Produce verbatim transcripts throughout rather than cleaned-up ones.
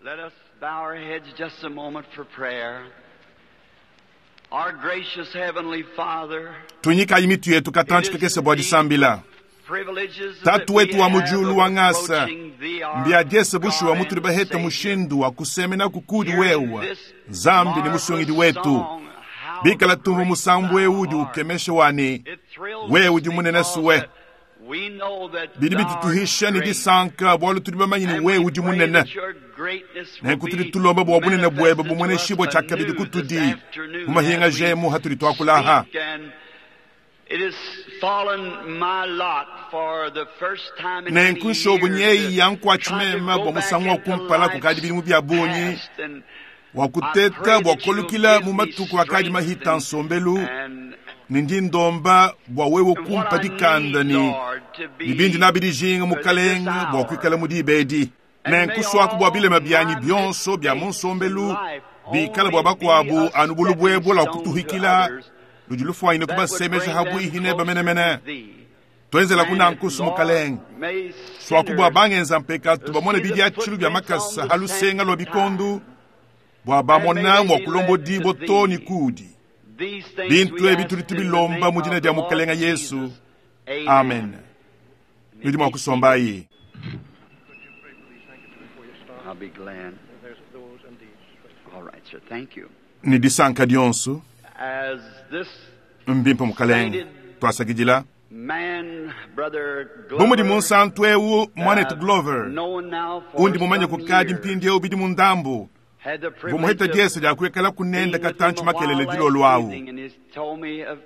Let us bow our heads just a moment for prayer. Our gracious Heavenly Father, tunyikayi mitu yetu katanchi kakese bua disambila privileges tatu wetu wa mujulu wa ng'asa mbiadie mbiadiese bushuwa mutuli baheta mushindu wa kusemena kukudi wewa nzambi ni musungidi wetu bikala tumvu musambu ewu udi ukemesha wani wewe udi munene suwe bidi bitutuhisha ni disanka bualu tudi bamanyi ni wewe udi munene nenku tudi tulomba bua bunene buebe bumueneshibua tshiakabidi kutudi mu mahinga jemu hatudi tuakulaha nenku nshobu nyeyi yankuatshimema bua musangu wa kumpala kukadi bidimu bia bungi wa kuteta bua kolukila mu matuku akadi mahita nsombelu ni ndi ndomba bua wewe kumpa dikanda ni ni bindi nabi dijinga mukalenga bua kuikala mu diba edi nenkuswaku bua bilema byanyi bionso bya mu nsombelu bikala bua bakuabu anu bulu lua kutuhikila ludi lufuanyine kubasemesha habuihi neba menemene twenzela kunankusu mukalenga swaku bua bangenza mpekatu bamone bidiatshilu bya makasa ha lusenga lua bikondu bua bamona mua kulombodibua to ni kudi bintu ebi tudi tubilomba mu dina dia mukalenga Yesu, amen. Nudi mua kusombayi. I'll be glad. All right, sir. Thank you. Ni disanka dionso As this mbimpe mukalenga twasakidila man, Brother bu mudi Glover, munsantu ewu mwanetu Glover known now for undi mumanye some kukadi years, mpindi ewu bidi mundambu had the privilege vumuheta of diese dia kuikala kunenda being with katanchi him a while makelele last dilolo awu evening, and he's told me of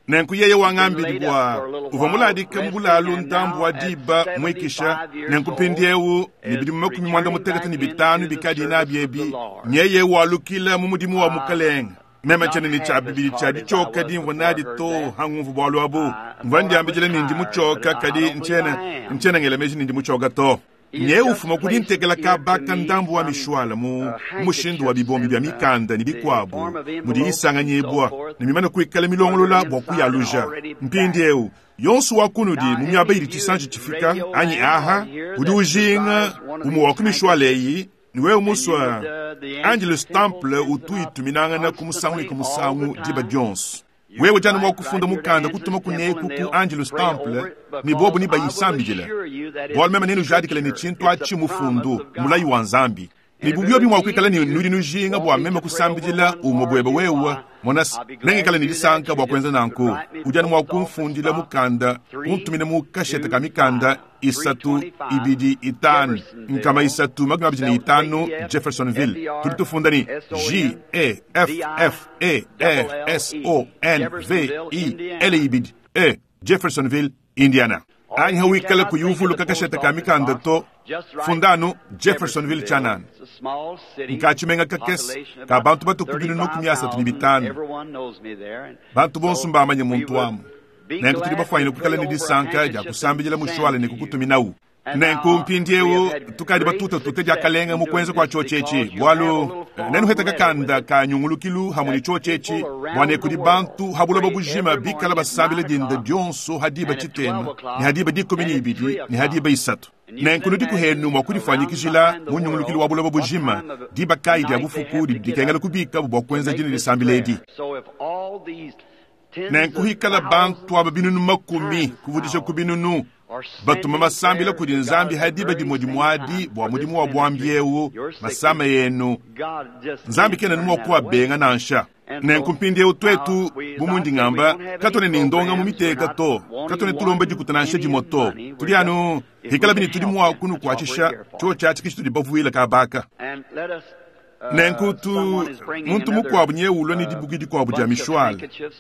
nenku yeye wang'ambili bua uvua muladika mu bulalu ndambu wa diba mwikisha nenku mpindi ewu ni bidimu makumi mwanda mutekete ni bitanu bikadi inabi ebi nyeye walukila mu mudimu wa mukalenga meme tshene ni tshia bibidi tshia ditshioka dimvua nadi to hangumvu bualu abu mvua ndiambidila nindi mutshioka kadi ntshene ntshene ngela meji nindi mutshioka to nye ufuma kudi ntekela kabaka ndambu wa mishwala mu mushindu wa bibombi bya mikanda ni bikwabu mudi isanganyibwa ni mimane kuikala milongolola bua kuyaluja mpindi ewu yonso wa kunudi mu miaba idi tshisanji tshifika anyi aha udi ujinga umue wa ku mishwala eyi ni wewe muswa Angelus Temple utu ituminangana ku musangu ne ku musangu diba dionso wewe jana mwa kufunda mukanda kutuma kuneku ku Angelus Temple ni bobu ni bayisambidila bualu meme nenu jadikila ni tshintu atshi mufundu mulayi wa nzambi ni bubio bimwa kuikala ni nudi nujinga bua meme kusambidila umue buebe wewe monasi nengikala ni disanka bua kuenza nanku udi anu mua kumfundila mukanda kuntumina mu kashete ka mikanda isatu ibidi itanu nkama isatu makumi abidi ni itanu Jeffersonville tudi tufunda ni J E F F E R S O N V I L ibidi E Jeffersonville Indiana anyi hawikala kuyuvuluka kashete ka mikanda to fundanu Jeffersonville tshanana nkatshimenga kakese ka bantu batuku binunu kumi asatu ni bitanu bantu bonso mbamanye muntu wamu nenku tudi bafuanyine kuikala ni disanka dia kusambidila mushwala ne kukutuminawu nenku mpindi ewu tukadi batuta tute dia kalenga mu kuenza kua tshiotshetshi bualu nenuheta kakanda ka nyungulukilu hamwe ni tshiotshetshi bua ne kudi bantu habuloba bujima bikala basambila dinda dionso hadiba tshitema ni hadiba dikumi ni ibidi ni hadiba isatu nenku nudi kuhenu mua kudifanyikijila mu nyungulukilu wa buloba bujima diba kayi dia bufuku didi dikengela kubika bua kuenza dina disambila edi So if all these tens nenku of hikala bantu aba binunu makumi kuvudisha ku binunu batuma masambila kudi nzambi hadiba dimue dimuadi bua mudimu wa buambi ewu masama yenu God just nzambi can't kena turn numua that kuwabenga away. nansha nenku mpindi ewu twetu bumundi ng'amba katone ni ndonga mu miteka to katone tulomba dikuta nansha dimue to tudi anu hikala bini tudi mua kunukuatshisha tshio tshiatshi kishi tudi bavuila kabaka And let us, uh, nenku tu someone is bringing muntu another, mukuabu nye ulua ni uh, dibuki dikuabu dia bunch of mishwala handkerchiefs.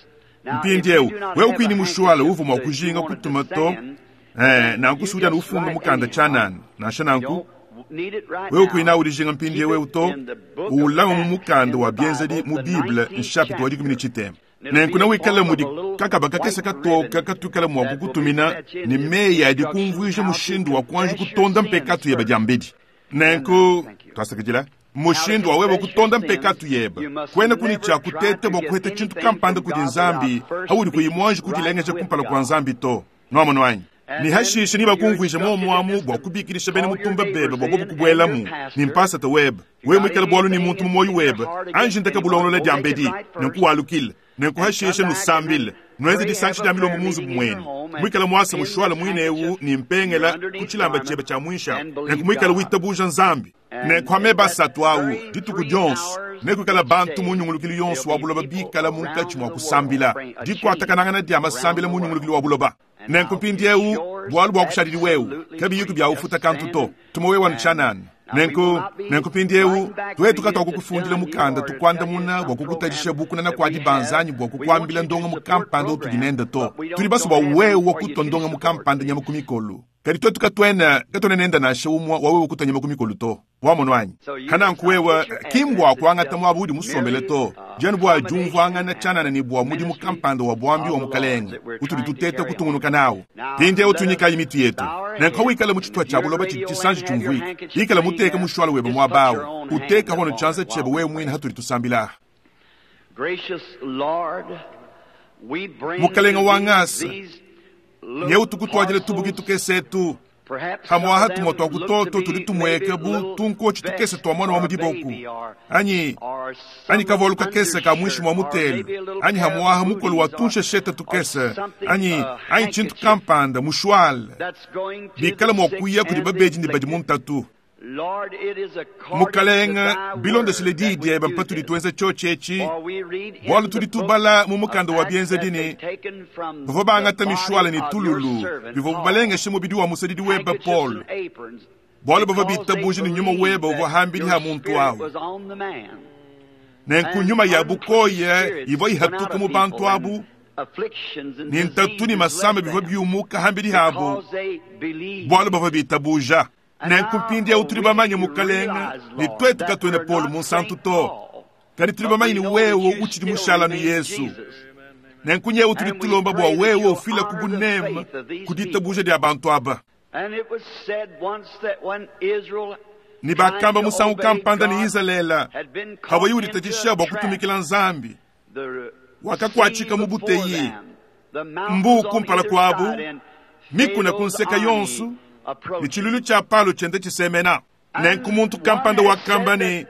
Now, if mpindi you ewu do not wewe have kwini a mushwala handkerchief uvu mua that you kujinga wanted to kutuma to send, eh, nanku you sudia just ufunga write mukanda anyhow. tshanana nansha nanku Don't need it right wewe now. kwina udijinga mpindi Keep ewe it to in the book of ulama mu Acts mukanda in wa the bienzedi Bible, mu the Bible nineteenth nshapita wa dikumi ni chapter. tshitema It'll nenku be na a wikala form of mudi a little kakaba kakese white katoka ribbon katukala mua that will be kukutumina fetched in ni the meyi adi instructions kumvuija how to mushindu wa kuanji confess your kutonda sins mpekatu yeba first. dia mbidi nenku Thank you. twasakidila mushindu wa wewe kutonda mpekatu yeba kwena kuni tshia kutete bua kuheta tshintu kampanda kudi nzambi haudi kuyi muanji kudilengeja kumpala kua nzambi to nuamono anyi Ne hashishe nibakumvuije muomuamu bua kubikilisha bena mutumba bebe bua bobo kubuelamu ne mpasata webe. Wewe muikale bualu ne muntu mu muoyo webe, anji ntaka bulongolola dia mbedi, nenku walukile, nenku hashishe nusambile. Nuenze disangisha dia milombo mu nzubu muenu. Muikale muasa mushwala muinewu ne mpengela ku tshilamba tshiebe tshia muinshi amu. Nenku muikale witabuja Nzambi. Nenku ameba asatu awu dituku dionso nekuikala bantu mu nyungulukilu yonso wa buloba bikala munkatshi mua kusambila, dikuatakanangana dia masambila mu nyungulukilu wa buloba. Nenku mpindiewu bualu bua kushadidi wewe kabiyiku bya ufuta kantu to tuma wewe wanutshanana. Nenku nenku mpindiewu twetu katwakukufundila mukanda tukuandamuna bua kukutadisha bukunana kua dibanza anyi bua kukuambila ndonga mukampanda utudi nende to. Tudi baso bua wewe kutwa ndonga mukampanda nyama ku mikolo. Kadi twetu katwena katwena nenda nansha umwa wa wewe kutwa nyama ku mikolo to. Wamono anyi? Hananku wewe kimbwa kuangata mwabu udi musombele to. Dianu bua jumvuangana tshanana ni bua mudimu kampanda wa bwambi wa mukalenge utudi tuteta kutungunuka nawo. Mpindiewu tunyikayi mitu yetu. Nenku wikala mu tshituha tshia buloba tshidi tshisanji tshiumvuika. Ikala muteka mushwala webe mwabawu. Uteka hono tshanza tshiebe wewe mwine hatudi tusambila. Mukalenga wa ngasa, nyeu tukutwadile tubuki tukesetu. Hamwaha tumwa twa kutoto tudi tumweka bu tunkochi tukese twa mwana wa mudiboku. Anyi, anyi kavolu kakese ka mwishi mwa mutelu. Anyi hamwaha mukolo wa tunshesheta tukese. Anyi, anyi chintu kampanda, mushwala. Bikala mwa kuya kudi babeji ni badi muntatu. Mukalenga, bilondeshile diyi diebe mpatudi tuenza tshotshetshi, bualu tudi tubala mu mukanda wa bienzedi ne bavua bangata mishwala ne tululu bivua balengeshe mubidi wa musadidi webe Paul, bualu bavua bitabuje ne nyuma webe uvua hambidi ha muntu awu. Nenku nyuma ya bukoya ivua ihatuka mu bantu abu, ne ntatu ne masamba bivua biumuka hambidi habo, bualu bavua bitabuja. Nenku mpindiewu tudi bamanye mukalenga ne twetu katwene Paul munsantu to, kadi tudi bamanye ne wewe utshidi mushalanu Yesu. Nenku nyewu tudi tulomba bua wewe ufila ku bunema ku ditabuja dia bantu aba. Ne bakamba musangu kampanda ne Izalele hawayi uditatshisha bua kutumikila Nzambi, wakakuatshika mu buteyi mbu kumpala kuabu, mikuna ku nseka yonso, ne tshilulu tshia palo tshiende tshisemena. Nenku muntu kampanda wakamba ne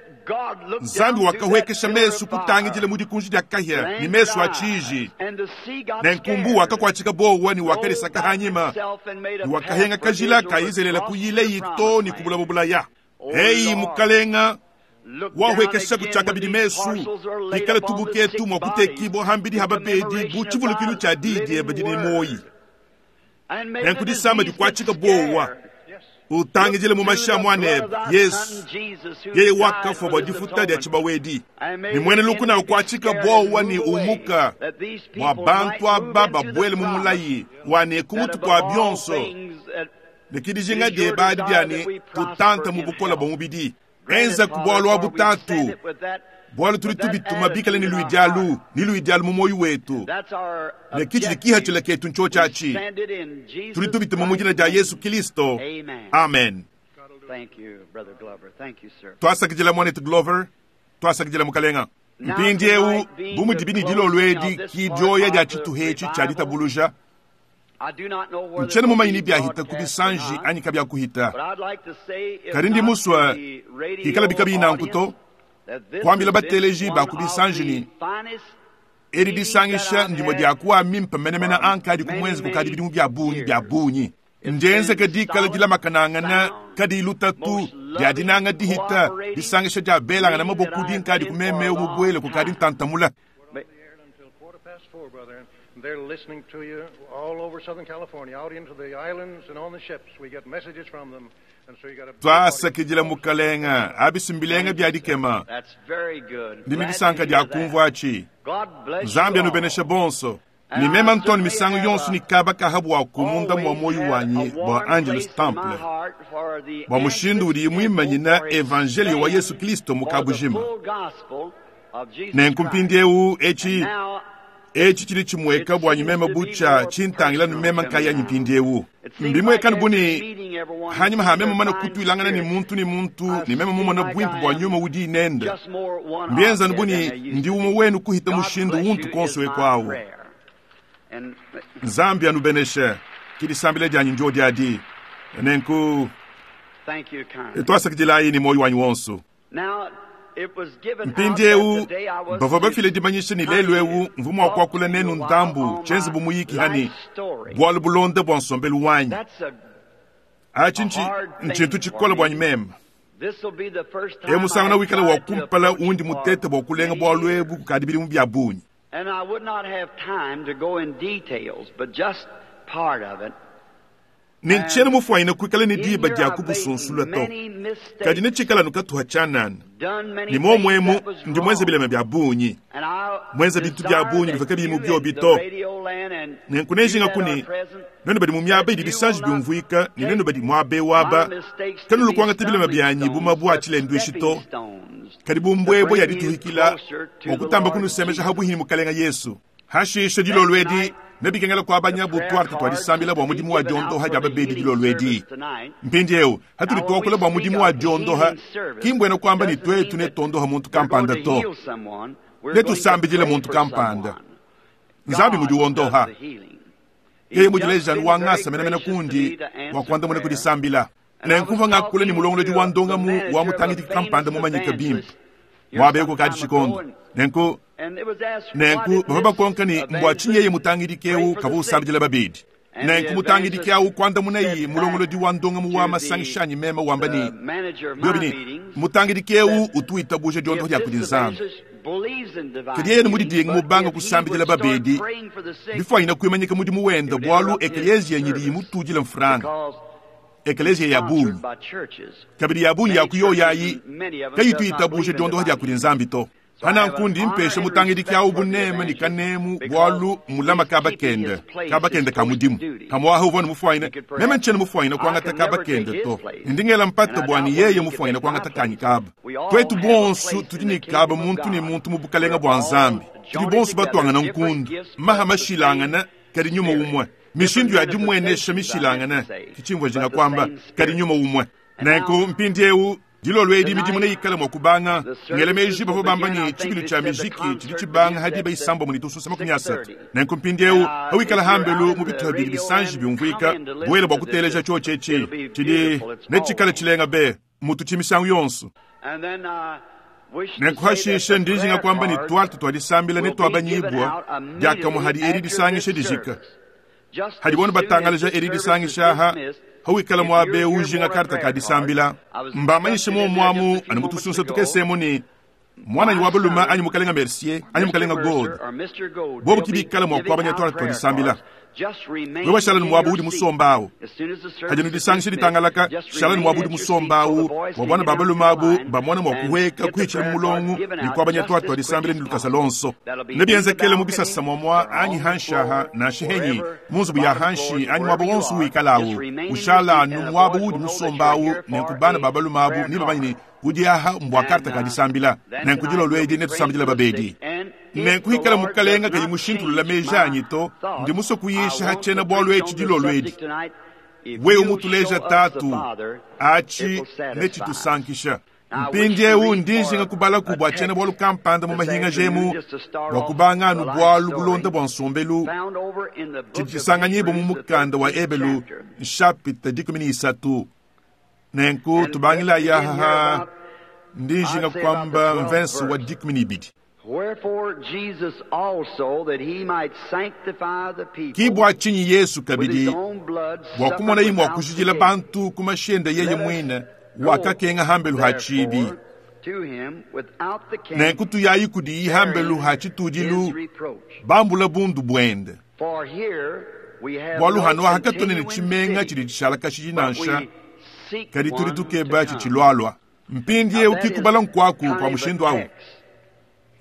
Nzambi wakahwekesha mesu kutangidila mu dikunji dia kahia ne mesu a tshiji. Nenku mbu wakakuatshika bowa ne wakalisaka hanyima, ne wakahenga kajila ka Izalele kuyila yito ne kubulaba bulaya. Eyi mukalenga, wahwekesha kutshiakabidi mesu ikala tubuketu mua kutekibua hambidi ha babedi bu tshivulukilu tshia diyi diebe didi ne muoyi. Nenku disamba dikuatshika bowa utangidile mu mashi a muanebe Yesu, yeye wakafua bua difuta dia tshibawedi. Ne muena lukuna ukuatshika bowa ne umuka bua bantu aba babuele mu mulayi wa ne ku mutu kua bionso, ne kidijinga diebe adi dia ne tutanta mu bukola bua mubidi. Enza ku bualu abu tatu, bualu tudi tubituma bikale ne luidialu ne luidialu mu muoyo wetu, ne kitshidi kihatshila ketu ntshotshatshi. Tudi tubituma mu dina dia Yesu Kristo. Amen. Twasakidila mwanetu Glover, twasakidila mukalenga. Mpindiewu bu mudibi ne dilolo edi ki dioya dia tshituha tshia ditabuluja. Ntshiena mumanyi ni biahita ku bisanji anyi kabiakuhita. Kadi ndi musua ikala bikabi nanku to, kuambila bateleji ba ku bisanji ni edi disangisha ndimo dia kuwa mimpe menemene ankadi ku mwenzi kukadi bidimu bia bungi bia bungi. Ndienzeke dikala dilamakanangana kadi lutatu dia dinanga dihita disangisha dia belangana maboku dinkadi kumemeu mubuele kukadi ntantamula. They're listening to you all over Southern California, out into the islands and on the ships. We get messages from them. And so you got a Twasakidila mukalenga abisimbilenga bya dikema. Ndimi disanka dia kumvua atshi. Nzambi anubenesha bonso. Ni mema ntoni misangu yonso ni kaba kahabu wa kumunda mwa moyo wanyi bwa Angelus Temple. Bwa mushindu udi mwimanyina evangelio wa Yesu Kristo mukabujima. Nenku mpindiewu echi echi chili chimweka bwa nyumema bucha chintangila numema nkaya nyipindiewu. Mbimweka nubuni hanyuma ha mema mana kutwilangana ni muntu ni muntu ni mema mumona bwimpu bwa nyuma udi inenda. Mbienza nubuni ndi umo wenu kuhita mushindu untu konso wekwawu. Nzambi anubeneshe. Ke disambila dianyi njo diadi. Nenku twasakidilayi ne muoyo wanyi wonso. Mpindieu bavua bafile dimanyisha ne lelu eu mvua mua kuakula nenu ndambu tshienze bu muyiki hani bualu bulonda bua nsombelu wanyi. Atshi ntshintu tshikole buanyi meme. E musangana wikala wa kumpala undi mutete bua kulenga bualu ebu kukadi bidimu bia bungi. And I would not have time to go in details, but just part of it. Ne ntshiena mufuanyine kuikala ne diba dia kubusunsula to. Kadi ne tshikala nukatuha tshianana. Ne momwemu ndi mwenze bilema bia bungi. Mwenze bintu bia bungi bivua kabiyi mu biobi to. Nenku nejinga kuni nenu badi mu miaba idi bisanji biumvuika ne nenu badi muaba waba kanulu kuangata bilema byanyi bu mabua a tshilenduishi to. Kadi bu mbwebo ya dituhikila bua kutamba kunusemesha habuhi ni mukalenga Yesu. Hashisha dilolo edi nebikengela kuabanya butwarte twalisambila bua mudimu wa diondoha dia babedi dilolo edi. Mpindieu hatudi tuakula bua mudimu wa diondoha kimbwena kuamba ni twetu netondoha muntu kampanda to. Netusambidile muntu kampanda. Nzambi mudi wondoha. Yeye mudileja wangasa menamena kundi wa kuandamuna kudisambila. Nenkumva ngakula ni mulongolodi wa ndongamu wa mutangidi kampanda mumanyika bimpe. Mwabeko kadi tshikondo. Nenku nenku bava bakonka ni mbwa tshinyi yeye mutangidi keu kavua usambidila babedi. Nenku mutangidi keu kuandamuna yi mulongolodi wa ndongamu wa masangishanyi meme wamba ni biobi ni mutangidi keu utu itabuja diondoho dia kudi Nzambi. Kadi yeye mudidinga mubanga kusambidila babedi bifwanyina kuimanyika mudimu wenda bualu ekelezia nyidi imutudila mfranga. Ekelezia ya bungi kabidi ya bungi ya kuyoyayi kayitu itabuje diondoho dia kudi Nzambi to. Hana nkundi mpesha mutangidi kya ubuneme ni kanemu bualu mulama kaba kende kaba kende ka mudimu hamwaha uvona mufwaine meme nchene mufwaine kuangata kaba kende to ndingela mpata bwani yeye mufwaine kuangata kanyi kaba. Twetu bonsu tudi ni kaba muntu ni muntu mu bukalenga bwa Nzambi. Tudi bonsu batwangana nkundu maha mashilangana kadi nyuma umwe mishindu ya dimwenesha mishilangana kichimvwa jinga kwamba kadi nyuma umwe. Nenku mpindieu dilolo edi midimu neikala mua kubanga ngele meji bavua bamba ni tshibilu tshia mijiki tshidi tshibanga hadi baisamba muni tususa makumi asatu. Nenku mpindieu awikala hambelu mu bituha bidi bisanji biumvuika buela bua kuteleja tshiotshetshi tshidi netshikala tshilenga be mutu tshimisangu yonso. Nenku hashisha ndijinga kwamba ni twarte twalisambila ne twabanyibwa diakamue hadi edi disangisha dijika. Hadi bonu batangalaja edi disangisha ha hawikala mwabe ujinga karta kadisambila mbamanyishe mo mwamu ani mutusunsa tukesemo ni mwana ni wabaluma anyi mukalenga Mercier anyi mukalenga Gold bobo kibikala mwa kwabanya twala twadisambila. Wewe shala ni mwabu udi musombawo hadi nudisangisha ditangalaka shala ni mwabu udi musombawo wa bwana babaluma abu bamwana mwa kuweka kuichila mulongo ni kwabanya twala twadisambila ni lukasa lonso nebienzekele mu bisasa mwamwa anyi hanshaha na shehenyi munzubu ya hanshi anyi mwabo wonsu wikalawo ushala nu mwabu udi musombawo nenkubana babaluma abu ni bamanyi udi aha mbwa karta kadisambila nenkudilo lwedi netusambila babedi. Nenkuhikala mukalenga kayi mushintulula mejanyi to ndi muso kuyisha hachena bwalu echi dilo lwedi. Wewe mutuleja tatu achi nechitusankisha. Mpindieu ndijinga kubala kubwa chena bwalu kampanda mu mahinga jemu bwa kubanga anu bwalu bulonda bwa nsombelu tshidi mu mukanda wa Ebelu nshapita dikumi ni isatu. Nenku tubangila yahaha ndijinga kwamba mvensi wa dikumi ni ibidi. Kibwa chinyi Yesu kabidi bwa kumona imwa kushijila bantu kumashenda yeye mwine wakakenga hambelu hachibi. Nenku tuyayi kudi hambelu hachitudilu bambula bundu bwende. Bwalu hano hakatone ne chimenga chidi chishala kashiji nansha kadi tuli tukeba chichilwalwa. Mpindie ukikubala nkwaku kwa mushindu awu.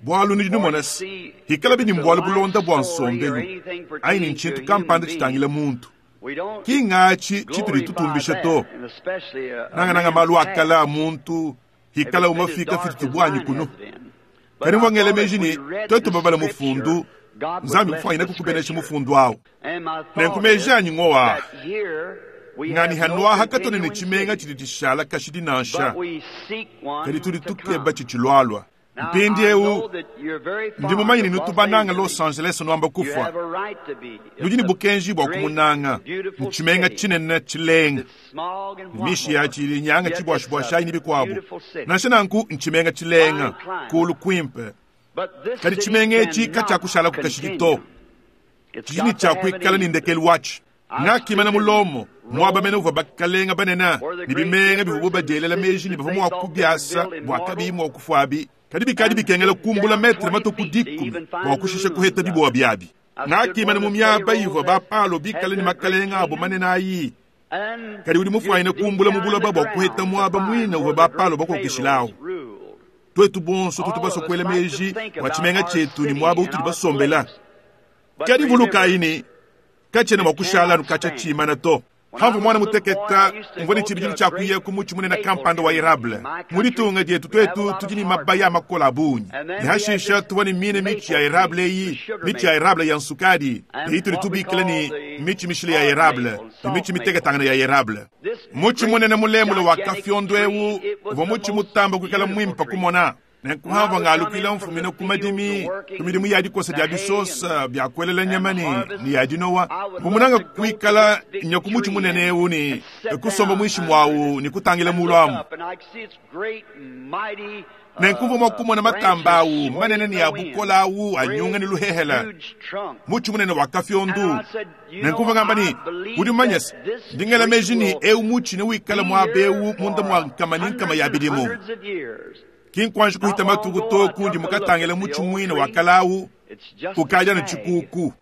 Bwalu ni numona hikala bini mbwalu bulonda bwa nsombelu aini nchintu kampanda chitangila muntu kingachi chituli tutumbisha to nanga nanga malu akala muntu hikala umafika fitu bwanyi kuno kani mwangele mejini twetu babala mufundu Nzambi mfanyina kukubenesha mufundu awo. Nenkumejanyi ngowa ngani hanwa hakatone ne chimenga chidi chishala kashidi nansha kadi tuli tukeba chichilwalwa. Mpindieu ndi mumanye ne nutu bananga Los Angeles nuamba kufwa. Nudi ne bukenji bua kumunanga. Ntshimenga tshinene tshilenga. Mishi yatshi ili nyanga tshibuashibuashayi ne bikuabu. Nansha nanku ntshimenga tshilenga, kulu kuimpe. Kadi tshimenga etshi katshiakushala kukashidi to. Tshidi ne tshiakuikala ne ndekelu watshi. Ngakimana mulomo muaba mene uvua bakalenga banene ne bimenga bivua badielela meji ne bavua mua kubiasa bua kabiyi mua kufuabi. Kadi bikadi bikengela kumbula metre matuku dikumi bua kushisha kuheta biboa biabi. Ngakimana mu miaba ivua bapalo bikale ne makalenga abo manene ayi. Kadi udi mufuanyine kumbula mu buloba bua kuheta muaba muine uvua bapalo bakokeshilawu. Twetu bonso tutu basue kuela meji bua tshimenga tshietu ne muaba utudi basombela. Kadi vulukayi ne katshiena mua kushala anu katshia tshimana to. Hamvu mwana muteketa mvua ne tshibidilu tshia kuya ku mutshi munene kampanda wa érable. Mu ditunga dietu twetu tudi ne mabaya a makola a bungi. Ne hashisha tuvua ne mine mitshi ya érable eyi, mitshi ya érable ya nsukadi, ne itudi tubikila ne mitshi mishile ya érable, ne mitshi miteketangana ya érable. Mutshi munene mulemule wa kafyondo ewu uvua mutshi mutamba kuikala mwimpe kumona. Nenkuhamva ngalukila mfumina ku madimi ku midimu ya dikosa dia bisosa bia kuelela nyama ne ne ya dinowa. Mvumunanga kuikala nya ku mutshi munene ewu ne kusomba muinshi mwawu ne kutangila mulu amu. Nenkumvua mua kumona matamba awu manene ne ya bukola awu anyunga ne luhehela. Mutshi munene wa kafyondu. Nenkumvua ngamba ne udi mumanye se ndingela meji ne ewu mutshi ne wikala muaba ewu munda mua nkama ne nkama ya bidimu. Kinkwanji kuhita matuku to kundi mukatangila mutshi muine wa kalawu ukaja ne tshikuku.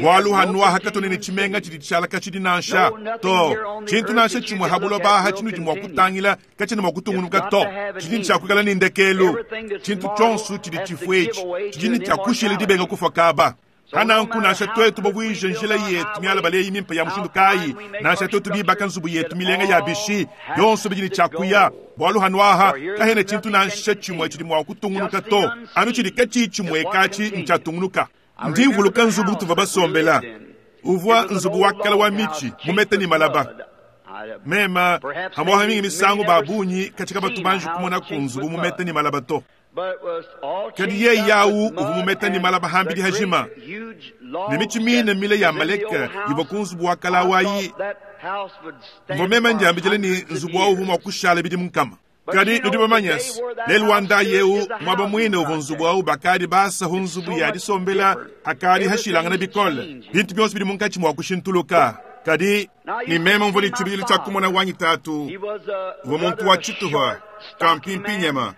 Bualu hanuaha katone ne tshimenga tshidi tshishala katshidi nansha to. Tshintu nansha tshimue habuloba aha tshinudi mua kutangila katshiena mua kutungunuka to. Tshidi ne tshiakuikala ne ndekelu. Tshintu tshionso tshidi tshifua etshi tshidi ne tshiakushila dibenga kufua kaba. Hananku nansha twetu bavuije njila yetu mialabala eyi mimpe ya mushindu kayi, nansha twetu bibaka nzubu yetu milenga ya bishi, yonso bidi ne tshiakuya. Bualu hanuaha kahena tshintu nansha tshimue tshidi mua kutungunuka to. Anu tshidi katshiyi tshimue katshi ntshiatungunuka. Ndi mvuluka nzubu tuvua basombela. Uvua nzubu wa kala wa mitshi mumete ne malaba. Mema hamuaha mingi misangu ba bungi katika batu banji kumona ku nzubu mumete ne malaba to. Kadi yeye yawu uvua mumete ne malaba hambidi hajima. Ne mitshi mine mile ya maleka ivua ku nzubu wa kala wayi. Mvua mema ndiambidile ne nzubu wawu uvua mua kushala bidimu nkama. Kadi nudi bamanye se lelu wa ndayi ewu muaba muine uvua nzubu awu bakadi basahu nzubu ya disombela akadi hashilangana bikole. Bintu bionso bidi munkatshi mua kushintuluka. Kadi ni mema mvua ne tshibidilu tshia kumona wanyi tatu uvua muntu wa tshituha kampimpinyema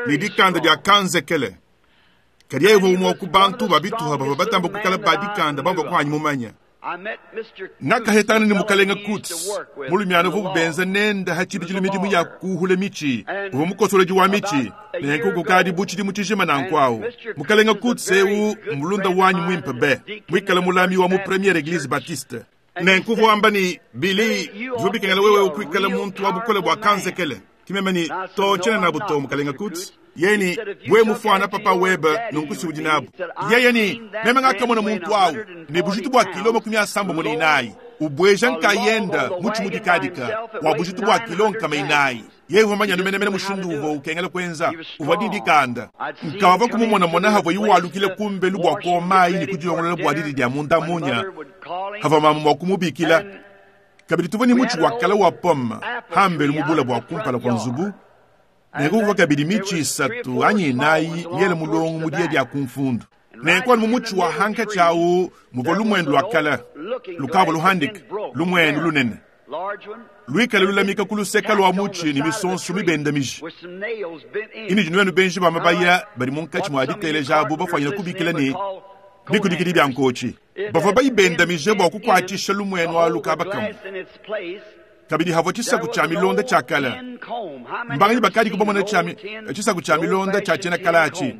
ne dikanda dia kanzekele. Kadi yeye uvua umue ku bantu ba bituha bavua batamba kuikala ba dikanda bavua kuanyi mumanya. Ngakahetangana ne mukalenga Kutz mulumiana uvua benza nenda ha tshibidilu midimu ya kuhula mitshi, uvua mukosolodi wa mitshi nenku kukadi bu tshidimu tshijima nanku awu. Mukalenga Kutz ewu mulunda wanyi muimpe be muikale mulami wa mu Première Église Baptiste. Nenku uvua wamba ne Billy bivua bikengela wewe ukuikala muntu wa bukole bua kanzekele. Kimeme ne to tshiena nabu to mukalenga Kutz. Yeye ni we mufuana papa webe nunku udi nabu. Yeye ni meme ngakamona muntu awu ne bujitu bua kilo makumi asamba mu inayi ubweja nkayenda mutshi mudikadika wa bujitu bua kilo nkama inayi. Yeye uvua manya numenemene mushindu uvua ukengela kuenza uvua didikanda. Nkavua kumumonamona havua iwalukile kumbelu bua kuomayi ne kudilongolola bua didi dia munda munya havua mamu mua kumubikila. Kabidi tuvua ne mutshi wa kala wa pomme hambelu mubula bua kumpala kua nzubu. Nenku kabidi mitshi isatu anyi inayi miele mulongo mu dia dia kumfundu. Nenku anu mu mutshi wa hanka tshiawu muvua lumuenu lua kala lukavua luhandika lumuenu lunene luikale lulamika ku luseka lua mutshi ne misonso mibenda miji. Ini dinuenu benji ba mabaya badi munkatshi mua diteleja abu bafuanyine kubikila ne bikudikidi bia nkotshi. Bavua bayibendamije bua kukuatshisha lumuenu alu kaba kamue. Kabidi havua tshisaku tshia milonda tshia kala. Mbanganyi bakadi kubamona tshia tshisaku tshia milonda tshia tshiena kala atshi.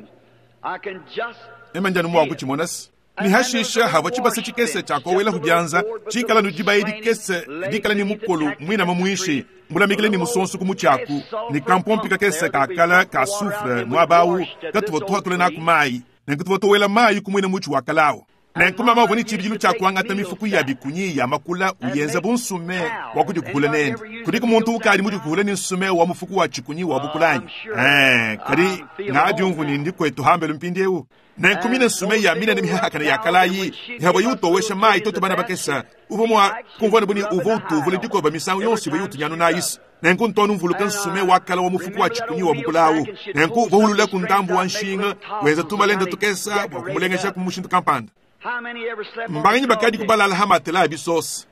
Ema ndianu mua kutshimona se. Ni hashisha havua tshibasa tshikese tshia kowela hu bianza tshikala nu dibayi dikese dikala ni mukolo mwinama muishi mulamikile ni musonso ku mutshi ni kampompi kakese ka kala ka soufre muaba awu katuvua tuhatula naku mayi. Nenku tuvua towela mayi ku mwina mutshi wa kalawu. Nenku mama uvua ne tshibidilu tshia kuangata mifuku ya bikunyi ya makula uyenza bu nsume wa kudikukula nende. Kudiku muntu ukadi mudikukule ne nsume wa mufuku wa tshikunyi wa bukulanyi? Eh, kadi ngadiumvu ne ndi kwetu hambelu mpindieu. Nenku mine nsume ya minene mihakana ya kalayi ihabwa yutowesha mayi toto bana bakesa uvua mua kumvua buni uvua utuvula dikoba misangu yonso ivua yutunyanu nayisi. Nenku ntonu mvuluka nsume wakala wa mufuku wa tshikunyi wa bukulawu. Nenku uvua ku ndambu wa nshinga wenza tumalenda tukesa bua kumulengesha ku mushindu kampanda. Mbanganyi bakadi kubalala ha matela a bisosa.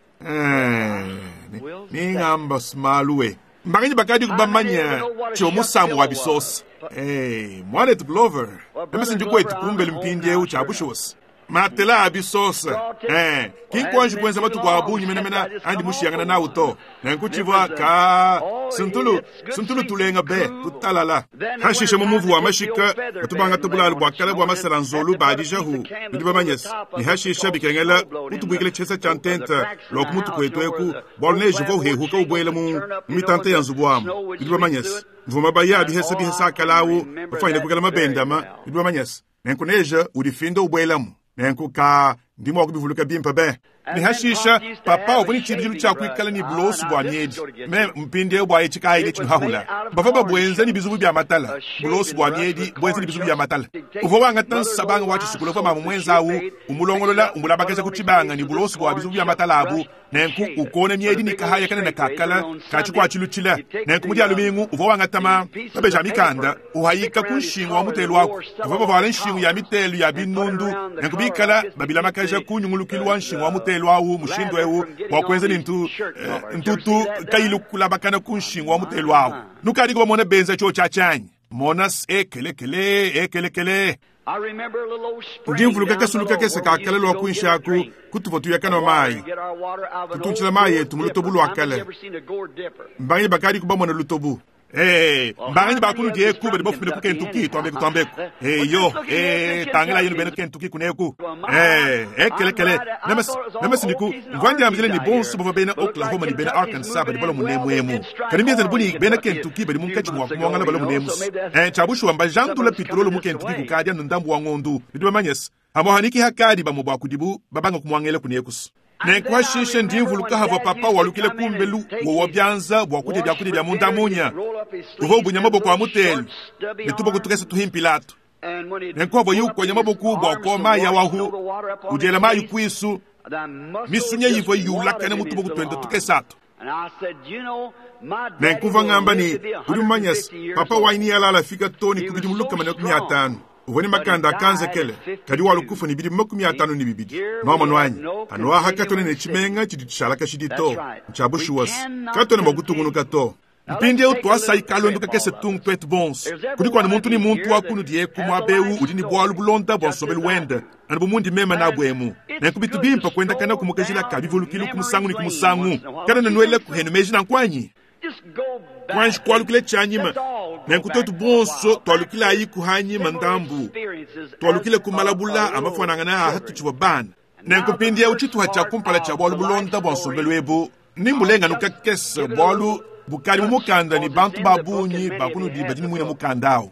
Ningamba smaluwe. Mbanganyi bakadi kubamanya tshio musamu wa bisosa. Eh, mwanetu Glover, meme ndi kwetu kumbelu mpindieu tshia bushosa. Matela a bisosa. Eh, kinkonji kwenza matuku a bungi menemene andi mushiyangana nawu to. Nenku tshivua ka suntulu, suntulu tulenga be tutalala. Hashishe mu muvu wa mashika batubanga tubulalu bua kala bua masala nzolu badijahu bidi bamanyesa. Ni hashisha bikengela kutubwikile tshesa tshia ntenta lwa ku mutu kwetu eku bwalu neji vo uhehuka ubwela mu mitanta ya nzubu wamu bidi bamanyesa. Mvuma baya bihesa bihesa akalawu bafanyile kukela mabendama bidi bamanyesa. Nenku neja udifinda ubwelamu. Nenku ka ndimo wa kubivuluka bimpa be. Ni hashisha papa uvua ne tshibidilu tshia kuikala ne bulosu bua miedi. Me mpindieu bua etshi kayi tshinuhahula. Bavua babwenza ne bizubu bia matala. Bulosu bua miedi bwenza ne bizubu bia matala. Uvua wangata nsabanga wa tshisukula uvua mama mwenza awu umulongolola umulabakaja ku tshibanga ne bulosu bua bizubu bia matala abu. Nenku ukona miedi ni kahaya kanene kakala katshikwatshilutshila. Nenku mu dia lumingu uvua wangata ma mabeja mikanda uhayika ku nshingu wa mutelu wako. Bavua bavuala nshingu ya mitelu ya binundu. Nenku bikala babilamakaja ku nyungulukilu wa nshingu wa mutelu awu mushindu ewu bua kuenza ne ntu ntutu kayilu kulabakana ku nshingu wa mutelu awu. Nukadi kubamona benza tshio tshia tshanyi. Mona ekelekele ekelekele. Ndi mvuluka kasulu kakese kakala lwa kunshaku kutuvua tuyakana mayi. Tutuntshila mayi etu mu lutobu lwa kale. Mbanganyi bakadi kubamona lutobu. Eh, mbanganyi bakulu eku badi bafumile ku Kentucky twambeku twambeku. Eh yo, eh tangila yenu bena Kentucky kuneku. Eh, ekelekele. Nemas nemas niku ngwandi amzile ni bonso bava bena Oklahoma ni bena Arkansas badi balo munemu emu. Kadi mbienza buni bena Kentucky badi munkatshi mua kumwangala balo munemu. Eh, chabushu amba jandula petrolo mu Kentucky kukadi anu ndambu wa ngondu. Bidi bamanyesa. Amohaniki hakadi bamwe bwa kudibu babanga kumwangela kunekusu. Nenku hashishe ndi mvuluka havua papa walukile kumbelu wowa byanza bua kudya byakulya bya munda munya. Uvua ubunya maboko a mutelu ne tuboko tukese tuhimpilato. Nenku havua yukonya maboko bua kuowa mayi awahu udiela mayi kuisu misunya yivua yulakana mu tuboko twenda tukesatu. Nenku mvua ngamba ni udi mumanyasa papa wanyi yalala fika toni kubidi mulukama ne makumi atanu. Uvua ne makanda akanzekele kadi walukufa ne bidi makumi atanu ne bibidi. Noamano anyi anoaha katone ne tshimenga tshidi tshishala kashidi to ntshia bushuwasi katone mua kutungunuka to. Mpindieu tuasayi kalondu kakese tungu twetu bonso. Kudi kuanu muntu ni muntu wa kunu dieku muabewu udi ne bualu bulonda bua nsombelu wende anu bu mundi mema nabu emu. Nenku bitu bimpa kuenda kana kumukajila ka bivulukilu ku musangu ne ku musangu. Kana nanuele kuhenu meji nanku anyi? Kwanji kualukile tshianyima. Nenku twetu bonso tualukilayi kuhanyima ndambu. Tualukile kumalabula amafuanangana aha tutshivua bana. Nenku mpindieu tshituha tshia kumpala tshia bualu bulonda bua nsombelu ebu nimbulenganu kakese bualu bukali mu mukanda ni bantu ba bungi bakunudi badi ni muina mukanda awu.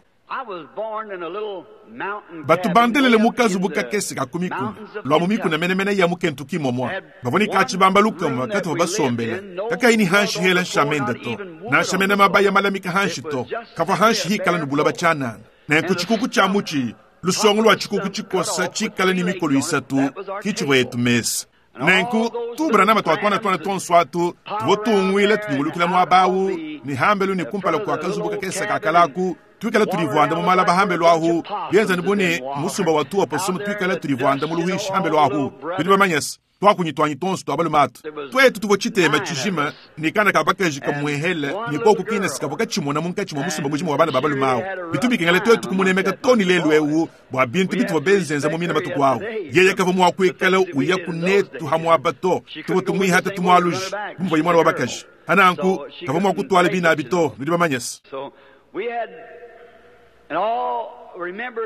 Batu bandelele mukazu bukakese ka kumikuna lwa mu mikuna menemene ya mu Kentucky momwa. Bavua ni katshibamba lukama katuvua basombela. Kakayi ni hanshi hela nshamenda to. Nansha mena mabaya malamika hanshi to. Kavua hanshi hikala nubula batshanana. Nenku tshikuku tshia mutshi lusongo lwa tshikuku tshikosa tshikala ni mikolo isatu kitshivua yetu mesa. Nenku tubra nama twatwana twana tonso atu tuvua tungwile tunyungulukila muabawu ni hambelu ni kumpala kua kazubu kakese kakalaku tuikala tulivuanda mu malaba hambelu ahu bienza ni bune musumba wa tuwa posomu tuikala tulivuanda mu luhishi hambelu ahu bidi bamanyesa twakunyi twanyi tonso twa balumatu twetu tuvua tshitema tshijima ni kana ka bakaji kamuehele ni koku kina sikavua katshimona munkatshi mwa musumba mujima wa bana ba balumawu bitu bikengela twetu kumunemeka toni lelu ewu bua bintu bituvua benzenza mu mina matuku awu yeye kavua mua kuikala uya kunetu hamuaba to tuvua tumuihata tumualuji bumvua imwana wa bakaji hananku kavua mua kutwala binabi to nudi bamanyesa.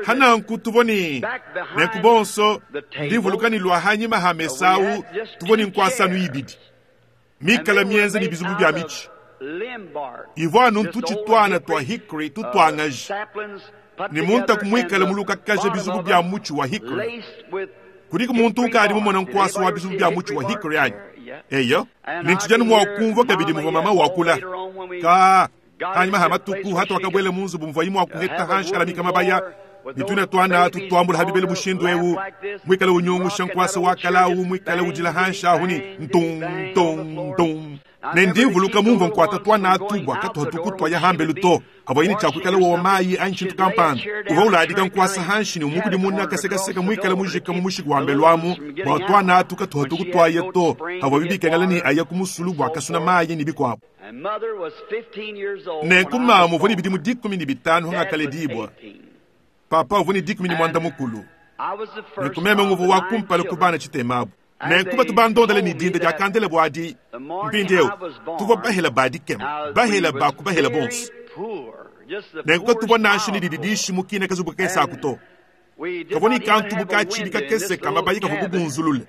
Hananku tuvua ni nenku bonso ndivuluka ni lwa hanyima ha mesau tuvua ni nkuasanu ibidi mikala mienza ni bizubu bia mitshi ivua anu ntutshitwana twa hickory tutwangaji ni muntu akumwikala mulukakaja bizubu bia mutshi wa hickory Kudiku muntu ukadi mumona nkwasa wa bizubu bya mutshi wa hickory anyi? Eyo, nintshijanu mwa kumvwa kabidi muvua mama wakula. Ka hanyuma ha matuku hatu wakabwela mu nzubu muvua imwe akuheta hanshi kalamika mabaya. Nituna twana tutwambula habibele bushindu ewu. Mwikale unyungusha nkwasa wa kalau, mwikale ujila hansha ahuni ntung tung tung. Nendivuluka mumva nkwata twana atubwa katuha tukutwa ya hambelu to. Avo ini chakwikala wa mayi anchi tukampanda. Uva uladika nkwasa hanshi ni umukudi muna kasekaseka mwikale mujika mu mushiku wa mbelu amu. Bwa twana atu katuha tukutwa ya to. Avo bibi kengala ni aya kumusulu bwa kasuna mayi ni bikwabo. Nenku mamu voni bidimu dikumi ni bitano hanga kale dibwa. Papa uvuni dikumi ni mwanda mukulu. Nenku meme nguvu wa kumpala kubana chitemabu. Nenku batu bandondele ni dinda dia kandele bwadi. Mpindieu, tuvua bahela badi kema. Bahela baku bahela bonso. Nenku tuvua nanshi ni dididishi mukina kazubu kesa akuto. Kavoni kantu bukachi bikakese kama bayi kavubu bunzulule.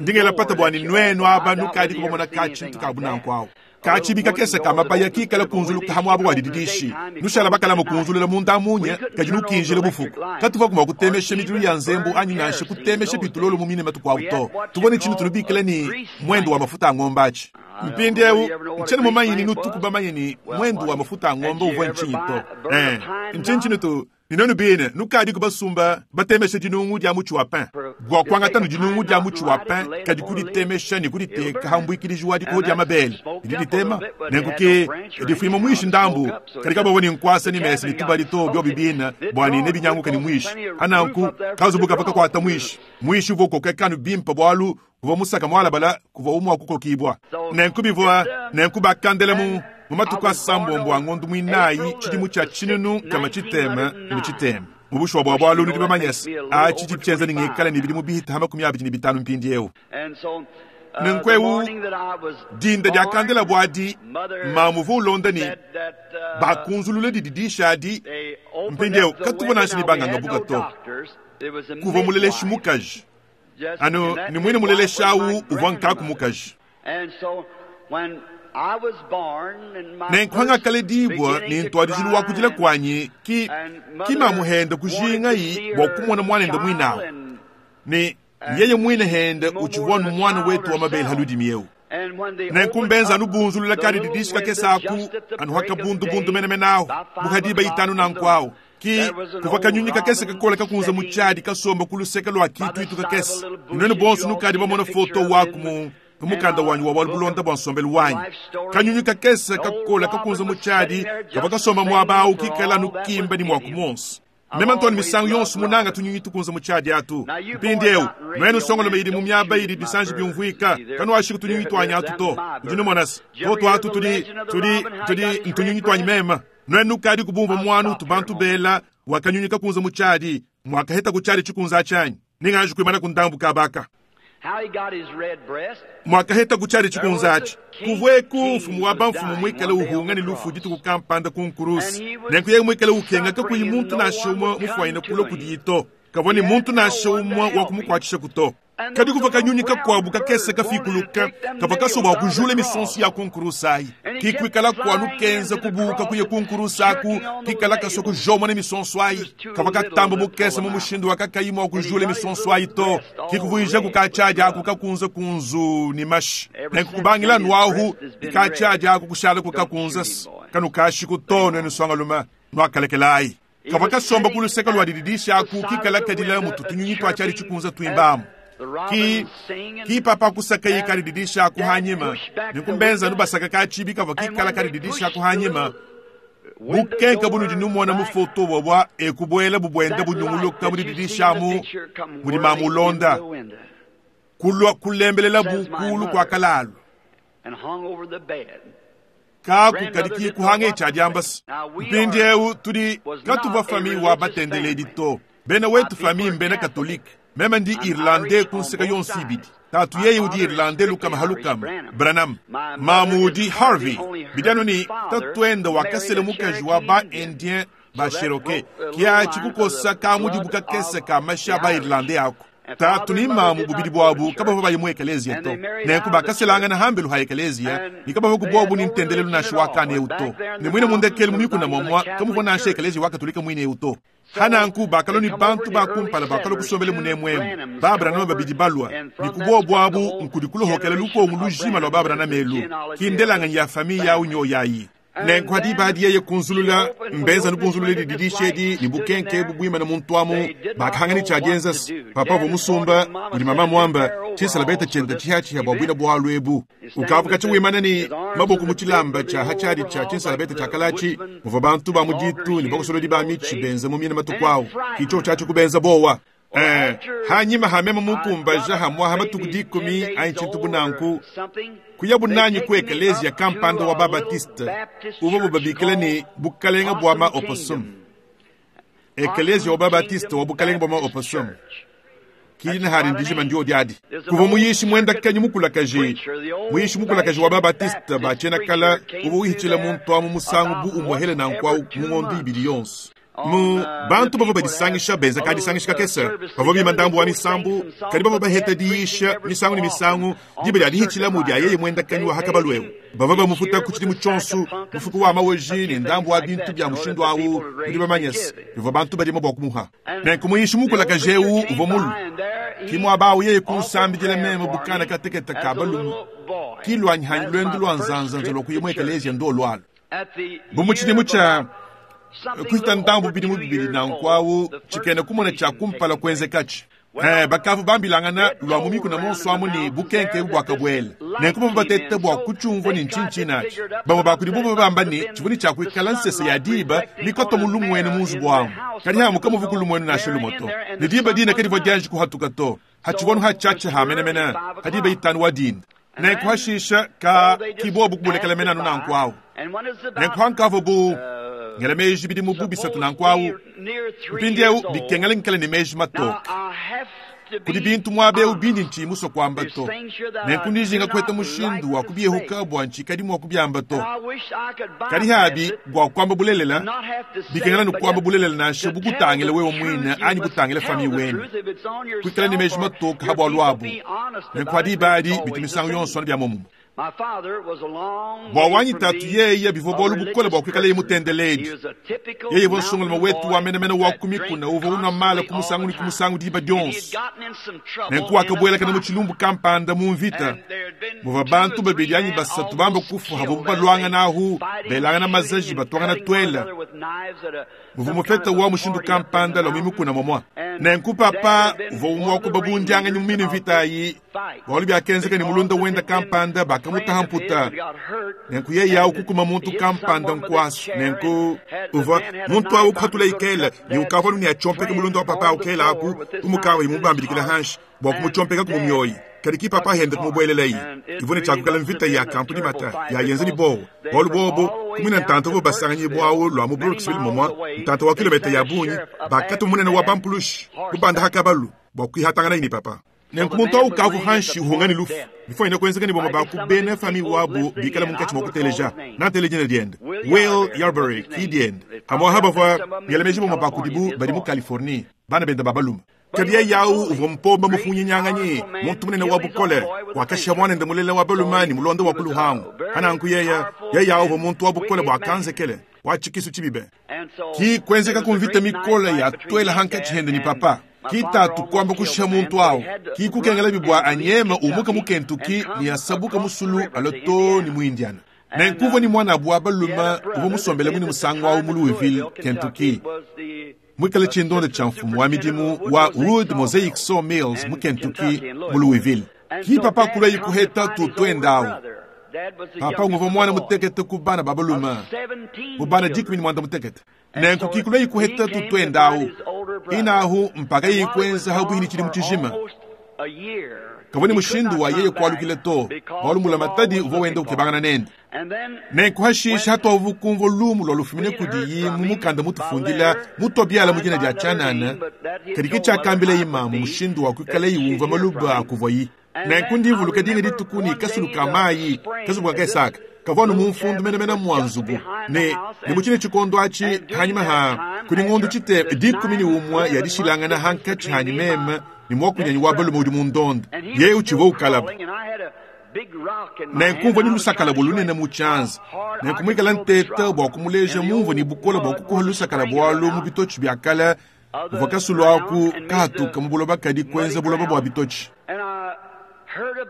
Ndingela pata bwani nwenu aba nukadi kubomona kachi ntukabu nankwao. Kachi bikakese kama bayi kikala kunzulu kahamu abu wadididishi. Nushala bakala mukunzulula munda munye kajinukinjile bufuku. Katuva kuma kutemeshe midilu ya nzembu anyi nanshe kutemeshe bitulolo mu mine matuku auto. Tubone chinu tunubikile ni mwendo wa mafuta a ng'ombe achi. Mpindi eu, nchene mumanyi ni nutuku bamanyi ni mwendo wa mafuta a ng'ombe uvwe nchinyi to. Eh, nchinyi chinu tu, ninonu bine, nukadi kubasumba, batemeshe dinungu dia muchi wa pain. Bwa kwangata nu dinungu dia muchi wa pain, kadi kuditemesha ni kuditeka hambwikilijiwa diko dia mabele. Diditema, nenkuke, difuima mwishi ndambu, kadika baboni nkwasa ni mesi ni tubali to byo bibina, bwa ni nebi nyangu kani mwishi. Ananku, kazubuka paka kwa ata mwishi. Mwishi uvo kokeka nu bimpa bwalu, kuva musaka mwala bala, kuva umwa kuko kibwa. Nenku bivwa, nenku bakandele mu, mumatuku asambombo angondu mwinayi, chidimu cha chinunu kama chitema ni chitema. Mubushwa bwa bwalu nudi bamanyesi. Achi chipchenza ni ngikala ni bilimu bihita hama kumi abiri ni bitano mpindi eu. Nenkwewu, dinda dia kandela bwadi, mamuvu ulonda ni, bakunzulule dididisha adi, mpindi eu, katuvo nanshi ni banga ngabuka to. Kuva muleleshi mukaji. Ano, ni mwine muleleshi awu, uvwa nkaku mukaji. Nenkuhanga kale dibwa ni ntwadijilu wa kujila kwanyi ki, ki mamuhenda kujinga yi bwa kumona mwanenda mwinawo. Ni yeye mwine henda uchivwanu mwana wetu wa mabele haludi mieu. Nenkumbenza anubunzulula kali didishika kesaku anuhaka bundu bundu mene menawo buhadiba itanu na nkwao. Ki kuva kanyunyi kakese kakola kakunza muchadi kasomba kuluseka lwa kitu itu kakese. Inwenu bonsu nukadi bamona foto waku mu kumukanda wanyu wa walubulonda bwa nsombelu wanyu. Kanyunyi kakese kakola kakunza muchadi kava kasomba mwabau kikala nukimba ni mwaku monsi. Mema ntoni misangu yonsu munanga tunyunyi tukunza muchadi atu. Mpindi eu, nwenu songolo meidi mumyaba idi bisanji biumvuika. Kanu ashiku tunyunyi twanyi atu to. Ujinu monasi, toto atu tudi, tudi, tudi ntunyunyi twanyi mema. Nwenu kadi kubumba mwanu tubantu bela wakanyunyi kakunza muchadi. Mwakaheta kuchadi chikunza chanyi. Ninganji kuimana kundambu kabaka. Mwakaheta kuchari chikunzachi. Kuvweku mfumu wa bamfumu mwikale uhunga ni lufu ditu kukampanda kunkurusi. Nenku ye mwikale ukenga kakuyi muntu na shumwa mufuaina kulo kudito. Kavoni muntu na shumwa wakumukwatisha kuto. Kadi kuva kanyunyi kakwabu kakese kafikuluka, kava kasoba kujula misonsi ya kunkurusayi. Kikwikala kwanu kenza kubuka kuye kunkurusaku, kikala kaso kujoma ne misonso ayi. Kava katamba mukese mu mushindu wakakayima kujula misonso ayi to. Kikuvuija kukachaja aku kakunza kunzu ni mashi. Nenkukubangila nwahu, ikachaja aku kushala kukakunza. Kanukashi kutono enu songa luma, nwakalekelayi. Kava kasomba kuluseka lwa dididisha aku kikala kadila mututunyunyi twachali chikunza twimbamu. Ki, ki papa kusaka yi kali didisha kuhanyima. Nikumbenza nubasaka kachibi kava kikala kali didisha kuhanyima. Bukenka bunu dinumona mu foto bwa ekubwela bubwenda bunyunguluka muri didisha mu muri mamulonda. Kulwa kulembelela bukulu kwa kalalu. Kaku kadiki kuhange ichadiambas. Mpindi eu tudi katuva fami wa batendele dito. Bena wetu fami mbena katolike. Mema ndi Irlande kunseka yonsu ibidi. Tatu yeye udi Irlande lukama halukama. Branham. Mamudi Harvey. Bidano ni tatuenda wakasele mukaji wa ba Indien ba Cherokee. Kia chikukosa kamudi bukakese kamasha ba Irlande yako. Tatu ni mamu bubidi bwabu kaba baba yimwe ekelezia to. Nenku bakaselanga na hambelu ha ekelezia, ni kaba baku bwabu ni ntendelelu na shwaka ne uto. Ne mwine mundekele mumiku na momwa, kamu vona ashe ekelezia wakatolika mwine uto. Hananku bakalua ne bantu ba kumpala bakalua kusombela munemwemu. Ba Branham babidi balua. Ne kubobu abu nkudi kulohokela lukongo lujima lua ba Branham elu. Ki ndelanganyi ya famiye yawu nyoyayi. Nenku hadi badi yeye kunzulula mbenza nukunzulula dididisha edi ne bukenke bubuimana muntu amu bakahangani tshia dienza papa uvua musumba udi mama muamba tshisalabeta tshienda tshihatshiha bua buina bualu ebu ukavuka tshiwimana ne maboko mu tshilamba tshia hatshadi tshia tshinsalabeta tshia kalatshi muvua bantu ba mu ditu ne bakosolodi ba mitshi benza mu mina matuku awu kitsho tshiatshi kubenza bowa. Eh, hanyima hamema mukumbaja hamwaha matuku dikumi anyi tshintu bunanku kuya bunanyi ku ekelezia kampanda wa babatiste uvua bubabikila ne bukalenga bua ma opossum. Ekelezia wa babatiste wa bukalenga bua ma opossum kidina hari ndijima ndio diadi kuva muyishi mwenda kanyi mukulakaji muyishi mukulakaji wa babatiste bachena kala uvua wihitshila muntu amu musangu bu umwahele nanku au mungondo ibidi yonso. Mu bantu bavua badisangisha benza kadisangisha kakese bavua bima ndambu wa misambu kadi bavua baheta diisha misangu ne misangu diba dia dihitshila mu dia yeye mwenda kanyi wa hakabalu bavua bamufuta ku tshidimu tshionso mufuku wa maweji ne ndambu wa bintu bia mushindu awu udi bamanyese bivua bantu badima bua kumuha. Nenku muyishi mukulakaji ewu uvua mulu kimwabawu yeye kunsambidila meme bukana kateketa ka balume kilwanyihanyi lwendu lwa nzanzanza lwa kuya mu ekelezia ndo lwalo. Bu tshidimu tshia kuhita ndambu bidi mubibili nankwawu tshikene kumona tshia kumpala kwenzekatshi. Eh, bakavu bambilangana lwa mu mikuna monso amu ne bukenke bua kabwela. Nenku bavua batete bua kutshiumvua ne ntshintshina-tshi. Bamue bakudi bo bamba ne tshivua ne tshia kuikala nsese ya diba mikoto mu lumwenu mu nzubu amu. Kadi hamuka muvu ku lumwenu nansha lumwe to. Ne diba dina kadivua dianji kuhatuka to. Hatshivua hatshiatshi hamenemene hadiba itanu wa dinda. Nenku hashisha ka kibobu kubulekela menanu nanku awu. Nenku hankavua bu ngela meji bidi mu bubisatu nanku awu. Mpindieu bikengela nkele ne meji matoke. Kudi bintu muabe bindi nchi muso kwamba to. Nenku ndijinga kweta mushindu wa kubyehuka bua nchi mua kubyamba to. Kadi habi bua kwamba bulelela bikengela nukwamba bulelela nansha bukutangila wewe mwine anyi butangila fami wenu. Kuikala ne meji matoke habwa lwabu. Nenku hadi badi bitu misangu yonso bya momumu. Bua wanyi tatu yeye bivua bualu bukole bua kuikala ye mutendeledi. Yeye uvua nsongoloma wetu wa menemene wa kumikuna uvua unwa mala ku musangu ne ku musangu diba dionso. Nenku wakabuelakana mu tshilumbu kampanda mu mvita muvua bantu babidi anyi basatu bamba kufu havuabu baluangana ahu belangana mazaji batuangana twela. Muvua mufeta wa mushindu kampanda lwa mimikuna momwa. Nenku papa uvua umwe wa kubabundianganyi mu mine mvita ayi bualu biakenzeka ne mulunda wenda kampanda bakamutaha mputa. Nenku yeye awu kukuma muntu kampanda nkwasu. Nenku uvua muntu awu kuhatula ikela ne ukavua ne atchompeka mulunda wa papa ukela aku umukawa imubambilikila hanshi bua kumuchompeka kumumyoyi. Kadi ki papa henda kumubuelelayi ivua ne tshiakukala mvita ya kampuni mata ya yenza ni bowo bualu bobo kumina ntanta uvua basanganyi bwawu lwa mu Brooksville momwa ntanta wa kilomita ya bungi bakatu munene wa bampulushi kubanda hakabalu bua kuihatangana ini papa. Nenku muntu awu kavu hanshi uhungani lufu bifo ina kwenzeka ni boma bakubena fami wabu bikala munkatshi mwa kuteleja nanteleja diende Will Yarbury ki diende hamwa habavua ngelemeji boma bakudibu badi mu Californie bana benda babaluma. Kadi yeye yawu uvua mpomba mufunyinyanganye muntu munene wa bukole wakashiha mwanende mulela wa balumani mulonda wa kuluhangu hananku yeya yeye yawu uvua muntu wa bukole bua kanzekele wa tshikisu tshibibe. Ki kwenzeka kumvita mikole ya twela hankatshi hende ni papa. Ki tatu kwamba kushiha muntu awu ki kukengela bibwa anyema umuka mu Kentucky ni asabuka musulu aloto ni mu Indiana. Nenku uvua ni mwana bwa baluma uvua musombele muni musangu awu mu Louisville, Kentucky. Mwikale tshindonde tshia mfumu wa midimu wa Wood Mosaic Sawmills mu Kentucky mu Louisville. Ki papa kulwa ikuheta tutwenda awu. Papa nguvua mwana mutekete ku bana ba baluma mu bana dikumi ni mwanda mutekete. Nenku ki kulwa ikuheta tutwenda awu. Inahu mpaka yikwenza habuhini chili mutshijima. Kavua ni mushindu wa yeye kualukile to bualu mulamatadi uvua wenda ukebangana nende. Nenku hashisha hatuavu kumvua lumu lwa lufumine kudiyi mu mukanda mutufundila mutobiala mu dina dia tshianana kadi ke tshiakambila imamu mushindu wa kuikala yiwumva maluba akuvua yi. Nenku ndivuluka dinga dituku ni kasulu ka mayi kazubu kakesaka kavua nu mumfundu menemene mua nzubu ne ne mu tshine tshikondo atshi hanyima ha kudi ngondu tshite dikumi ni umwe ya dishilangana hankatshi hanyi meme ni mwakunyanyi wa balume udi mundonda yeye utshivua ukalaba. Nenkumvua ni lusakala bua lunene mu tshianza. Nenkumwikala nteta bua kumuleja mumvua ni bukola bua kukuha lusakala bualu mu bitotshi bia kale buvua kasulu aku kahatuka mu buloba kadi kuenza buloba bua bitotshi.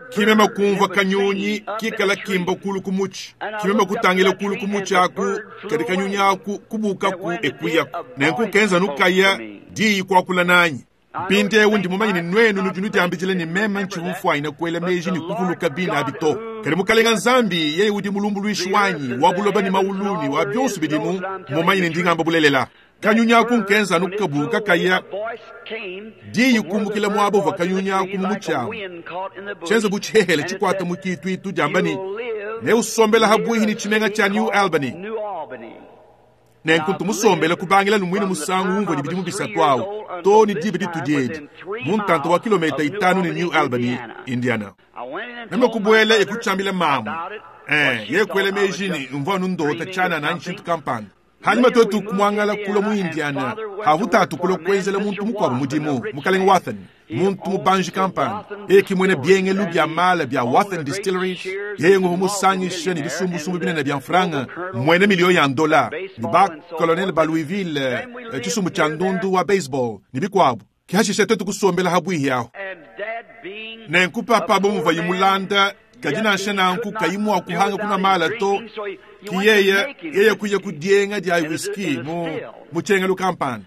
Kimema kumvua kanyunyi kikala kimba kulu ku mutshi. Kimema kutangila kulu ku mutshi aku kadi kanyunyi aku kubukaku ekuyaku. Nenku kenza nukaya diyi kuakula nanyi. Mpindieu ndi mumanye ne nuenu nudi nudiambidila ne meme ntshivua kuela meji ne kuvuluka bina abi to. Kadi mukalenga Nzambi yeye udi mulumbuluishi wanyi wa buloba ne maulu ne wa bionso bidimu, mumanye ne ndi ngamba bulelela. Kanyunyi aku nkenza anu kabuka kaya diyi kumbukila muaba uvua kanyunyi aku mu mutshi amu. Tshienza bu tshihehele tshikuata mu kituitu diamba ne neusombela habuihi ne tshimenga tshia New Albany. Nenku tumusombele kubangila lumwine musangu umvua ne bidimu bisatu awu to ne diba ditudi edi mu ntanta wa kilomita itanu ne New Albany, Indiana. Meme kubuela ekutshiambila mamu eh ye kuela meji ne mvua anu ndota tshianana anyi tshintu kampanda. Hanyuma twetu kumuangala kula mu Indiana havutatu kula kuenzela muntu mukuabu mudimu mukalenge Wathen muntu mubanji kampanda yeye kimwene biengelu bia mala bia Wathen Distilleries yeye nguvu musangisha ne bisumbusumbu binene bia mfranga mwene milio ya ndola ne ba colonel ba Louisville tshisumbu tshia ndundu wa baseball ne bikuabu kihashisha twetu kusombela habwihi aho. Nenku papa bo yimulanda kadi nansha nanku kayimu akuhanga kuna mala to ki yeye yeye kuya kudienga dia whisky mu mu tshengelu kampanda.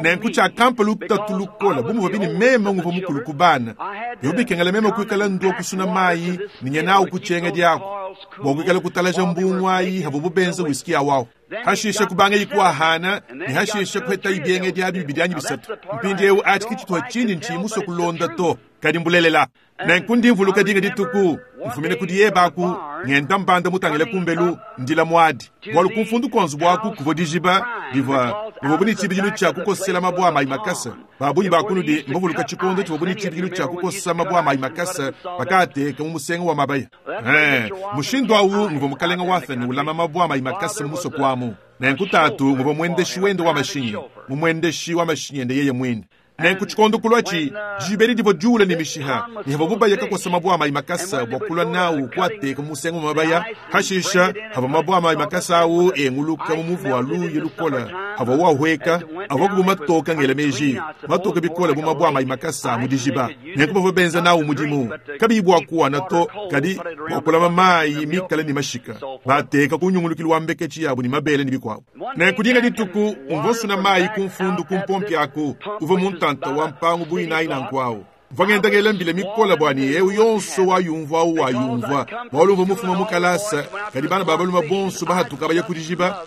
Nenku tshia kampa lutatu lukola bumuvua bini meme nguvua mukulu kubana bikengela meme kuikala ndua kusuna mayi ninye nawu kutshenga diako bua kuikala kutalaja mbungu ayi havu bubenza whisky awawu. Hashisha kubanga ikuahana ne hashisha kuheta ibienge dia bibidi anyi bisatu. Mpindieu ati kitshituha tshindi ntshimuso kulonda to kadi mbulelela. Nenku ndi mvuluka dinga dituku mfumine kudi yebaku ngenda mbanda mutangile kumbelu ndila muadi bualu kumfundu konzu buaku kuvua dijiba divua bivua buni tshibidilu tshia kukosela mabua amayi makasa. Babunyi bakunudi mbavuluka tshikondo tshivua buni tshibidilu tshia kukosa mabua amayi makasa bakaateka mu musenga wa mabaya. Eh, mushindu awu nguvua mukalenga Wathen ulama mabua amayi makasa mu musoko amu. Nenku tatu nguvua mwendeshi wende wa mashinyi mumwendeshi wa mashinyi ende yeye mwine. Nenku tshikondo kulwatshi jiberi divua diula ne mishiha ne havua bubaya kakosa mabua amayi makasa bua kulua nawu kuateka mu musenga wa mabaya. Hashisha havua mabua amayi makasa awu enguluka mu muvu wa luye lukola havua wahweka avua kubu matoka ngela meji matoka bikola bu mabua amayi makasa mu dijiba. Nenku bavua benza nawu mudimu kabiyi bua kuwana to kadi bua kulama mayi mikale ne mashika bateka kunyungulukilu wa mbeketshi yabu ne mabele ne bikuabu. Nenku dinga dituku umvua nsuna mayi kumfundu kumpompi aku uvua mu ntanta wa mpangu buyinayi nanku awu. Mvua ngenda ngela mbila mikola bua ne eu yonso wayumvua awu wayumvua bualu mvua mufuma mu kalasa kadi bana ba balume bonso bahatuka baya ku dijiba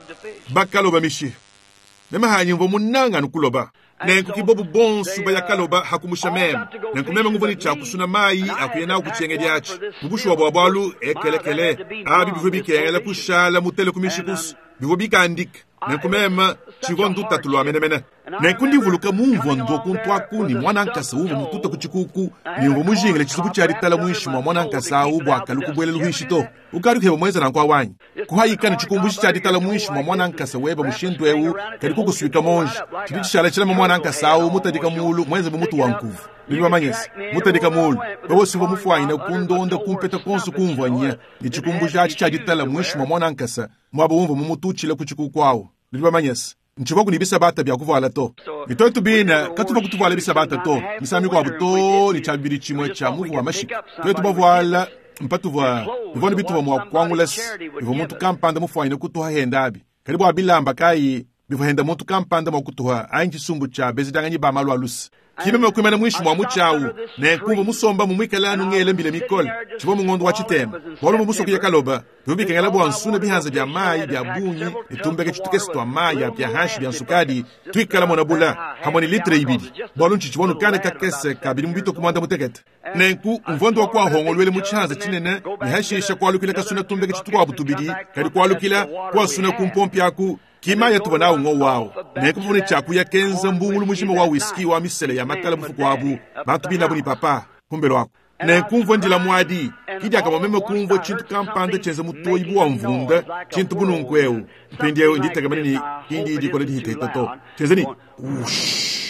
bakaloba mishiha. Meme hanyi mvua munanga anu kuloba. Nenku kibobu bonso bayakaloba hakumusha meme. Nenku meme nguvua ne tshia kusuna mayi akuya nawu kutshienge diatshi. Mubushuwa bua bualu ekelekele abi bivua bikengela kushala mutele ku mishikusu bivua bikandika. Nenku meme tshivua ndutatu lua menemene. Nenku ndivuluka mumvua ndua kuntuaku ne mwana nkasa uvua mututa ku tshikuku ne mvua mujingile tshisuku tshia ditala muinshi mua mwana nkasa awu bua kalu kubuela luhishi to. Ukadi kuheba muenza nanku awanyi kuhayika ne tshikumbushi tshia ditala muinshi mua mwana nkasa weba mushindu eu kadi kukusuika monji tshidi tshishala tshilama mwana nkasa awu mutadika mulu muenze bu mutu wa nkuvu. Nudi bamanyese mutadika mulu wewe uvua mufuanyine kundonda kumpeta konso kumvua nya ne tshikumbushi atshi tshia ditala muinshi mua mwana nkasa muaba umvua mumututshile ku tshikuku awu. Nudi bamanyese ntshivua kuni bisabata bia kuvuala to. Itoto bina katuva kutuvuala bisabata to misami kuabu to ne tshia bibidi tshimue tshia muvu wa mashika. Twetu bavuala mpatuvua bivua bituva mua kuangula bivua muntu kampanda mufuanyine kutuha henda abi kadi bua bilamba kayi bivua henda muntu kampanda mua kutuha anyi tshisumbu tshia bezidanganyi ba malu a lusa. Kimeme kuimana muinshi mua mutshi awu nenkumva musomba mumuikala anu ngele mbile mikole tshivua mungondo wa tshitema bualu mvua musoku ya kaloba bivua bikengela bua nsuna bihanza bia mayi bia bungi ne tumbeke tshitukese tua mayi bia hanshi bia nsukadi tuikala mona bula hamwe ne litre ibidi bualu ntshi tshivua nukana kakese kabidi mu bitoku muanda mutekete. Nenku mvua ndua kuahongoluele mu tshihanza tshinene ne hashisha kualukila kasuna tumbeke tshitukuabu tubidi kadi kualukila kuasuna kumpompi aku kimaya tuvua nawu ngo wawu. Nenku mvua ne tshiakuya kenza mbungulu mujima wa whisky wa misele ya makala mufuku wabu bantu binabu ni papa kumbelo ako. Nenku mvua ndila muadi kidiaka meme kumvua tshintu kampanda tshienza mutoyi bu wa mvunda tshintu bununku eu mpindieu nditegemene ni kindi dikola dihitehita to tshienza ni ush.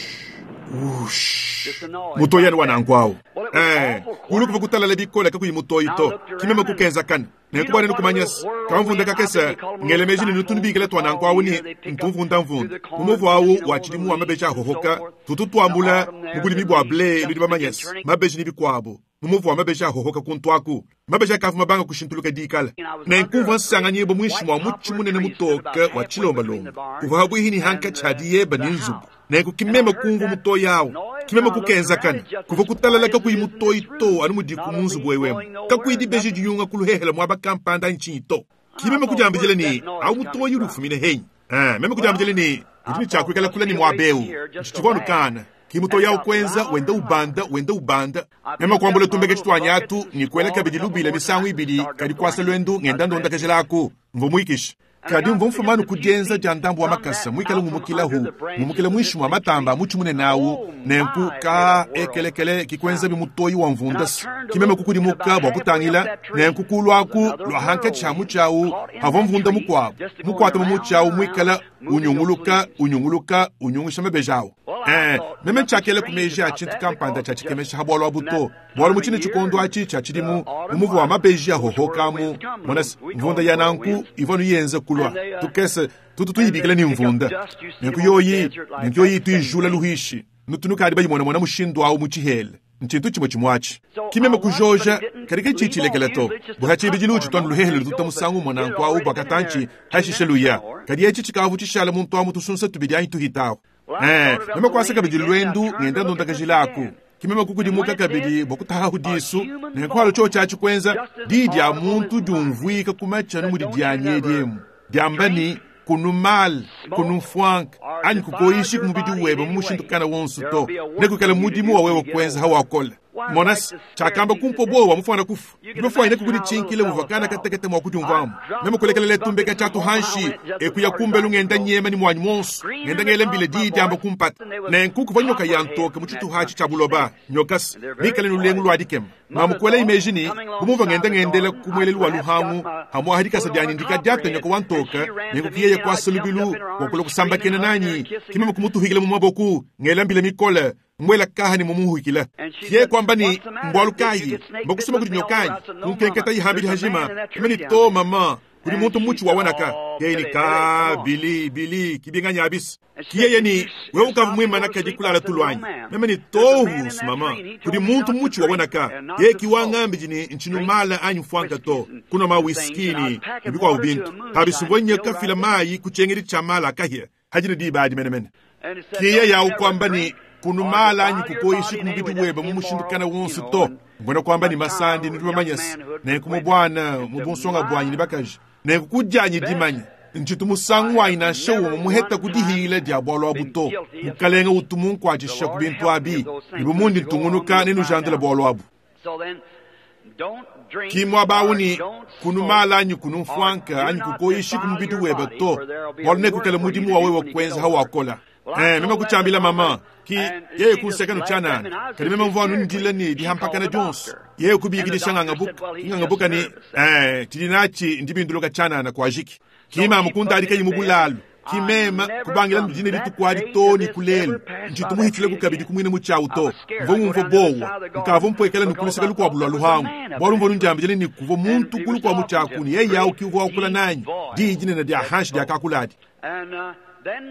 Wush. Mutoyi anu wa nanku awu. Eh, kulu kuva kutalala bikola kakuyi mutoyi to. Kimeme kukenzakana. Nenku bwana nukumanyasa. Kamvunda kakesa ngele meji ni nutunubikila twa nanku awu ni ntumvunda mvunda. Mumuvu awu wa chidimu wa mabeji ahohoka tutu twambula mubulimi bwa ble ludi bamanyasa. Mabeji ni bikwabo. Mumuvu wa mabeji ahohoka kuntwaku. Mabeji akavu mabanga kushintuluka dikala. Nenkumva nsanganyibwa mwinshi mwa muchi munene mutoka wa chilombalomba. Kuva habwihi hanka chadi yeba ni nzubu. Nenku kimeme kumva mutoyi awu. Kimeme kukenzakana. Kuva kutalala kakuyi mutoyi to anu mudiku mu nzubu wewemu. Kakuyi dibeji diyunga kuluhehela mwaba kampanda nchinyi to. Kimeme kujambijele ni awu mutoyi ulufumine henyi. Eh, meme kujambijele ni udi chakwikala kula ni mwabeu. Nchichivwanu kana. Kimutoyi awu kwenza wenda ubanda wenda ubanda. Meme kwambula tumbeke chitwanyatu ni kwela kabidi lubila misangu ibili kadi kwasa lwendu ngenda ndonda kajelaku. Mvo mwikisha. Kadi mvo mfumanu kujenza ja ndambu wa makasa mwikala ngumukila hu ngumukila mwishi mwa matamba muchi mune nawu nenku ka ekelekele kikwenza bimutoyi wa mvundasi kimeme kukudimuka bwa kutangila nenku kulwaku lwa hanka chamu chawu havo mvunda mukwabo mukwata mu muchawu mwikala unyunguluka unyunguluka unyungusha mabejawu. Eh, meme chakele kumeji a chintu kampanda cha chikemesha habwalo abuto bwalo muchine chikondo achi cha chidimu mumuvu wa mabeji ahohokamu monasi mvunda ya nanku ivonu yenze kulwa tukese tutu tuyibikile ni mvunda nenku yoyi nenku yoyi tuyijula luhishi nutunukadi bayimona mona mushindu awu muchihele nchintu chimwe chimwachi kimeme kujoja kadike chichilekele to buhachibi luchi twanu luhehele lututa musangu mwananku awu bwakatanchi hashishe luya kadi echi chikavu chishala muntu amu tusunsa tubidi anyi tuhitawo. Eh, meme kwasa kabidi lwendu ngenda ndonda kajilaku. Kimeme kukudimuka kabidi bokutaha hudisu nenkwalo cho chachi kwenza didi ya muntu jumvuika kumacha numudi dyanye dyemu. Dyambani kunumal kunufwank anyi kukoishi kumubidi webe mushindukana wonsu to nekukala mudimu wa wewe kwenza hawakola. Monas chakamba kumpo bowa mufana kufu. Ndimefwa ine kukudi chinkile muvakana katekete mwa kujumvamu. Meme kulekele tumbeka chatu hanshi ekuya kumbe lungenda nyema ni mwanyu monsu. Ngenda ngele mbile didi amba kumpata. Nenkuku vanyoka ya ntoka muchitu hachi chabuloba. Nyokas mikale nulengu lwadikem. Mamukwela imejini kumuva ngenda ngendela kumwelelu wa luhangu hamwa hadika sadyani ndika diata nyoka wantoka nenkukiye kwa solubilu wakula kusamba kena nanyi kimeme kumutuhikile mumaboku ngela mbile mikole mwela kaha ni mumuhukila kiye kwamba ni mbwalukayi mbakusema kuti nyokanyi kunkenketa ihambili hajima kimeni to mama kuli muntu muchi wawanaka yeye ni ka bili bili kibinganya abisi kiyeye ni wewe ukavu mwima kadi kulala tulwanyi meme ni tohu mama kuli muntu muchi wawanaka yeye kiwangambi jini nchinu mala anyu fwanka to kuna ma whisky ni bikwa ubintu habisi mwenye kafila mayi kuchengeri chamala kahia hajini di baadi mene mene kiye ya ukwamba ni kunumala anyi kukoishi kumubidi weba mumushindukana wonsu to ngona kwamba ni masandi ni tumamanyasi nenku mubwana mubunsonga bwanyi ni bakaji nenku kudyanyi dimanya nchitu musangu wanyi na nshewu mumuheta kudihila dia bwalo abu to mukalenga utu munkwachisha ku bintu abi nibumundi ntungunuka ninujandula bwalo abu. Kimwa bauni kunumala anyi kunumfwanka anyi kukoishi kumubidi weba to bwalo nekukela mudimu wawe wakwenza hawakola. Eh, meme kuchambila mama ki yeye kuseka nuchanana kadi meme mvwanu ndila ni dihampakana jonso yeye kubikidisha nganga buka nganga buka ni eh tidinachi ndibinduluka chanana kwa jiki kima mukunda alika yimubulalu kimema kubangila ndine litukwali toni kulelu ntitumuhitile kukabidi kumwine muchawu to mvo mumvo bowa nkavo mpwekela nikuluseka lukwabulwa luhangu bwalu mvo nunjambijele nikuvo muntu kulukwa muchakuni yeye yawu kiuvo wakula nanyi dijinene dya hanshi dya kakuladi.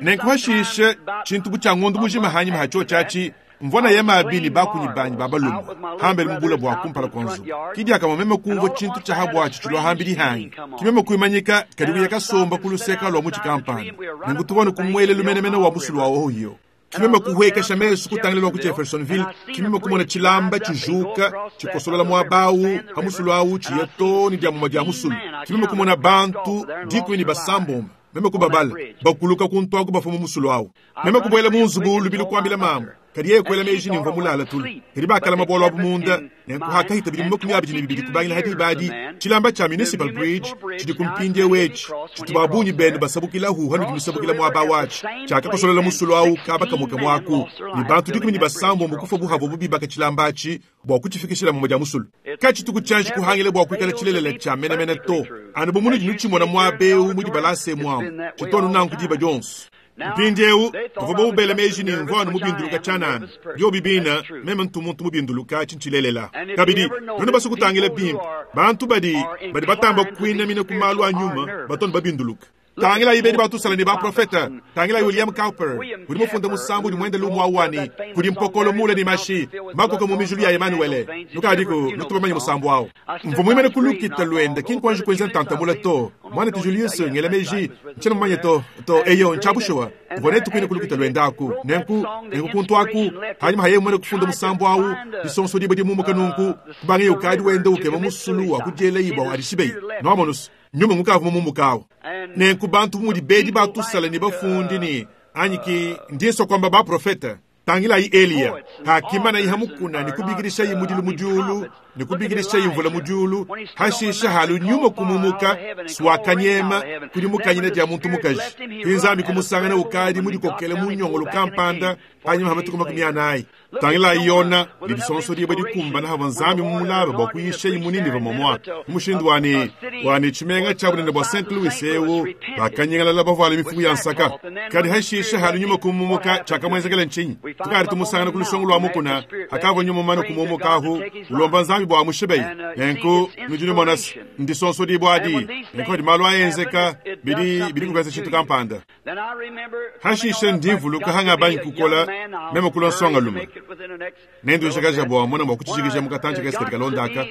Nenkuhashishe chintu buchangondo mujima hanyi mahacho chachi mvona yema abili bakunyi banyi babalumu hambele mubula bwa kumpala konzu kidi akama meme kumvo chintu cha habwachi chilo hambili hanyi kimeme kuimanyika kadiku yakasomba kuluseka lwa muchi kampani nengutubona kumwele lumenemene wa musulu wa ohiyo kimeme kuhwekesha mesu kutangilelwa ku Jeffersonville kimeme kumona chilamba chijuka chikosolola mwabawu hamusulu awu chiyetoni dya muma dya musulu kimeme kumona bantu dikweni basamboma meme kubabala bakuluka kuntwaku bafumu musulu awu meme kubwela munzubu lubili kuambila mama kadi yeye kwela meji ni mvamulala tulu kadi bakala mabolo abu munda nenkuhakahita bili makumi abiri ni bibili kubangila hadi ibadi chilamba cha municipal bridge chidi kumpindye wechi chitubabunyi benu basabukila hu hanu dimisabukila mwaba wachi chakakosolela musulu awu kaba kamuka mwaku ni bantu dikumi ni basambo mukufa buhavo bubi baka chilambachi bwa kuchifikishila mmoja musulu kachituku chanji kuhangile bwa kuikala chilelele cha menemene to anu bumunu jinu chimona mwabeu mudi balase mwamu chitonu nanku diba jonso. Mpindieu bavua bawubela meji ne mvua anu mubinduluka tshianana. Biobi bina meme ntu muntu mubinduluka tshintshilelela. Kabidi nuenu basue kutangila bimpe, bantu badi badi batamba kuinamina ku malu a nyuma batu babinduluka. Tangilayi bedi batusala ne baprofeta. Tangilayi William Cowper udi mufunda musambu udi muende lumu awani kudi mpokolo mule ne mashi makoka mu mijulu ya Emanuele. Nukadiku nutubamanye musambu awu. Mvua muimane ku lukita luende ki nkwanji kuenza ntantamula to. Mwana ti Julius ngela meji ntshiena mumanye to to eyo ntshabushuwa mvua netu kuine ku lukita luende aku. Nenku nenku kuntu aku hanyuma haye muene kufunda musambu awu disonso diba dimumuka nunku kubange ukadi wende ukeba musulu wa kudiela ibwa adishibei. Nwamonus nyuma ngukavu mumumukawu. Nenku bantu mudi bedi batusala ne bafundi ne anyi ki ndiso kwamba baprofeta. Tangilayi Eliya hakimana iha mukuna ne kubikirisha mudilu mudiulu ne kubikirisha imvula mudiulu hashisha halu nyuma kumumuka swakanyema kudi mukanyina dia muntu mukaji. Kinzambi kumusangana ukadi mudikokele munyongolo kampanda hanyuma hamatuku makumi anayi. Tangilayi Yona ne disonso diba dikumbana hava nzambi mumulaba bua kuyisha imunini vamomwa. Mushindu wani wani tshimenga tsha bunene bua Saint Louis ewu bakanyingalala bavuala mifuku ya nsaka. Kadi hashisha halu nyuma kumumuka tshiakamwenzekela ntshinyi? Tukari tumusangana ku lusongo lwa mukuna hakava nyuma mano kumumukahu ulomba nzambi bua mushibeyi. Nenku nudi numonasi ndisonso dibwadi nenku adi malu aenzeka bidi bidi kukenza tshintu kampanda. Hashisha ndimvuluka hanga banyi kukola meme kulwa nsonga lume. Nendu nshakaja bua mona mua kutshijikiza mukatanje kesi katika londaka.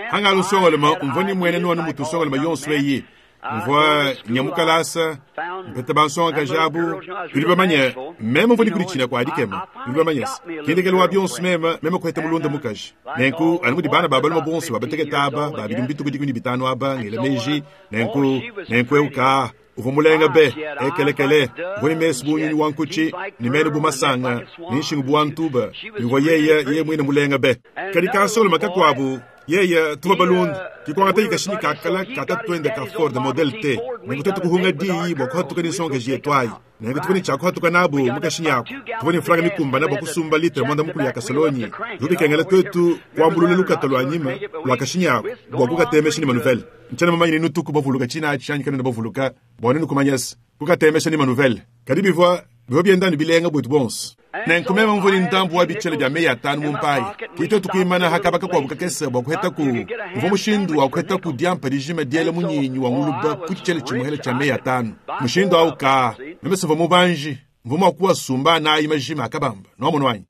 Hanga lusonga lume umvua ni mwene nuanu mutu nsonga lume yonso eyi. Mvua nyamukalasa mpeta bansonga kajabu bidi bamanye meme mvua nikuditshina kwa adikema bidi bamanye kindekelo wa bionso meme meme kuheta mulunda mukaji. Nenku anu mudi bana babaluma bonso babateketa aba babidi mbituku dikumi bitanu aba ngela meji nenku nenku euka uvua mulenga be ekelekele uvua ni mesu bunyunyi wa nkuchi ni mene bu masanga ni nshingu bu wantuba uvua yeye yeye mwine mulenga be. Kadi kansolo makakuabu yeye tuba balunda kikwangata ikashinyi kakala kata twende ka Ford Model T. Nenku twetu kuhunga diyi bua kuhatuka ni nsonga jietwayi. Nenku tuvua ni tshia kuhatuka nabu mukashinyi ako. Tuvua ni mfranga mikumba nabo kusumba litre mwanda mukulu ya kasolonyi. Zubikengela twetu kuambulula lukata lwa nyima lwa kashinyi ako bua kukatemesha ni manuvele. Ntshiena mumanye ni nutuku bavuluka tshina atshi anyi kanena bavuluka bua nenu kumanyasa kukatemesha ni manuvele. Kadi bivua bivua bienda ni bilenga bwetu bonso. Nenku meme mvua ni ntambu wa bitshele bia meyi atanu mu mpayi. Kito tukuimana hakabaka kuabu kakese bua kuheta ku uvua mushindu wa kuheta ku diampa dijima diela munyinyi wa nguluba ku tshitshele tshimuhele tshia meyi atanu. Mushindu awu ka meme sivua mubanji mvua mua kuwasumba nayi majima akabamba nwamono wanyi.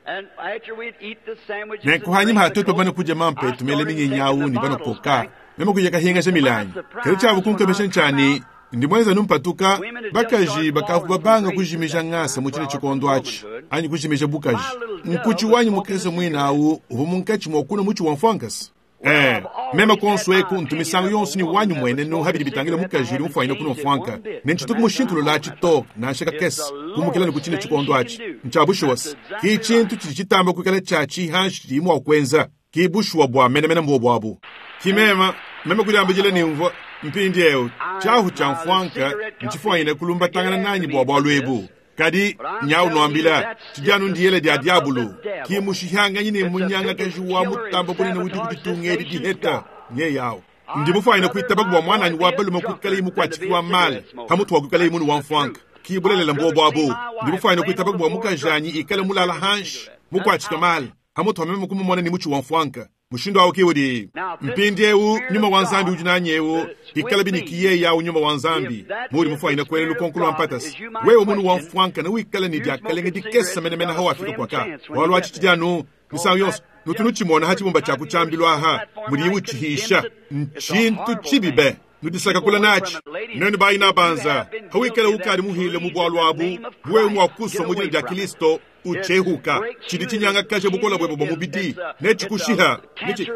Nenku hanyima hatutu bana kudia mampe tumele minyinyi awu ni bana koka meme kuya kahinga milanyi. Kadi tshiabu kunkemesha ntshani ndi mwenza numpatuka bakaji bakavu babanga kujimija ngasa mu tshine tshikondo atshi anyi kujimija bukaji. Nkuchi wanyi mukese mwina awu uvua munkatshi mua kuna mutshi wa mfuankasi. Eh, meme konso eku ntumisango yonso ni wanyu mwene no habidi bitangila mukaji uri mufwanyina kuno mfwanka. Nenchituku mushintulu latshi to nansha kakese kumukila ni kuchine tshikondo atshi. Ntshabushuwasi ki tshintu tshidi tshitamba kuikala tshatshi hanshi tshidi mua kuenza ki bushuwa bua menemene mbuo buabu. Kimema meme kudiambijila ni mvua mpindi eu tshahu tsha mfwanka ntshifwanyina kulumbatangana nanyi bua bualu ebu. Kadi nyau nwambila tshidi ndiyele dia diabulu ki mushihanganyi ne munyangakaji wa mutamba bunene udi kuditunga edi diheta nye yawo. Ndi mufwanyina kuitaba bua mwananyi wa balume kuikala imukuatshiki wa male hamutu wa kuikala imunu wa mfwanka ki bulelela mbuo buabu. Ndi mufwanyina kuitaba bua mukajanyi ikale mulala hanshi mukuatshika male hamutu wa meme kumumona ni mutshi wa mfwanka. Mushindu awu kiwudi mpindi eu nyuma wa nzambi udi nanyi eu ikala binikiye yawu nyuma wa nzambi muri mufwanyina kwele lukonko lwa mpatasi. Wewe munu wa mfwanka na wikala ni diakalenga dikesa menemene hawa afika kwaka walu atshitshidianu misango yonso nutunu tshimona ha tshibumba tshia kutshambilwa aha mudi utshihisha ntshintu tshibibe nudisaka kula natshi nenu bayina banza hawikala ukali muhile mu bwalu abu wewe mwakuswa mu dina dia Kristo uchehuka tshidi tshinyanga kaje bukola bwebo bwa mubidi nechikushiha nechi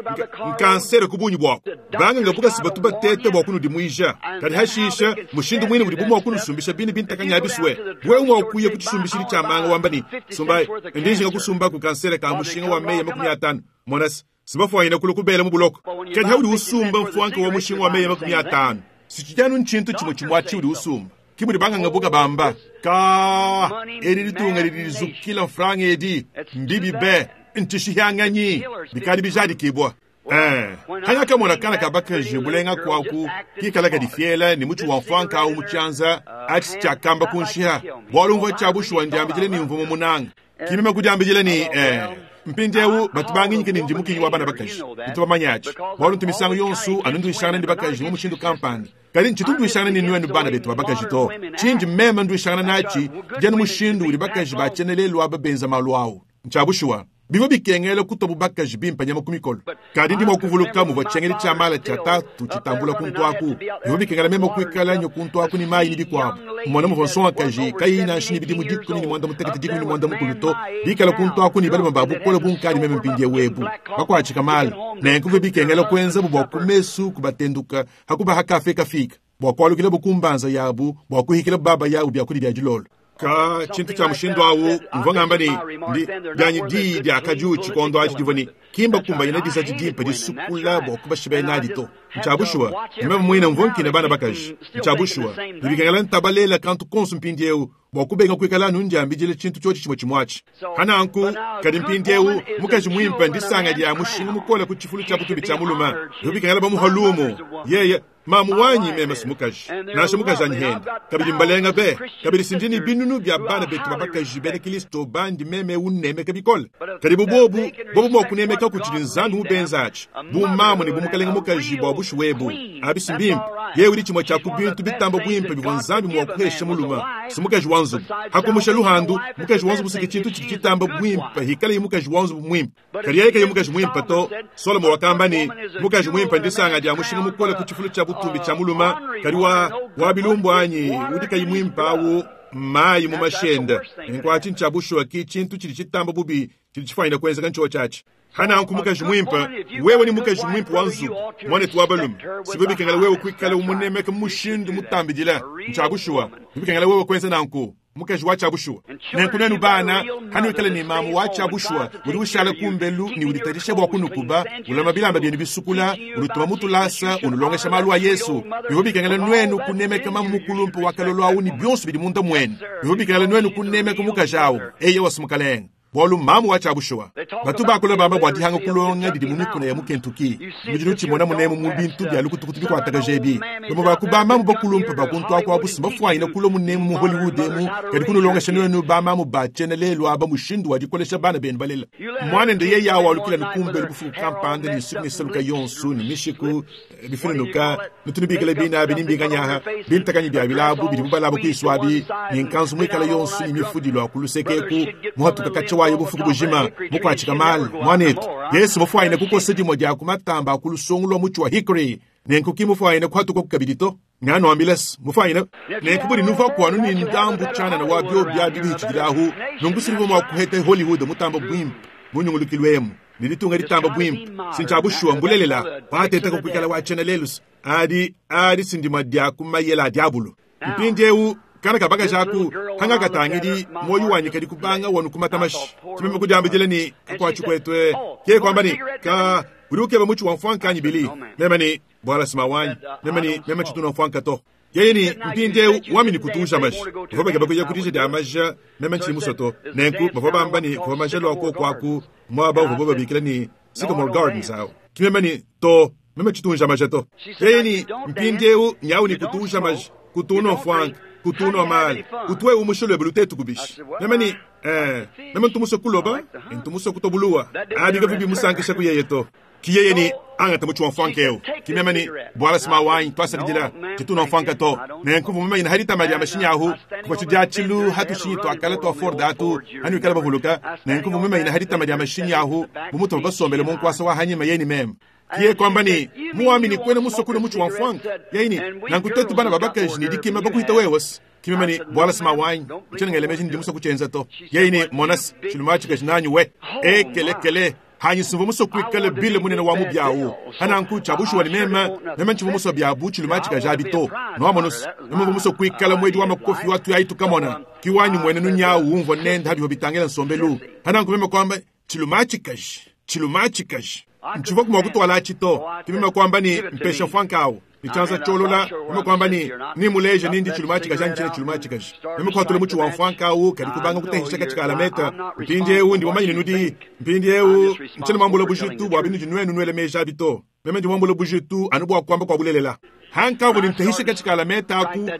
nkansere kubunyi bwako banga ngabuka sibatu batete bwa kunudimwisha kadi hashisha mushindu mwine mudi bumwa kunusumbisha bini bintakanya biswe wewe mwakuye kuchisumbishiri cha manga wambani sumbai ndinji ngakusumba ku kansere ka mushinga wa meya makumi atano monasi sibafwanyina kula kubela mu buloko kadi haudi usumba mfwanka wa mushinga wa meya makumi atano sichijanu nchintu chimwe chimwachi udi usumba kimudi banga ngabuka bamba ka eri litunga lilizukila mfranga edi mbibi be ntishihyanganyi bikali bijadikibwa. Eh, hanga kamona kana kabakaji bulenga kwaku kikala kadifiela ni muchu wa mfwanka au muchanza Atshi tshiakamba kunshiha bualu mvua tshia bushuwa ndiambidile ne mvua mumunanga. Kimema kudiambidile ne eh, mpindieu batu banginyike ne ndi mukinyi wa bana bakaji. Ntu bamanya atshi bualu ntu misangu yonso anu nduishangana ne bakaji mu mushindu kampanda. Kadi ntshitu nduishangana ne nuenu bana betu ba bakaji to. Tshindi meme nduishangana natshi dianu mushindu udi bakaji batshiena lelu aba benza malu awu. Ntshia bushuwa bivua bikengela kutobu bakaji bimpe nyama ku mikolo. Kadi ndi mua kuvuluka muvua tshiengedi tshia mala tshia tatu tshitambula kuntu aku. Bivua bikengela meme kuikala nyo kuntu aku ne mayi ne bikuabu. Mona muvua nsongakaji kayi nansha ne bidimu dikumi ne muanda mutekete dikumi ne muanda mukulu to bikala kuntu aku ne balume ba bukole bunkadi meme mpindieu ebu bakuatshika mala. Nenku bivua bikengela kuenzabu bua ku mesu kubatenduka hakubaha kafe kafika bua kualukila kumbanza yabu bua kuhikila baba yabu byakudia bya dilolo. Ka tshintu tshia mushindu awu mvua ngamba ne ndi dianyi diyi diakadiu tshikondo atshi divua ne kimba kumbanyina disatshi dimpe disukula bua kubashiba nadi to. Ntshia bushuwa meme muine mvua nkina bana bakaji. Ntshia bushuwa bibikengela ntabalela kantu konso mpindieu bua kubenga kuikala anu ndiambidile tshintu tshiotshi tshimue tshimue atshi. Hananku kadi mpindieu mukaji muimpe ndisanga dia mushinga mukole ku tshifulu tshia butubi tshia mulume. Bibikengela bamuha lumu yeye mamu wanyi meme si mukaji nansha mukaji anyi hende kabidi mbalenga be kabidi sindini binunu bya bana betu babakaji bena Kristo bandi meme unemeka bikole. Kadi bubobu bobu mua kunemeka kutshidi Nzambi mubenza atshi bu mamu ne bu mukalenga mukaji bua bushuwa ebu abisi mbimpe yewe udi tshimue tshia ku bintu bitamba bwimpe bivua Nzambi mua kuhesha mulume si mukaji wa nzubu. Hakumusha luhandu mukaji wa nzubu siki tshintu tshidi tshitamba bwimpe hikale mukaji wa nzubu mwimpe. Kadi yeye kayi mukaji mwimpe to. Solomo wakamba ne mukaji mwimpe ndisanga dia mushinga mukole ku tshifulu tshia butumbi tshia mulume kadi wa wa bilumbu anyi udi kayi mwimpe awu mayi mu mashenda. Nkwatshi ntshia bushuwa ki tshintu tshidi tshitamba bubi tshidi tshifanyina kuenzeka ntshiwo tshiatshi. Hananku mukaji mwimpe wewe ni mukaji mwimpe wa nzubu mwanetu wa balume sibwe bikengela wewe kuikala umunemeka mushindu mutambidila. Ntshia bushuwa bikengela wewe kuenza nanku mukaji wa tshia bushuwa. Nenku nenu bana hanuikala ne mamu wa tshia bushuwa udi ushala kumbelu ne uditarisha bua kunukuba ulama bilamba byenu bisukula ulutuma mutulasa unulongesha malu a Yesu. Bivua bikengela nwenu kunemeka mamu mukulumpe wa kalolo awu ni bionso bidi munda mwenu. Bivua bikengela nwenu kunemeka mukaji awu eye wasimukalenga bualu mamu wa tshia bushuwa. Batu bakula bamba bua dihanga kulonga didi mu mikuna ya mu Kentucky. Mudi tshimona munemu mu bintu bya lukutukutu bikuatakaje ebi. Bamue ba ku bamamu bakulumpe bakuntu aku abu simbafuanyina kulua munemu mu Hollywood emu kadi kunulongesha nwenu bamamu batshiena lelu aba mushindu wa dikolesha bana benu balela. Mwanende yeye awu alukila nukumbelu bufuku kampanda ne nsuku ne saluka yonso ne mishiku bifununuka nutunubikila bina abi nimbinganyaha bintakanyi bya bilabu bidi bubalaba kwisu abi ne nkanzu muikala yonso ne mifudilo akulusekeku muhatuka katsha wayo bufuku bujima mukwatshika mali mwanetu Yesu mufuanyine kukosa dimue dia kumatamba akulusongo lwa mutshi wa hickory nenku ki mufuanyine kuhatuka kukabidi to. Nganuambilesi mufuanyine nenku budi nuva kuanu ni ndambu tshianana wa bio bia bibihitshidilahu nunku siliva mua kuheta Hollywood mutamba bwimpe munyungulukilwemu ne ditunga ditamba bwimpe sintshia bushuwa mbulelela watetaka kuikala watshiena lelusi adi adi sindima dia kumayela a diabulu. Mpindieu kana kabakaji aku hangakatangidi moyo wanyi kadi kubanga wanu kumatamashi. Tshimeme kudiambidile ni kakuatshi kuetue ke kwamba ni ka udi ukeba mutshi wa mfuanka anyi bili meme ni bwala sima wanyi meme ni meme tshituna mfuanka to. Yeye ni mpindieu wami ni kutuja maji bavua bakeba kuya kudija dia maja meme ntshili musoto. Nenku bavua bamba ni kuvua maja lua koku aku muaba uvua babikila ni Sycamore Gardens awu. Kimeme ni to meme tshitunja maja to. Yeye ni mpindieu nyawu ni kutuja maji kutuna mfuanka kutuna mali kutwe umusholo belutetu kubishi. Meme ni eh meme ntumuso kuloba ntumuso kutobuluwa abika vibi musankisha kuyeye to. Kiyeye ni angata mutshi wa mfuanka eu. Kimeme ni bwala sima wanyi twasadidila tituna mfuanka to. Nenku meme ina harita mali ya mashinya ahu kuva tshidia tshilu hatushinyi twakala twa Ford atu hanuikala bavuluka. Nenku meme ina harita mali ya mashinya ahu bumutu basombele mu nkwasa wa hanyima yeni meme. Kiye kwamba ni muamini kwene musokuna mutshi wa mfuanka yeyini nankutetu bana babakaji ni dikima bakuhita wewasi. Kimeme ni bwala sima wanyi ntshenengele meji ndi musoku tshienza to. Yeyini monasi tshilumatshi kaji nanyi we ekelekele hanyi simvu musokuikale bile munene wa mubyawu hananku tshia bushuwa ni meme meme ntshivu muso byabu tshilumatshi kaji abi to. Noamonosi meme mvu musokuikala mwedi wa makofi watu yaitukamona kiwanyi mwene nunyawu umvua nende habiho bitangela nsombelu. Hananku meme kwamba tshilumatshi kaji tshilumatshi kaji ntshivu kumua kutwala atshi to. Kimeme kwamba ni mpesha mfuanka awu nichanza cholola meme kwamba ni ni muleje nindi tshilumatshi kaji anyi tshina tshilumatshi kaji meme kwatula mutshi wa mfuanka awu kadi kubanga kutehisha katshika alameta. Mpindieu ndi wamanyine nudi mpindieu ntshina mwambula bujitu bua binudi nwenu nwele meja abi to. Meme ndi mwambula bujitu anu bua kuamba kwa bulelela. Hankavu nintahisha kachikala metaku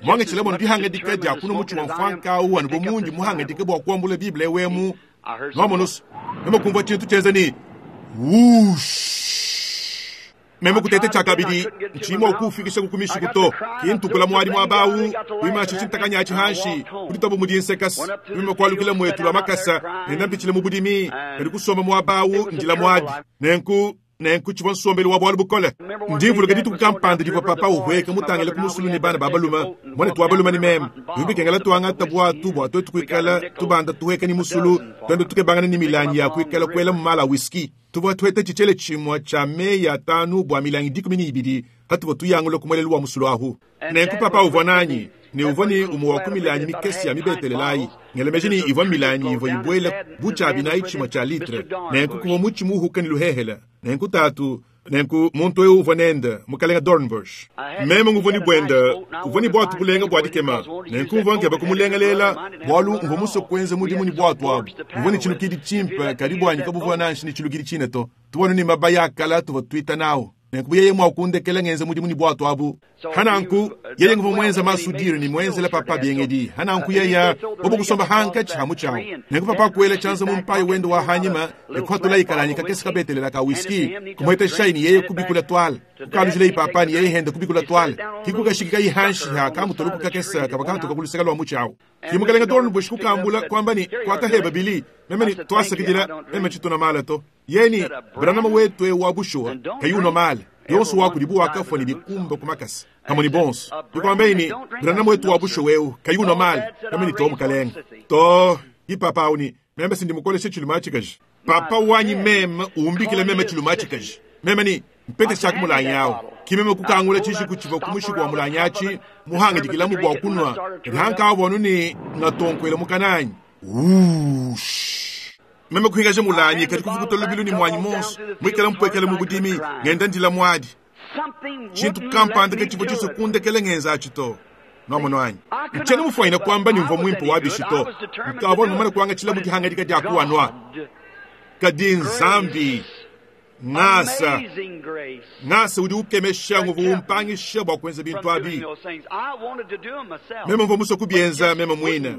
mwanga chilabo ndihangadika dia kuno muchi wa mfanka u anu bomundi muhangadika bwa kuambula Biblia wemu nwamonos meme kumva chintu chenza ni wush meme kutete chakabidi nchimo kufikisha kukumishi kuto kintukula mwali mwabawu wimachi chintakanya chihanshi kulitobo mudinsekas meme kwalukila mwetu lwa makasa nenda mu budimi kali kusoma mwabawu njila mwadi nenku nenku chivwa nsombeli wa bwalu bukole ndivuluka dituku kampanda divwa papa uhweka mutangile kumusulu ni bana babaluma mwana twabaluma ni meme bibikengela twangata bwatu bwa twetu kuikala tubanda tuhweka ni musulu twende tukebangana ni milangi ya kuikala kwela mumala whisky tuvwa twete chichele chimwa cha meya tanu bwa milangi dikumi ni ibidi hatuvwa tuyangula kumwelelu wa musulu ahu nenku papa uvwa nanyi ne uvwa ni umu wa kumilanyi mikesi ya mibetelelayi ngelemeji ni ivwa milanyi ivwa ibwela buchabi na ichimwa cha litre nenku kuvwa muchi muhuka ni luhehela nenku tatu nenku muntu eu uvwa nenda mukalenga Dornbush meme nguvwa ni bwenda uvwa ni bwatu bulenga bwa dikema nenku mvwa nkeba kumulengelela bwalu mvwa muso kwenza mudimu ni bwatu abu mvwa ni chilukidi chimpa kadi bwanyi kabuvwa nanshi ni chilukidi chine to tubwanu ni mabaya akala tuvwa twita nawo nenku buyeye mwakundekela ngenza mudimu ni bwatu abu hananku yeye nguva mwenza masudiri ni mwenzela papa byengedi hananku yeya bobo kusomba hanka chihamu chawo nenku papa kuela chanza mumpayi wendo wa hanyima ekuhatula ikalanyi kakesi kabetelela ka whisky kumweta shaini yeye kubikula twala kukalujila ipapa ni yeye henda kubikula twala kikukashikika ihanshi ha kamutoluku kakesa kavakantuka kuluseka lwa muchawo kimukalenga Dornbush kukambula kwamba ni kwataheba bili meme ni twasakidila meme chituna mala to yeni Branham wetu e wabushuwa kayuno mala yonso wakudibu wakafwa ni bikumba kumakasi kamo ni bonso nikwambeini Branham wetu wabushuwa weu kayuno mala meme ni to mukalenga to ipapa uni meme sindimukoleshe chiluma chikaji papa wanyi meme umbikile meme chiluma chikaji meme ni mpete chako mulanyawo kimeme kukangula chishi kuchiva kumushiku wa mulanyachi muhanga dikilamu bwa kunwa rihanka avonu ni ngatonkwele mukananyi wush meme kuhingaje mulanyi kati kuvukuta lubilu ni mwanyi monso mwikele mpwekele mubudimi ngenda ndila mwadi chintu kampanda kechivo chisukundekele ngenza achito nomono anyi nchene mufwaina kwamba nimva mwimpo wabishito nkavona mumana kwanga chilamu kihangadika dyakuwanwa kadi nzambi ngasa ngasa udi ukemesha nguvu umpangisha bwa kwenza bintu abi meme mva muso kubyenza meme mwina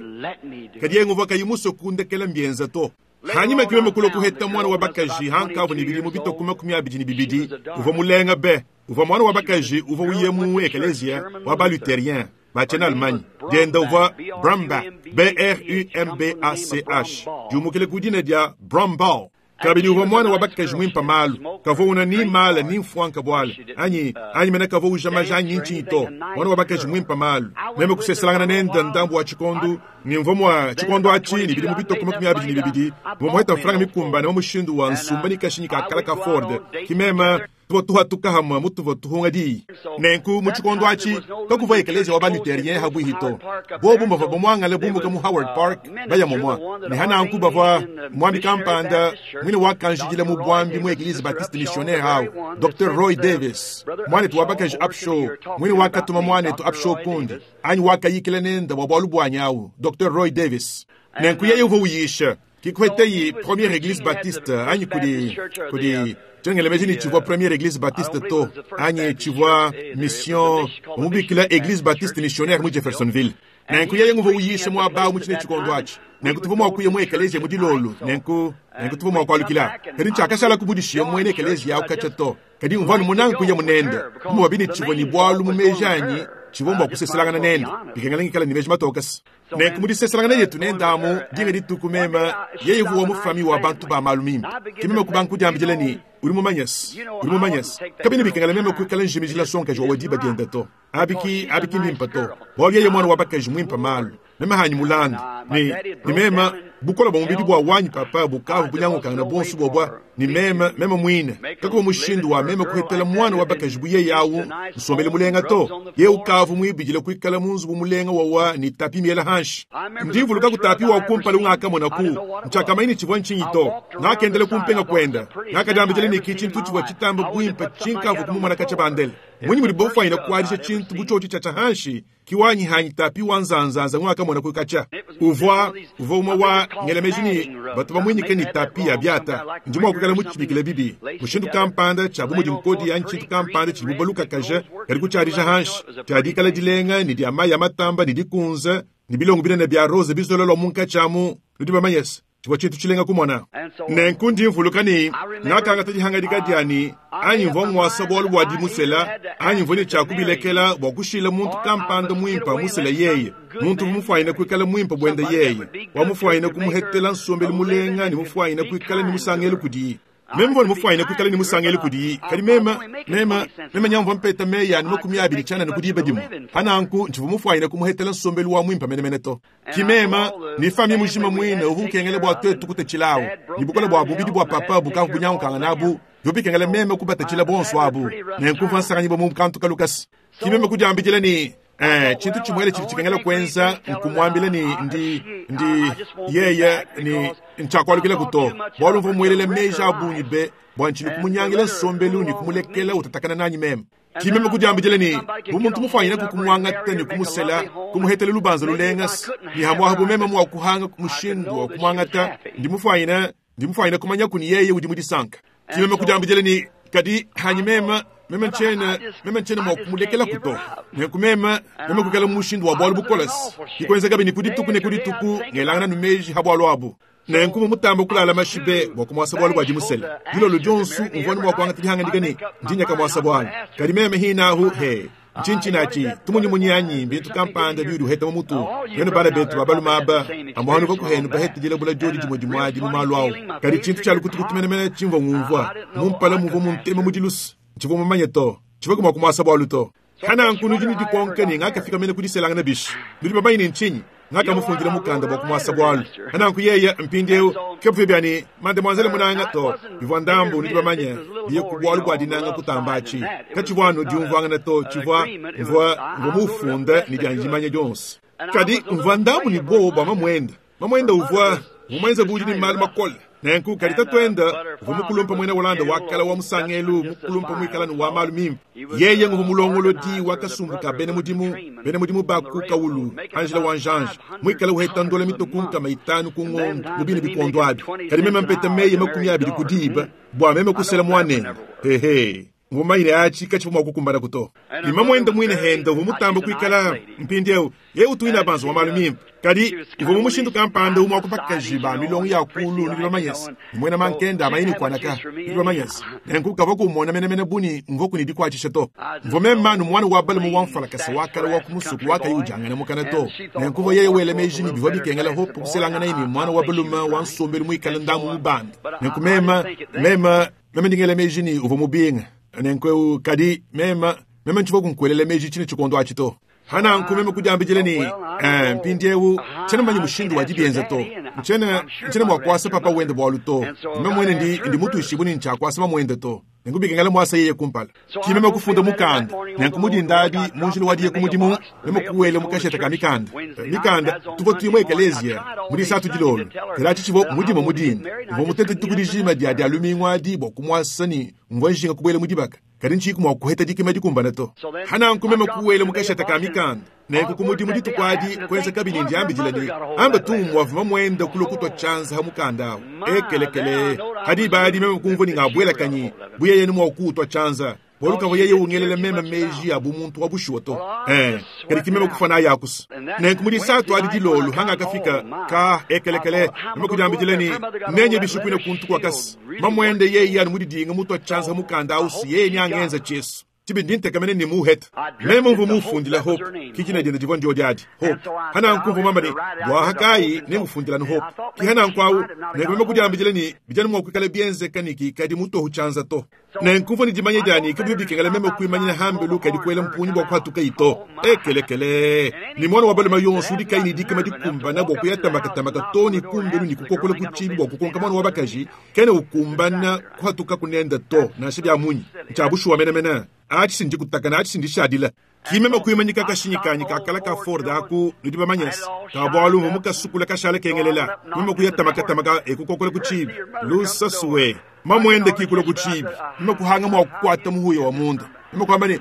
kadi ye nguvu akayimuso kundekela mbyenza to hanyuma kimeme kulo kuheta mwana wa bakaji hankavu ni bilimu bitoko makumi abidi ni bibidi uva mulenga be uva mwana wa bakaji uva uyemu ekelezia wa ba luthérien bachena Allemagne dienda uva Brambach B R U M B A C H diumukile kudina dia Brambach kabili uva mwana wa bakaji mwimpa malu kavo una ni mala ni mfwanka bwala anyi anyi mena kavo ujamaja anyi nchi to mwana wa bakaji mwimpa malu meme kuseselangana nenda ndambu wa chikondo ni mvo mwa chikondo achi ni bilimu bitoko makumi abidi ni bibidi mwa franga mikumba na mushindu wa nsumba ni kashinyi ka kala ka Ford kimema tuwa tuha tukahamwa mutuva tuhunga di nenku mu chikondo achi kakuva ekelezia wa ba luthérien habwihito bobu mbava bomwangale bumbuka mu Howard Park baya momwa ni hananku bava mwambi kampanda mwine wakanjidila mu bwambi mu eglise baptiste missionnaire hao Docteur Roy Davis mwanetu wabakaji Upshaw mwine wakatuma mwanetu Upshaw kundi anyi wakayikila nenda wa bwalu bwanyawu Docteur Roy Davis nenku yeye uva uyisha kikwete première église baptiste anyi kudi kudi tengelemeji ni chivwa première église baptiste to anyi chivwa mission mubikila église baptiste missionnaire mu Jeffersonville nenku yeye nguva uyisha mwa muchine chikondo achi nenku tuva mwakuye mu ekelezia mu dilolo nenku nenku tuva mwakwalukila kadi nchakashala kubudishiya mwene ekelezia yawu kacha to kadi mvanu munangu kuya munenda mubabini chivwa ni bwalu mumeji anyi chivwa mwakuseselangana nenda bikengalengikala ni meji matokasi nenku mudiseselangana yetu nendamu dinga dituku mema yeye vuwa mufami wa bantu ba malu mimpe kimeme kubanku diambidile ni uri mumanyasi uri mumanyasi kabini bikengala meme kuikala njimijila sonkaji wa wadiba dienda to abiki abiki ndimpa to bwalu yeye mwana wa bakaji mwimpa malu meme hanyi mulanda ni ni mema bukola bwa mubidi bwa wanyi papa bukavu bunyangukanga na bonsu bobwa ni meme meme mwine kakuba mushindu wa meme kuhetela mwana wa bakaji buye yawu nsombele mulenga to ye ukavu mwibidile kuikala munzu bumulenga wawa ni tapi miela hanshi ndivuluka kutapi wa kumpala ungakamona ku nchakamaini chivwa nchinyi to ngakendele kumpenga kwenda ngakadiambidile ni kichintu chivwa chitamba bwimpa chinkavu kumumwana kacha bandele mwinyi muli bofaina kuadisha chintu buchochi cha chahanshi kiwanyi hanyi tapi wa nzanzanza ngakamona kukacha Uvua uvua umue wa ngela meji ne batu bamuinyike ne tapi ya biata. Ndi mua kuikala mutshibikile bibi mushindu kampanda tshia bu mudi nkodi anyi tshintu kampanda tshidibu balukakaja kadi kutshiadija hanshi tshia dikala dilenga ne dia mayi ya matamba ne dikunza ne bilongo binene bia rose bizolelwa munkatshi amu nudi bamanye se tshivua tshintu tshilenga kumona. Nenku ndi mvuluka ne ngakangata dihangadika dianyi anyi mvua ngwasa bualu bua dimusela anyi mvua ne tshia kubilekela bua kushila muntu kampanda muimpa musela yeye muntu mufwayine kuikala muimpa buende yeye wamufwayine kumuhetela nsombelu mulenga ne mufwayine kuikala ne musangelo kudiyi. Meme mvua mufwayine kuikala ne musangelo kudiyi kadi mema mema mema nyamvua mpeta meya ne makumi abidi tshianana kudiba dimue pananku ntshivua mufwayine kumuhetela nsombelu wa muimpa menemene to. Ki mema ni fami mujima mwine uvu ukengele bua twetu kutatshilawu ni bukola bua bubidi bua papa bukavu bunyankanga nabu yobikengele meme kubatatshila bonso abu nenku mvua nsanganyibwa mu kantu kalukasi. Ki meme kudiambidila ni eh tshintu tshimwele tshidi tshikengela kuenza nkumwambila ni ndi ndi yeye ni ntshakwalukila kuto bualu mvua muelele meji abungi be bua ntshini kumunyangila nsombelu ni kumulekela utatakana nanyi meme. Ki meme kudiambidila ni bu muntu mufwanyine kukumuangata ni kumusela kumuhetela lubanza lulenga ni hamwaha bu meme mua kuhanga mushindu wa kumuangata ndi mufwanyine ndi mufwanyine kumanya kuni yeye udi mudisanka. Ki meme kudiambidila ni kadi hanyi meme meme ntshiena meme ntshiena mua kumulekela kuto nenku meme meme kukela mushindu wa bualu bukolasi dikwenzeka ni kudituku ne kudituku ngelangana nu meji ha bualu abu. Nenku mutamba kulala mashibe bua kumuasa bualu bua dimusela dilolo dionsu mvua mua kuangata dihangadika ne ndinyaka muasa bualu kadi meme hinahu he nchinchinachi tumunyimunyanyi mbintu kampanda biudi uheta mu mutu yenu bana betu babaluma aba amwanu vakuhenu baheta dilabula diodi dimue dimuadi mu malu awu kadi tshintu tshia lukutukutu menemene tshimvua ngumvua mumpala muvua muntema mu dilusu tshivua mumanye to tshivua kumua kumuasa bualu to. Hananku nudi ne dikonka ne ngakafika mene kudiselangana bishi nudi bamanyi ne ntshinyi ngakamufundila mukanda bua kumuasa bualu. Hananku yeye mpindieu kepuvye byani mademoiselle munanga to bivua ndambu nudi bamanye biye ku bualu bua dinanga kutambatshi katshivua anu diumvuangana to tshivua mvua mvua mufunda ne dianjimanya dionso. Kadi mvua ndambu ne bobo bua mamwenda mamwenda uvua mumwenza budi ne malu makole nenku kadi tatwenda uvua mukulumpa mwena Holanda wakala wa musangelu mukulumpa mwikala ni wa malu mimpe yeye nguvu mulongolodi wakasumbuka bene mudimu bene mudimu baku kaulu Angela Wanjanje mwikala uheta ndola mitoku nkama itanu ku ng'ondo mubini bikondo abi kadi meme mpeta meye makumi abidi kudiba bua meme kusela mwanene hehe ngumayine achi katshivua mua kukumbana kuto ni mamwenda mwine henda uvua mutamba kuikala mpindieu ye utuina banzu wa malu mimpe kadi uvua mu mushindu kampanda umua kupakaji ba milongo ya kulu nudi bamanyese nimwena mankenda amayini kuanaka nudi bamanyese nenku kavua kumona menemene buni mvua kuni dikuatshisha to mvua meme nu mwana wa balume wa mfalakasa wakala wa kumusuku wakayi ujangana mukana to nenku mvua yeye wele meji ni bivua bikengela hope kuselangana ini mwana wa balume wa nsombelu muikala ndamu mubanda nenku meme meme meme ndingele meji ni uvua mubinga nenku kadi meme meme ntshivua kunkuelela meji tshine tshikondo atshi to. Hananku meme kudiambidila ni eh mpindieu tshiena mmanyi mushindu wa dibienza to ntshiena ntshiena mua kuasa papa wende bualu to meme mwene ndi ndi mutuishibu ni ntshiakuasa mamuende to nenku bikengela muasa yeye kumpala. Ki meme kufunda mukanda nenku mudindabi munjila wadiye ku mudimu meme kuwela mukasheta ka mikanda mikanda tuvua tuyimue ekelezia mudisatu dilolo kadi atshi tshivua mudimu mudinda mvua mutete dituku dijima dia dia lumingu adi bua kumuasa ni mvua njinga kubuela mu dibaka kadi ntshiku mua kuheta dikima dikumbana to. Hananku meme kuwela mukasheta ka mikanda nenku ku mudimu dituku adi kuenza kabidi ndiambidila ni amba tu wavuma mwenda kulo kutwa tshanza ha mukanda awu ekelekele hadi badi meme kumvua ni ngabwela kanyi buye yenu mua kutwa tshanza bualu kavua yeye ungelela meme meji abu muntu wa bushuwa to eh kadi ki meme kufana yakusa nenku mudisatu adi dilolo hanga kafika ka ekelekele meme kudiambidila ni nenye bishikwina kuntu kwa kasi mamwende yeye anu mudidinga mutwa tshanza ha mukanda awu si yeye ni angenza Jesu tibi ndintekamene ni muheta meme mvua mufundila hope kikina dienda divua ndio diadi hope hananku mvua mamba ni bua hakayi nengufundila ni hope ki hananku awu nenku meme kudiambidila ni bijani mua kuikala bienzeka ni kikadi mutohu tshanza to nenku mvua ni dimanya diani kabibi bikengela meme kuimanyina hambelu kadi kuela mpunyi bua kuhatuka ito ekelekele ni mwana wa balume yonso udi kayi ni dikima dikumbana bua kuyatambakatamaka to ni kumbelu ni kukokola kutshibi bua kukonka mwana wa bakaji kene ukumbana kuhatuka kunenda to nansha bia munyi ntshiabushuwa menemene achi sindikutakana achi sindishadila ki meme kuimanyika kashinyikanyi kakala ka Ford aku nudi bamanyese ka bualu mvua mukasukula kashala kengelela meme kuyatambakatamaka ekukokola kutshibi lusasuwe mamwende kikula kutshibi meme kuhanga mua kukwata muhuya wa munda meme kuamba ni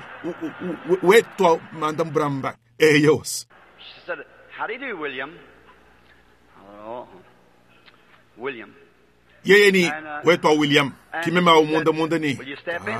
wetwa manda mbramba eyos. She said, "How do you do, William?" Oh, William. Yeye ni wetu wa William kimema umunda munda ni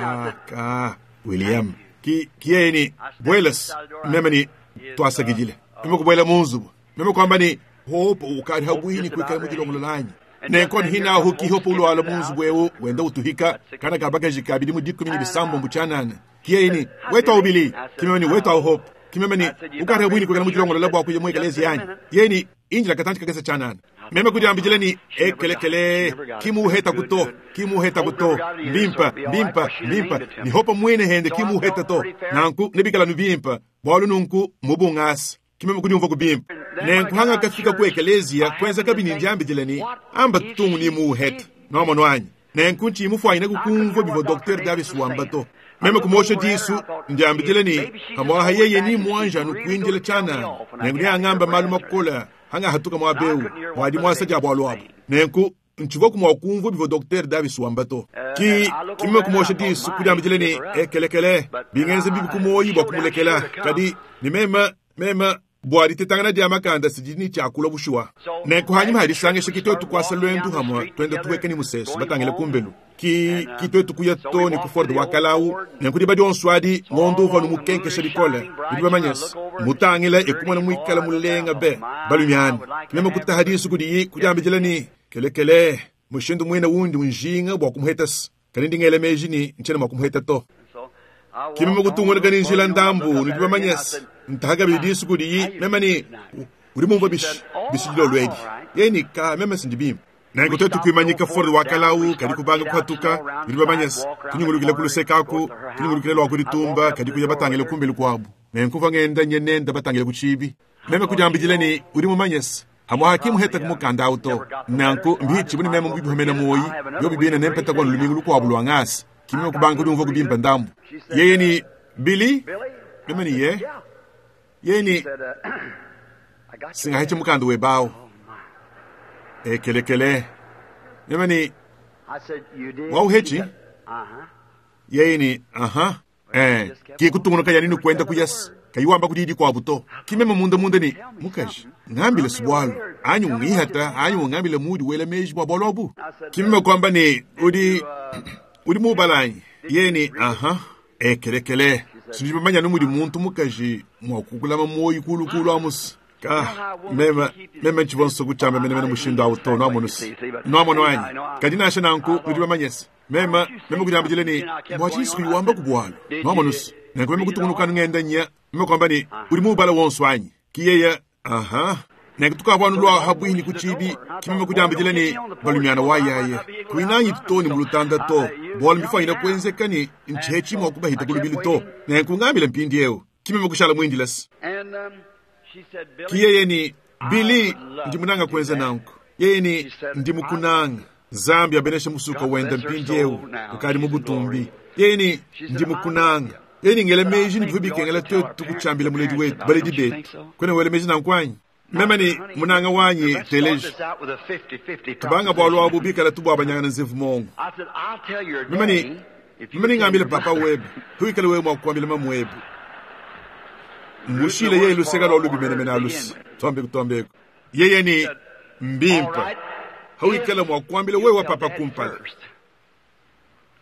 ah, ka William ki ki yeye ni bwelas meme ni twasagijile meme kubwela munzubu meme kwamba ni hopo ukali habwini kwikala mujilongolo lanyi nenkon hina huki hopo ulwala munzubu ewu wenda utuhika kana kabakaji kabili mudikumi ni bisambo mbuchanana ki yeye ni wetu wa ubili kimeme ni wetu wa hope kimeme ni ukali habwini kwikala mujilongolo labwa kuja mwekalezi yanyi yeye ni injila katanchi kakesa chanana meme kujambijile ni ekelekele kimuheta kuto kimuheta kuto mbimpa mbimpa mbimpa ni hopa mwene hende kimuheta to nanku nibikala nubimpa bwalu nunku mubung'asa kimeme kudiumva kubimpa nenkuhanga kafika ku ekelezia kwenza kabini njambijile ni amba tungu ni muheta nomono anyi nenku nchimufwanyine kukumva bivo Dr Davis wamba to meme kumosha disu njambijile ni kamwaha yeye ni mwanja nukwinjile chanana nenku niang'amba malu makola hanga hatuka mwabeu mwadi mwasa ja bwalu apo nenku nchivo kumwakumva bivo Dr Davis wambato ki kimeme kumosha disu kujambijile ni ekelekele bingenze bibi kumoyi bwa kumulekela kadi ni mema mema bwadi tetangana dia makanda sijini chakula bushuwa nenku hanyuma hadisangesha kitwetu kwasa lwendu hamwa twenda tuwekeni museso batangele kumbelu ki kitwetu kuya toni ku Ford wakalau nenku diba dionso adi ngondo uva numukenkesha dikole diba manyasi mutangila ekumona mwikala mulenga be balumiani meme kutahadisu kudiyi kujambijila ni kelekele mushindu mwina wundi unjinga bwa kumuhetasi kani ndingele meji ni nchena mwa kumuheta to kimeme kutungulika ni njila ndambu nidiba manyasi ntahaga bidisu kudiyi meme ni uri mumva bishi bishijilo lwedi yeni ka meme sindibimba nengo twetu kuimanyika Ford wakalau kadi kubanga kuhatuka bidi bamanyasi tunyungulukile kulusekaku tunyungulukile lwa kulitumba kadi kuya batangile kumbeli kwabu nenkuva ngenda nyenenda batangile kuchibi meme kujambijile ni uri mumanyasi hamwa hakimu heta kumukanda auto nanku mbichi buni meme mbibihomena moyi yo bibina nempeta kwa lumingu lukwabu lwa ngasi kimeme kubanga kudiumva kubimba ndambu yeye ni Billy meme ni ye yeye ni singaheche mukanda webawo ekelekele meme ni wauhechi yeye ni aha eh kikutungunuka yanini kwenda kuyasi kayiwamba kudidi kwabu to kimeme munda munda ni mukaji ng'ambile sibwalu anyu ng'ihata anyu ng'ambile mudi wela meji bwa bwalu abu kimeme kwamba ni udi udi mubalanyi yeye ni aha ekelekele sinjibamanya numudi muntu mukaji mwakukulama moyi kulukulu amusi ka meme meme nchivonso kuchamba mene mene mushindu awu to nwamonusi nwamono anyi kadi nasha nanku nudibamanyesi meme meme kujambijile ni mwachisi kuyiwamba kubwalu nwamonusi nanku meme kutungunukanu ng'enda nya meme kwamba ni uli mubala wonso anyi kiyeye aha nenku tukavwanu lwa habwini kuchibi kimeme kujambijile ni balumiana wayaye kuinanyi tutoni mulutanda to bwalu mbifwanyina kwenzeka ni nchechi mwakubahita kulubili to nenku ng'ambile mpindi ewu kimeme kushala mwindilasi ki yeye ni Billy ndimunanga kwenza nanku yeye ni ndimukunanga zambi abenesha musuka wenda mpindi ewu ukali mubutumbi yeye ni ndimukunanga yeye ni ngele meji ni bivubikengela twetu kuchambila muledi wetu baledi betu kwene wele meji nankwanyi meme ni munanga wanyi teleji tubanga bwalu abu bikala tubwabanyanga na nzevu mongo meme ni meme ni ng'ambile papa webe huikale wewe mwakuambile mamu webe mushile yeye luseka lwa lubi mene mene alusi twambeku twambeku yeye ni mbimpa hauikala mwakuambile wewe wa papa kumpala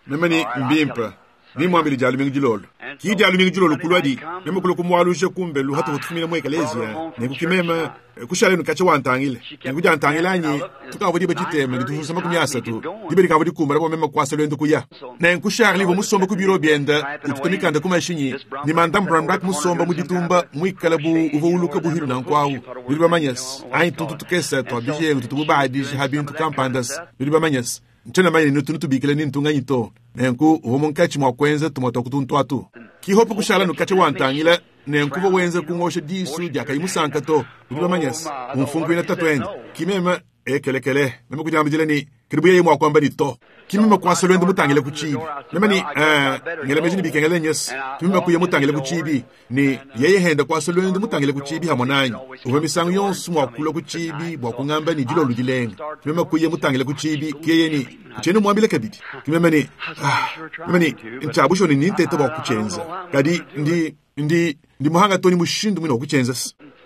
meme ni mbimpa nimwambile jalu mingi jilolo ki jalu mingi jilolo kulwadi meme kulo kumwalushe kumbelu hata kutufumina mwe ekelezia nekukimema kushale nukache wantangile nekujantangile anyi tukavo dibe titeme ngitufusa makumi asatu dibe likavo dikumbala bwa meme kwasa lwendo kuya nenkushali vo musomba ku biro byenda ututa mikanda kumashinyi ni manda mbrandak musomba muditumba mwikala bu uvo uluka buhilu na nkwawu bili bamanyasi anyi tuntu tukesa twabijengu tutububadiji habintu kampandas bili bamanyasi nchena manyani nutu nutubikile ni ntunganyi to nenku uvo munkachi mwakwenza tumwa twakutuntu atu kihopo kushala nukache wantangila nenkuva wenza kungosha disu diakayimusanka to bili bamanyasi umfunkwina tatwende kimema ekelekele meme kujambijile ni kilibu yeye mwakwamba ni to kimema kwasa lwendo mutangile kuchibi meme ni eh, ngele meji ni bikengele nyesi kimema kuye mutangile kuchibi ni yeye henda kwasa lwendo mutangile kuchibi hamwe nanyi uve misango yonso mwakula kuchibi bwa kung'amba ni dilolu dilenga kimema kuye mutangile kuchibi kiyeye ni kucheni mwambile kabidi kimema ni ah, meme ni nchabusho ni nintete bwa kuchenza kadi ndi ndi ndi muhanga toni mushindu mwina wakuchenza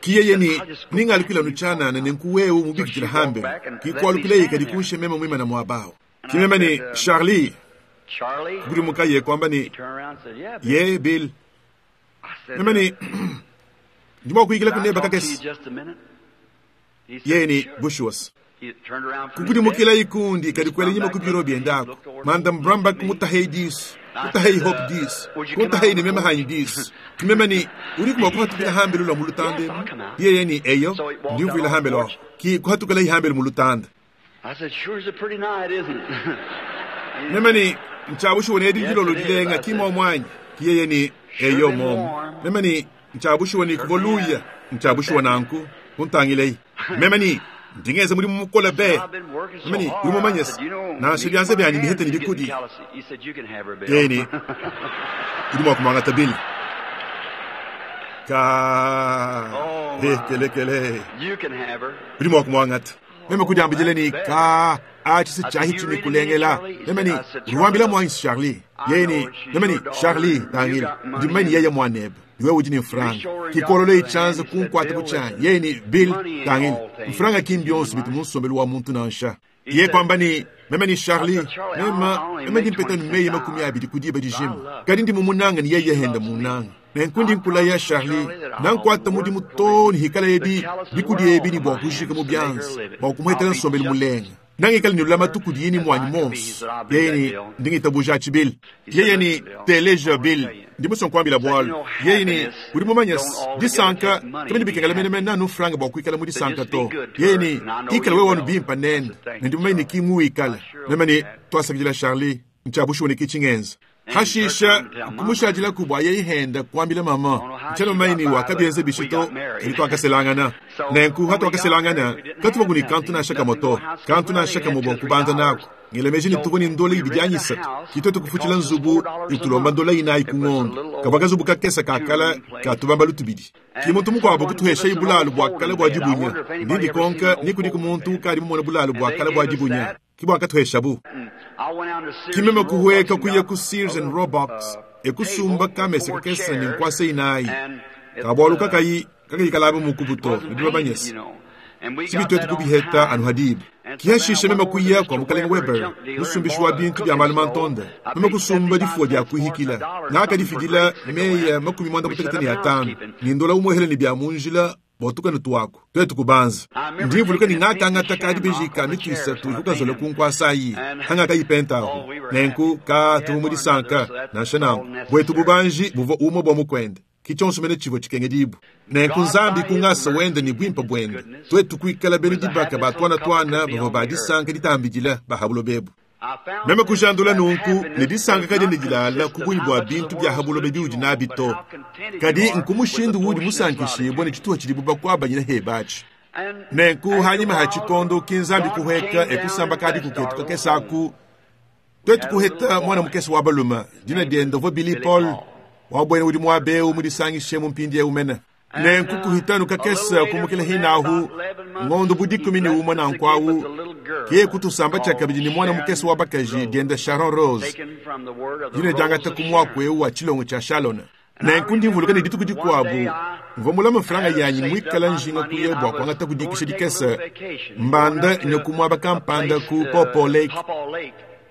Ki yeye ni ningalukila nutshianana nenku wewe mubikidila hambelu kikualukila kadi kunshe meme muimana muabawo kimeme ni Charlie kukudimuka ye kwamba ni ye Bill meme ni ndi mua kuyikila kuneba kakese yeye ni bushuwas kukudimukila ikundi kadi kuela nyima ku biro biendako manda brambak mutahei disu kutahei hope disu kuntahei ni meme hanyi disu kimeme ni uri kuma kuhatukila hambelu lwa mulutanda emu yeye ni eyo ndi mvuila hambelu aho ki kuhatukila ihambelu mulutanda meme ni nchabushuwa edi dilolo dilenga kimo mwanyi kiyeye ni eyo momo meme ni nchabushuwa ni kuvoluya nchabushuwa nanku kuntangilei meme ni ndingeze muri mukola be meme ni uri mumanyesa nansha byanze byanyi bihete ni bikudi yeye ni uri mwakumanga tabili ka hekelekele uri mwakumwangata meme kudiambijile ni ka achise chahi chini kulengela meme ni uriwambila mwanyi Charlie yeye ni meme ni Charlie tangila ndimani yeye mwanebe iwe udi ni mfranga kikololo ichanza kunkwata kuchanyi yeye ni Bill tangila mfranga kimbionso bitu munsombelu wa muntu nansha ye kwamba ni meme ni Charlie mema meme ndimpeta ni makumi abiri kudiba dijima kadi ndi mumunanga ni yeye henda munanga nenkundi nkula ya Charlie nankwata mudimu toni hikala yebi bikudi yebi ni bwa kujika mu byanza bwa kumuhetela nsombelu mulenga nangikala ni lulama tukudi yini mwanyi monso yeye ni ndingitabuja achi Bill yeye ni teleja Bill ndimusonkwambila bwalo yeye ni uri mumanyasi disanka kamene bikengela mene mene nanu franga bwa kuikala mu disanka to yeye ni ikala wewe wanu bimpa nene nendimumanye ni kimu ikala meme ni twasakidila Charlie nchabushuwa ni kichingenza hashisha kumushajila kubwa yeihenda kwambila mama nchelo maini wakabienze bishito ilitwakaselangana nenku hatwakaselangana katuva kuni kantu nashaka moto kantu nashaka mobwa kubanza nako ngilemeji nituvo ni ndola ibidi anyisatu kitoto kufuchila nzubu itulomba ndola inayi kung'ondo kavwa kazubu kakesa kakala katubamba lutubidi kimuntu mukwabo kutuhesha ibulalu bwakala bwa dibunya ndindi konka nikudiko muntu kali mumona bulalu bwakala bwa dibunya kibwa katuhesha bu kimeme kuhweka kuya ku Sears and Roebuck ekusumba kamese kakesa ni nkwasa inayi kabwalu kakayi kakayikalabe mukubuto nidibabanyesa sibitwetu kubiheta anu hadibu kihashisha meme kuya kwa mukalenga Weber musumbishi wa bintu bya malu mantonda meme kusumba difua dya kuhikila nakadifidila meya makumi mwanda mutekete ni atano nindola umwehele ni bya munjila botukane twako twetu kubanza ndivuluka ningakangata kadi bijika mitwisatu kukazola kunkwasayi hangaka ipentaho nenku ka tumudisanka nansha nanku bwetu bubanji buva umwe bwa mukwende kichonso mene chivo chikenge dibu nenku nzambi kungasa wende ni bwimpa bwende twetu kuikala benu dibaka batwana twana bava badisanka ditambidila bahabulo bebu meme kujandula nunku ne disanka kadi ne dilala kubunyi bwa bintu bya habulo bebi udi nabi to kadi nkumushindu wudi musankishibwa ne chituha chili buba kwabanyina hebachi nenku hanyima ha chikondo kinzambi kuheka ekusamba kadi kuketu kakesaku twetu kuheta mwana mukesi wa baluma dina dienda vo Billy Paul wabwene udi mwabeu mudisangishe mumpindi eumene nenku kuhitanu kakesa kumukila hinahu ng'ondo budikumi ni umwe nankwawu kiye kutusamba chakabidi ni mwana mukesi wa bakaji dienda Sharon Rose dina diangata kumwaku eu wa chilongo cha Shalona nenku ndimvuluka ni dituku dikuabu mva mulama mfranga yanyi mwikala njinga kuye bwa kuangata kudikisha dikesa mbanda ne kumwaba kampanda ku Popo Lake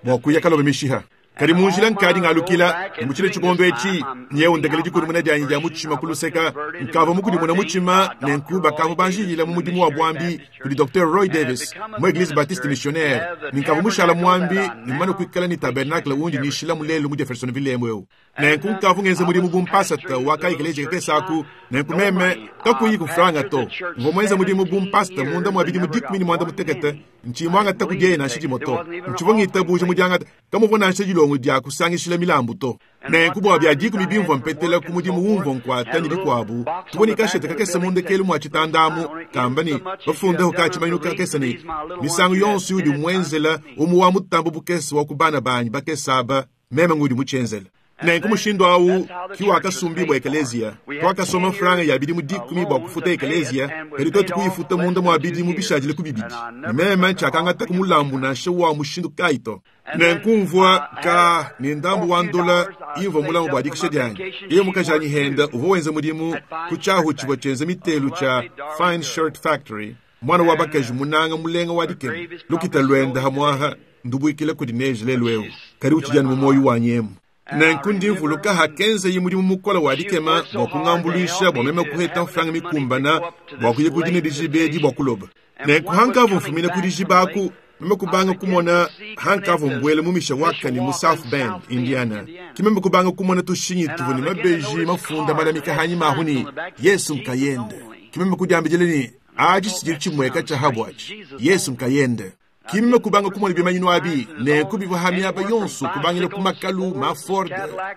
bwa kuya kalobe mishiha kadi munjila nkadi ngalukila muchile chikondo echi nyewe ndekele dikudi dyanyi dya muchima kuluseka nkava mukudimuna muchima nenku bakava banjilila mu mudimu wa bwambi kudi Docteur Roy Davis mu Eglise Baptiste Missionnaire ninkava mushala mwambi nimana kuikala ni tabernacle undi nishila mulelu mu Jeffersonville emweu nenku nkava ngenze mudimu bumpasata wakaikeleje kesaku nenku meme kakuyi kufranga to ngomwenza mudimu bumpasata munda mwa bidimu dikumi ni mwanda mutekete nchimwanga takudyena nshidimo to nchivongita buje mudyangata kamuvona nshidilongo dya kusangishila milambu to nenku bwa bya dikumi bimvwa mpetela ku mudimu wumvwa nkwata ni dikwabu tuboni kashete kakesa mundekelu mwa chitandamu kamba ni bafundeho kachimanyu kakesa ni misango yonso yudi mwenzela umu wa mutambo bukesa wa kubana banyi bakesaba meme ngudi muchenzela Nenku mushindu awu ki wakasumbibwa ekeleziya. Twakasoma mfranga ya bidimu dikumi bua kufuta ekeleziya, kadi twetu kuyifuta munda mwa bidimu bishadile ku bibidi. Ne meme ntshiakangata ku mulambu nansha wa mushindu kayi to. Nenku mvua ka ne ndambu wa ndola imvua mulamu bua dikisha dianyi. Yeye mukajanyi henda uvua wenza mudimu ku tshiahu tshivua tshienza mitelu tshia Fine Shirt Factory, mwana wa bakaji munanga mulenga wa dikema. Lukita lwenda hamwaha ndubuikile kudi neje lelu eu, kadi utshidi anu mu muoyo wanyi emu. Nenku ndi mvuluka hakenza mudimu mukola wa dikema bua kungambuluisha bua meme kuheta mfranga mikumbana bua kuya kudina dijiba edi bua kuloba. Nenku hankavua mfumina ku dijiba aku, meme kubanga kumona hankavua mbuele mu Mishawaka ni mu South Bend, Indiana. Ki meme kubanga kumona tushinyi tuvua ne mabeji mafunda malamika hanyima ahu ni Yesu nkayende. Ki meme kudiambidile ni aji tshidiri tshimweka tsha habwaji Yesu nkayende. Ki meme kubanga kumona bimanyinu abi nenku bivua hamiaba yonso kubangila ku makalu ma Ford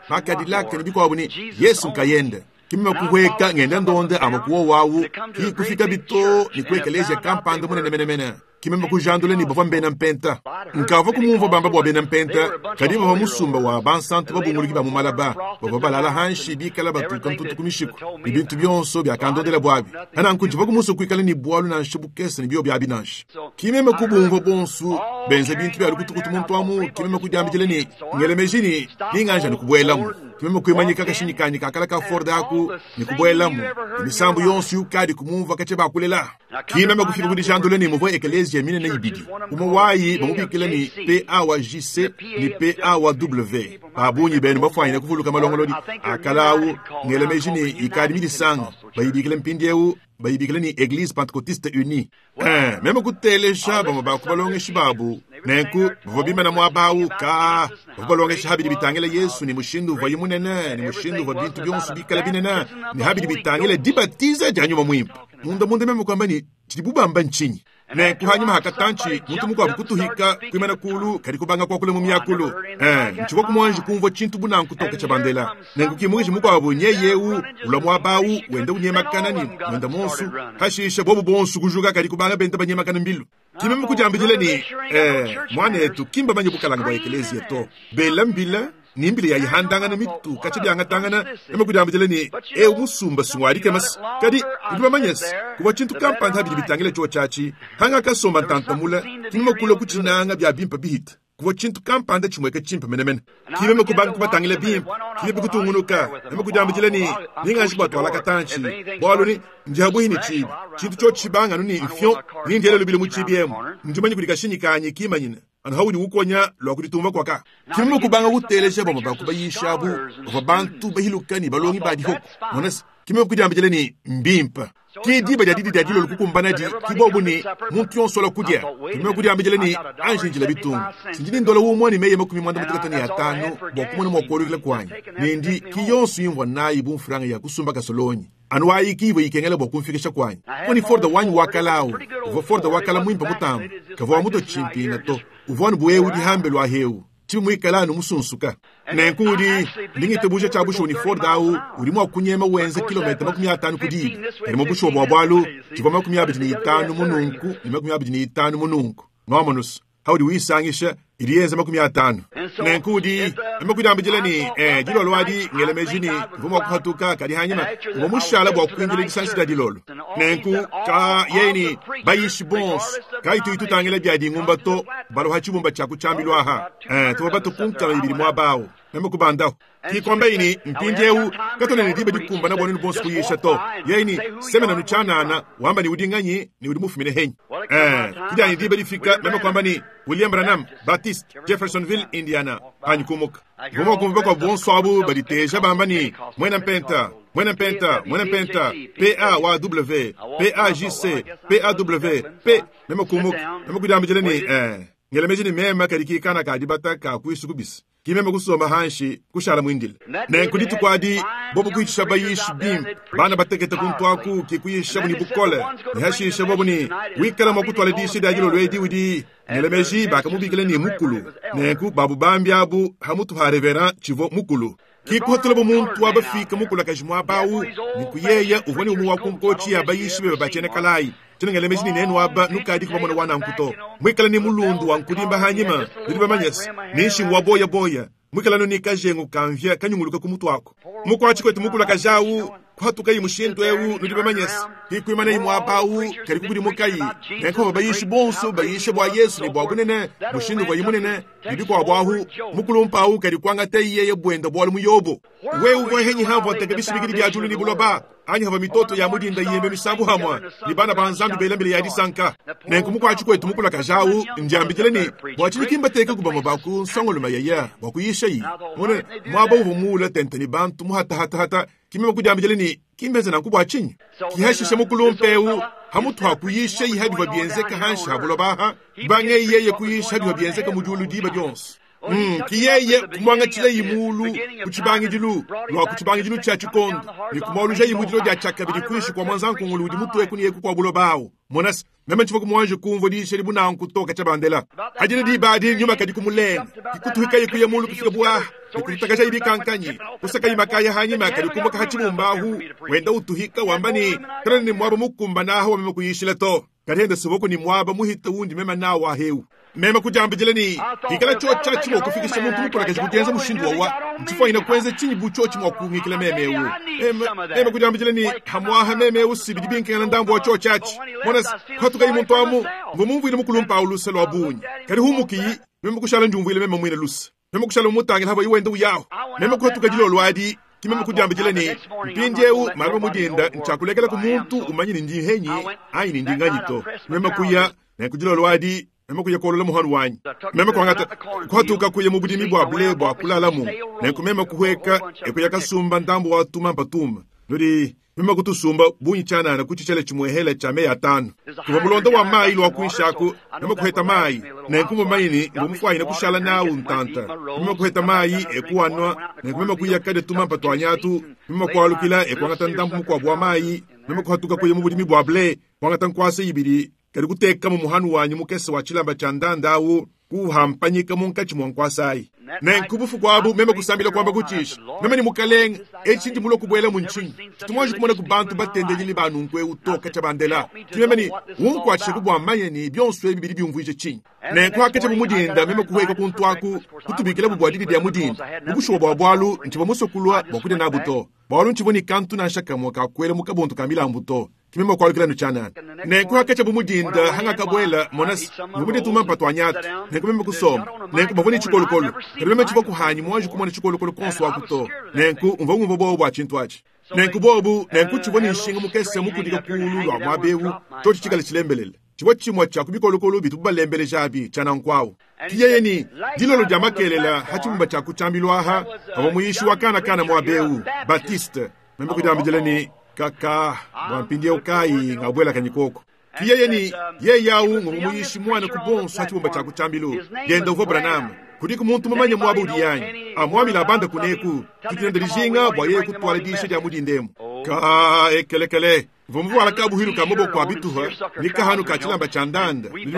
ma Cadillac ne bikuabu ni Yesu nkayende. Ki meme kuhweka ngenda ndonde ama kuwo wawu ki kufika bito ni ku ekelezia kampanda munene menemene. Ki meme kujandula ni bavua mbena mpenta. Nkavua kumumvua bamba bua bena mpenta, kadi bavua musumba wa bansantu babunguluki ba mu malaba, bavua balala hanshi bikala batuka ntutu ku mishiku, ne bintu bionso biakandondela bwabi. Nanku ntshivua kumusu kuikala ni bwalu nansha bukese ne bio biabi nansha. Ki meme kubumvua bonsu benza bintu bya lukutukutu muntu amu, ki meme kudiambidile ni ngelemeji ni ninganja ni kubuelamu. Ki meme kuimanyika kashinyi kanyi kakala ka Ford aku ni kubuelamu. Misambu yonso yukadi kumumvua kache bakulela. Ki meme kufika kudijandula ni muvua ekelezia minene ibidi. Umwe wayi bamubikila ni P A wa J C ni P A wa W. Babunyi benu bafwanyina kuvuluka malongolodi akalawu ngelemeji ni ikadi midisanga bayibikile mpindiewu bayibikile ni Eglise Pentecôtiste Unie. Eh, meme kutelesha bamwe bakubalongeshi babu nenku bavua bimana muabawu ka bavua balongesha habidi bitangila Yesu ni mushindu uvua munene ni mushindu uvua bintu bionso bikala binene ni habidi bitangila dibatiza dia nyuma mwimpe. Munda munda meme kwamba ni tshidi bubamba nchinyi. Nenku hanyuma hakatanchi muntu mukuabu kutuhika kuimana kulu kadi kubanga kwakula mu myakulu. Eh, ntshivua kumwanji kumvua tshintu bunanku toka tsha bandela. Nenku kimuishi mukuabu nyeyeu ula muabawu wenda unyemakana ni wenda monsu hashisha bobu bonsu kujuka kadi kubanga benda banyemakana mbilu. Kimeme kudiambidile ni eh mwanetu kimba manye bukalanga bwa ekelezia to. Bela mbila nimbile ya ihandangana mitu kachi byangatangana meme kudiambidile ni e musumba sungwari kemas kadi ndibamanyes kuba chintu kampanda habidi bitangile cho chachi hanga kasomba ntantamula kimeme kula kuchinanga bya bimpa bihita kuba chintu kampanda chimweka chimpa menemene kimeme kubanga kubatangile bimpa kimeme kutungunuka meme kudiambidile ni ninganji bwatwala katanchi bwalo ni ndihabuhi ni chibi chintu cho chibanga nuni mfyon nindiele lubile mu chibi emu ndimanyi kulikashinyikanyi kimanyina anu haudi ukonya lwa kuditumba kwaka. Kimeme kubanga kutelesha bamwe bakubayisha abu bava bantu bahilukani balongi badihoko monasi kimeme kudiambidile ni mbimpa ki diba dia didi dia dilolo kukumbana di kibobu ni muntu yonso la kudia. Kimeme kudiambidile ni anjinjila bitungu sinjini ndola umwe ni meye makumi mwanda mutekatani ya tano bwa kumona mwa kuolukila kwanyi nindi ki yonso imvwa nayi bumfuranga ya kusumba kasolonyi anu ayi kiwe ikengela bwa kumfikisha kwanyi koni Ford wanyi wakalawu uvua Ford wakala mwimpa mutambo kavua muto chimpina to uvua nubuewu dihambe lwa heu timu mwikala anu musunsuka. Nenku udi ndingitebuja tsha busho ni Ford awu udi mwa kunyema wenze kilomita makumi atanu kudiba kadi mubusho bwa bwalu tshivua makumi abidi ni itanu mununku ni makumi abidi ni itanu mununku ng'omonus haudi wisangisha iliyenza makumi atanu. Nenku udi emekudambidile ni eh dilolo adi ngelemeji ni mvuma kuhatuka kadi hanyima uvua mushala bwa kuinjila disansi dia dilolo. Nenku ka yeni bayishi bons kaitu itutangila bya dingumba to balo hachibumba cha kuchambilwa aha eh tuba batukunka ibiri mwabawo meme kubandaho kikwamba ini mpindiewu katone ni diba dikumba na bwanu bonso kuyisha to yeni semena nuchanana wamba ni udinganyi ni udimufumine henyi eh kijani diba difika meme kwamba ni William Branham Baptist Jeffersonville Indiana hanyukumuka vuma kumva kwa bonso abu baditeja bamba ni mwena mpenta mwena mpenta mwena mpenta P A wa W P A J C P A W P meme kumuka meme kudambijele ni eh ngelemeji ni mema kadikikana kadibata ka kuisukubisa kimeme kusoma hanshi kushala mwindile. Nenku ditukwadi bobu kuichisha bayishi bimpe bana batekete kuntwaku kikuyisha buni bukole nihashisha bobu ni wikala mwa kutwala dishi dia dilolo edi udi ngelemeji bakamubikile ni mukulu. Nenku babu bambi abu hamutu ha reverend chivo mukulu kikuhotela bo muntu wabafika mukulu akajimwa abawu nikuyeya uvua ni umu wa kunkochi ya bayishi bebe bachene kalayi tinengelemeji ni nenu aba nukadi kubamona wana nkuto mwikala ni mulundu wa nkudimba hanyima nidi bamanyesi ninshingu wa boya boya Mwikalano ni kajengu kamvya kanyunguluka kumutwako. Mukwachi kwetu mukula kajawu kuhatuka yi mushindu ewu nudi bamanyesa. Hikwimana yi mwabau kali kukudi mukayi. Nenko bayishi bonso bayishe bwa Yesu ni bwa bunene mushindu kwa yimunene nidi kwa bwahu mukulumpawu kali kwangata yeye bwenda bwalu muyobo. Wewe uvohenyi hapo atakabishibikiri bya julu ni buloba. Anyi hava mitoto ya mudinda yembe misambu hamwa ni bana banzambi belambele ya disanka. Nenko mukwachi kwetu mukula kajawu njambikile ni bwachili teka kubama baku nsongoluma yaya bwakuyisha yi. Mone mwaba uvumula tente ni bantu muhata hata hata kimema kujambikile ni kimbeze na kubwa chinyi. Kihashishe mukulumpeu hamutu hakuyisha yi hadi vabienzeka hanshi habulobaha bange yeye kuyisha hadi vabienzeka mujulu diba dionso. Mm, kiyeye kumwanga yimulu kuchibangidilu lwa kuchibangidilu cha chikondo ni kumwaluja yimudilo dia chakabidi kuishi kwa mwanza nkungulu udi mutwe kuni yeku kwa bulobawo monasi meme chivo kumwanje kumvo dishe libuna nkutoka chabandela hajini dibadi nyuma kadi kumulenga kikutuhika yiku yemulu kufika bwa nikutakaja ibikankanyi kusaka imakaya hanyima kadi kumboka hachimumbahu wenda utuhika wambani kana ni mwaba mukumba naho wamema kuyishila to kadihenda siboko ni mwaba muhita wundi mema nawo ahewu mema kujambijile ni ikala chocha chimo kufikisha muntu mukula kaji kujenza mushindu wawa mchifo ina kwenze chinyi bucho chimo kungikile meme ewu mema mema kujambijile ni hamwaha meme ewu sibidi binke na ndambo wa chocha chi mona kwatuka imuntu amu ngomumvu ine mukulumpa uluse lwa bunyi kali humuki mema kushala njumvu ile mema mwine luse mema kushala mutangila habo iwenda uyaho mema kwatuka jilo lwadi kimema kujambijile ni mpindi ewu malaba mudinda nchakulekela ku muntu umanyini ndi henyi ayi ndi nganyito mema kuya na kujilo lwadi mema kuya kolola muhanu wanyi mema kwangata kwatuka kuya mubudimi bwa bule bwa kulalamu nenku mema kuhweka ekuya kasumba ndambo wa tuma mpatuma nudi mema kutusumba bunyi chanana kuchichele chimwehela cha meya tano kuva mulonda wa mayi lwa kuishaku mema kuheta mayi nenku mumayini ngumufwayina kushala nawu ntanta mema kuheta mayi ekuwanwa nenku mema kuya kade tuma mpatwanyatu mema kwalukila ekuangata ndambo mukwabwa wa mayi mema kuhatuka kuya mubudimi bwa bule kwangata nkwasa ibili kali kuteka mu muhanu wanyu mukese wa chilamba cha ndandawu kuhampanyika munkachi mwankwasayi nenku bufu kwabu meme kusambila kwamba kuchisha meme ni mukalenga echindi mulo kubwela munchinyi chitumwaji kumona ku bantu batendenyili banunkwe utoka cha bandela timeme ni unkwachishe kubwamanye ni byonso ebi bili byumvwije chinyi nenku hakecha bumudinda meme kuhweka kuntwaku kutubikila bubwadidi bya mudinda bubushuwa bwa bwalu nchiba musokulwa bwakudya nabuto bwalu nchiboni kantu nanshakamwa kakwele mukabuntu ka milambuto kimema kwalukila nuchanana nenku hakecha bumudinda hanga kabwela monasi ngumudi tuma mpatwanyatu nenku meme kusoma nenku bavoni chikolokolo kali meme chivo kuhanyi mwanji kumona chikolokolo konso wakuto nenku umva ngumva bobu bwa chintu achi nenku bobu nenku chivoni nshinga mukese mukudika kulu lwa mwabewu chochi chikala chilembelele chivo chimwa cha kubikolokolo bitu balembele jabi chanankwawu kiyeye ni dilolo dia makelela hachimumba cha kuchambilwaha abo muyishi wa kana kana mwabewu Batiste meme kujambijele ni kaka bwampindie ukayi ngabwela kanyikoko kiyeye ni yeyawu ngumuyishi mwana kubonso hachibumba cha kuchambilu genda uvo Branham kuliko muntu mumanye mwaba udiyanyi amwamila abanda kuneku tutinenda lijinga bwa yeye kutwala dishe dia mudindemu ka ekelekele vumuvuala kabuhilu ka maboko abituha ni kahanu ka chilamba cha ndanda nili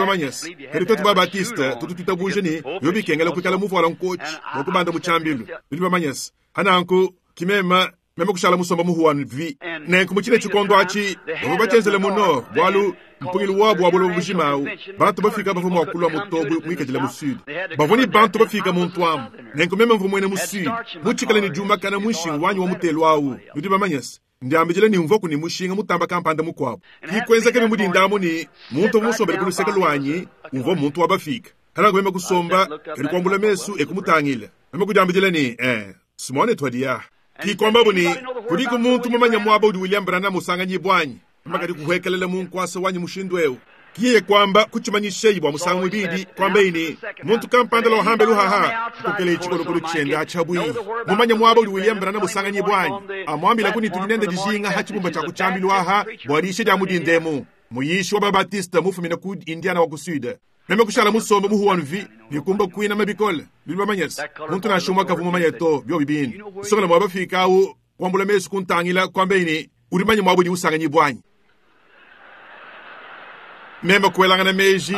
kali twetu ba Batista tutu tutabuje ni yobikengela kukala muvuala nkochi wakubanda muchambilu nili bamanyasi hananku kimema meme kushala musomba muhuwanu vi nenku muchine chikondo achi bavo bachenzele muno bwalu mpungilu wabu wabulo bujimawu bantu bafika bavo mwakulwa mutobu mwikajila mu sud bavoni bantu bafika muntwamu nenku meme mvumwene mu sud muchikale ni juma kana mwishinga wanyu wa mutelu awu nudi bamanyasi ndiambijile ni mvoku ni mushinga mutamba kampanda mukwabo kikwenzeke bimudindamu ni muntu musombele kuluseka lwanyi umvo muntu wabafika halangu meme kusomba kali kwambula mesu ekumutangila meme kujambijile ni eh simone twadia kikomba buni kuliko muntu mumanya mwaba udi William Branham usanganyi bwanyi makati kuhwekelela munkwasa wanyi mushindu ewu kiye kwamba kuchimanyisheyi bwa musango mwibidi kwamba ini muntu kampanda lohambe luhaha kukele chikolokolo chenda achabwi mumanya mwaba udi William Branham usanganyi bwanyi amwambila kuni tulinende dijinga hachibumba cha kuchambilwaha bwalishe dia mudindemu muyishi wa Babatista mufumina ku Indiana wa kusuda meme kushala musomba muhuwanu vi nikumba kwina mabikole bili bamanyesi muntu nashumwa kavuma manyeto byo bibini sokala mwabafika awu kwambula mesu kuntangila kwamba ini ulimanye mwabo di usanganyi bwanyi meme kuelangana meji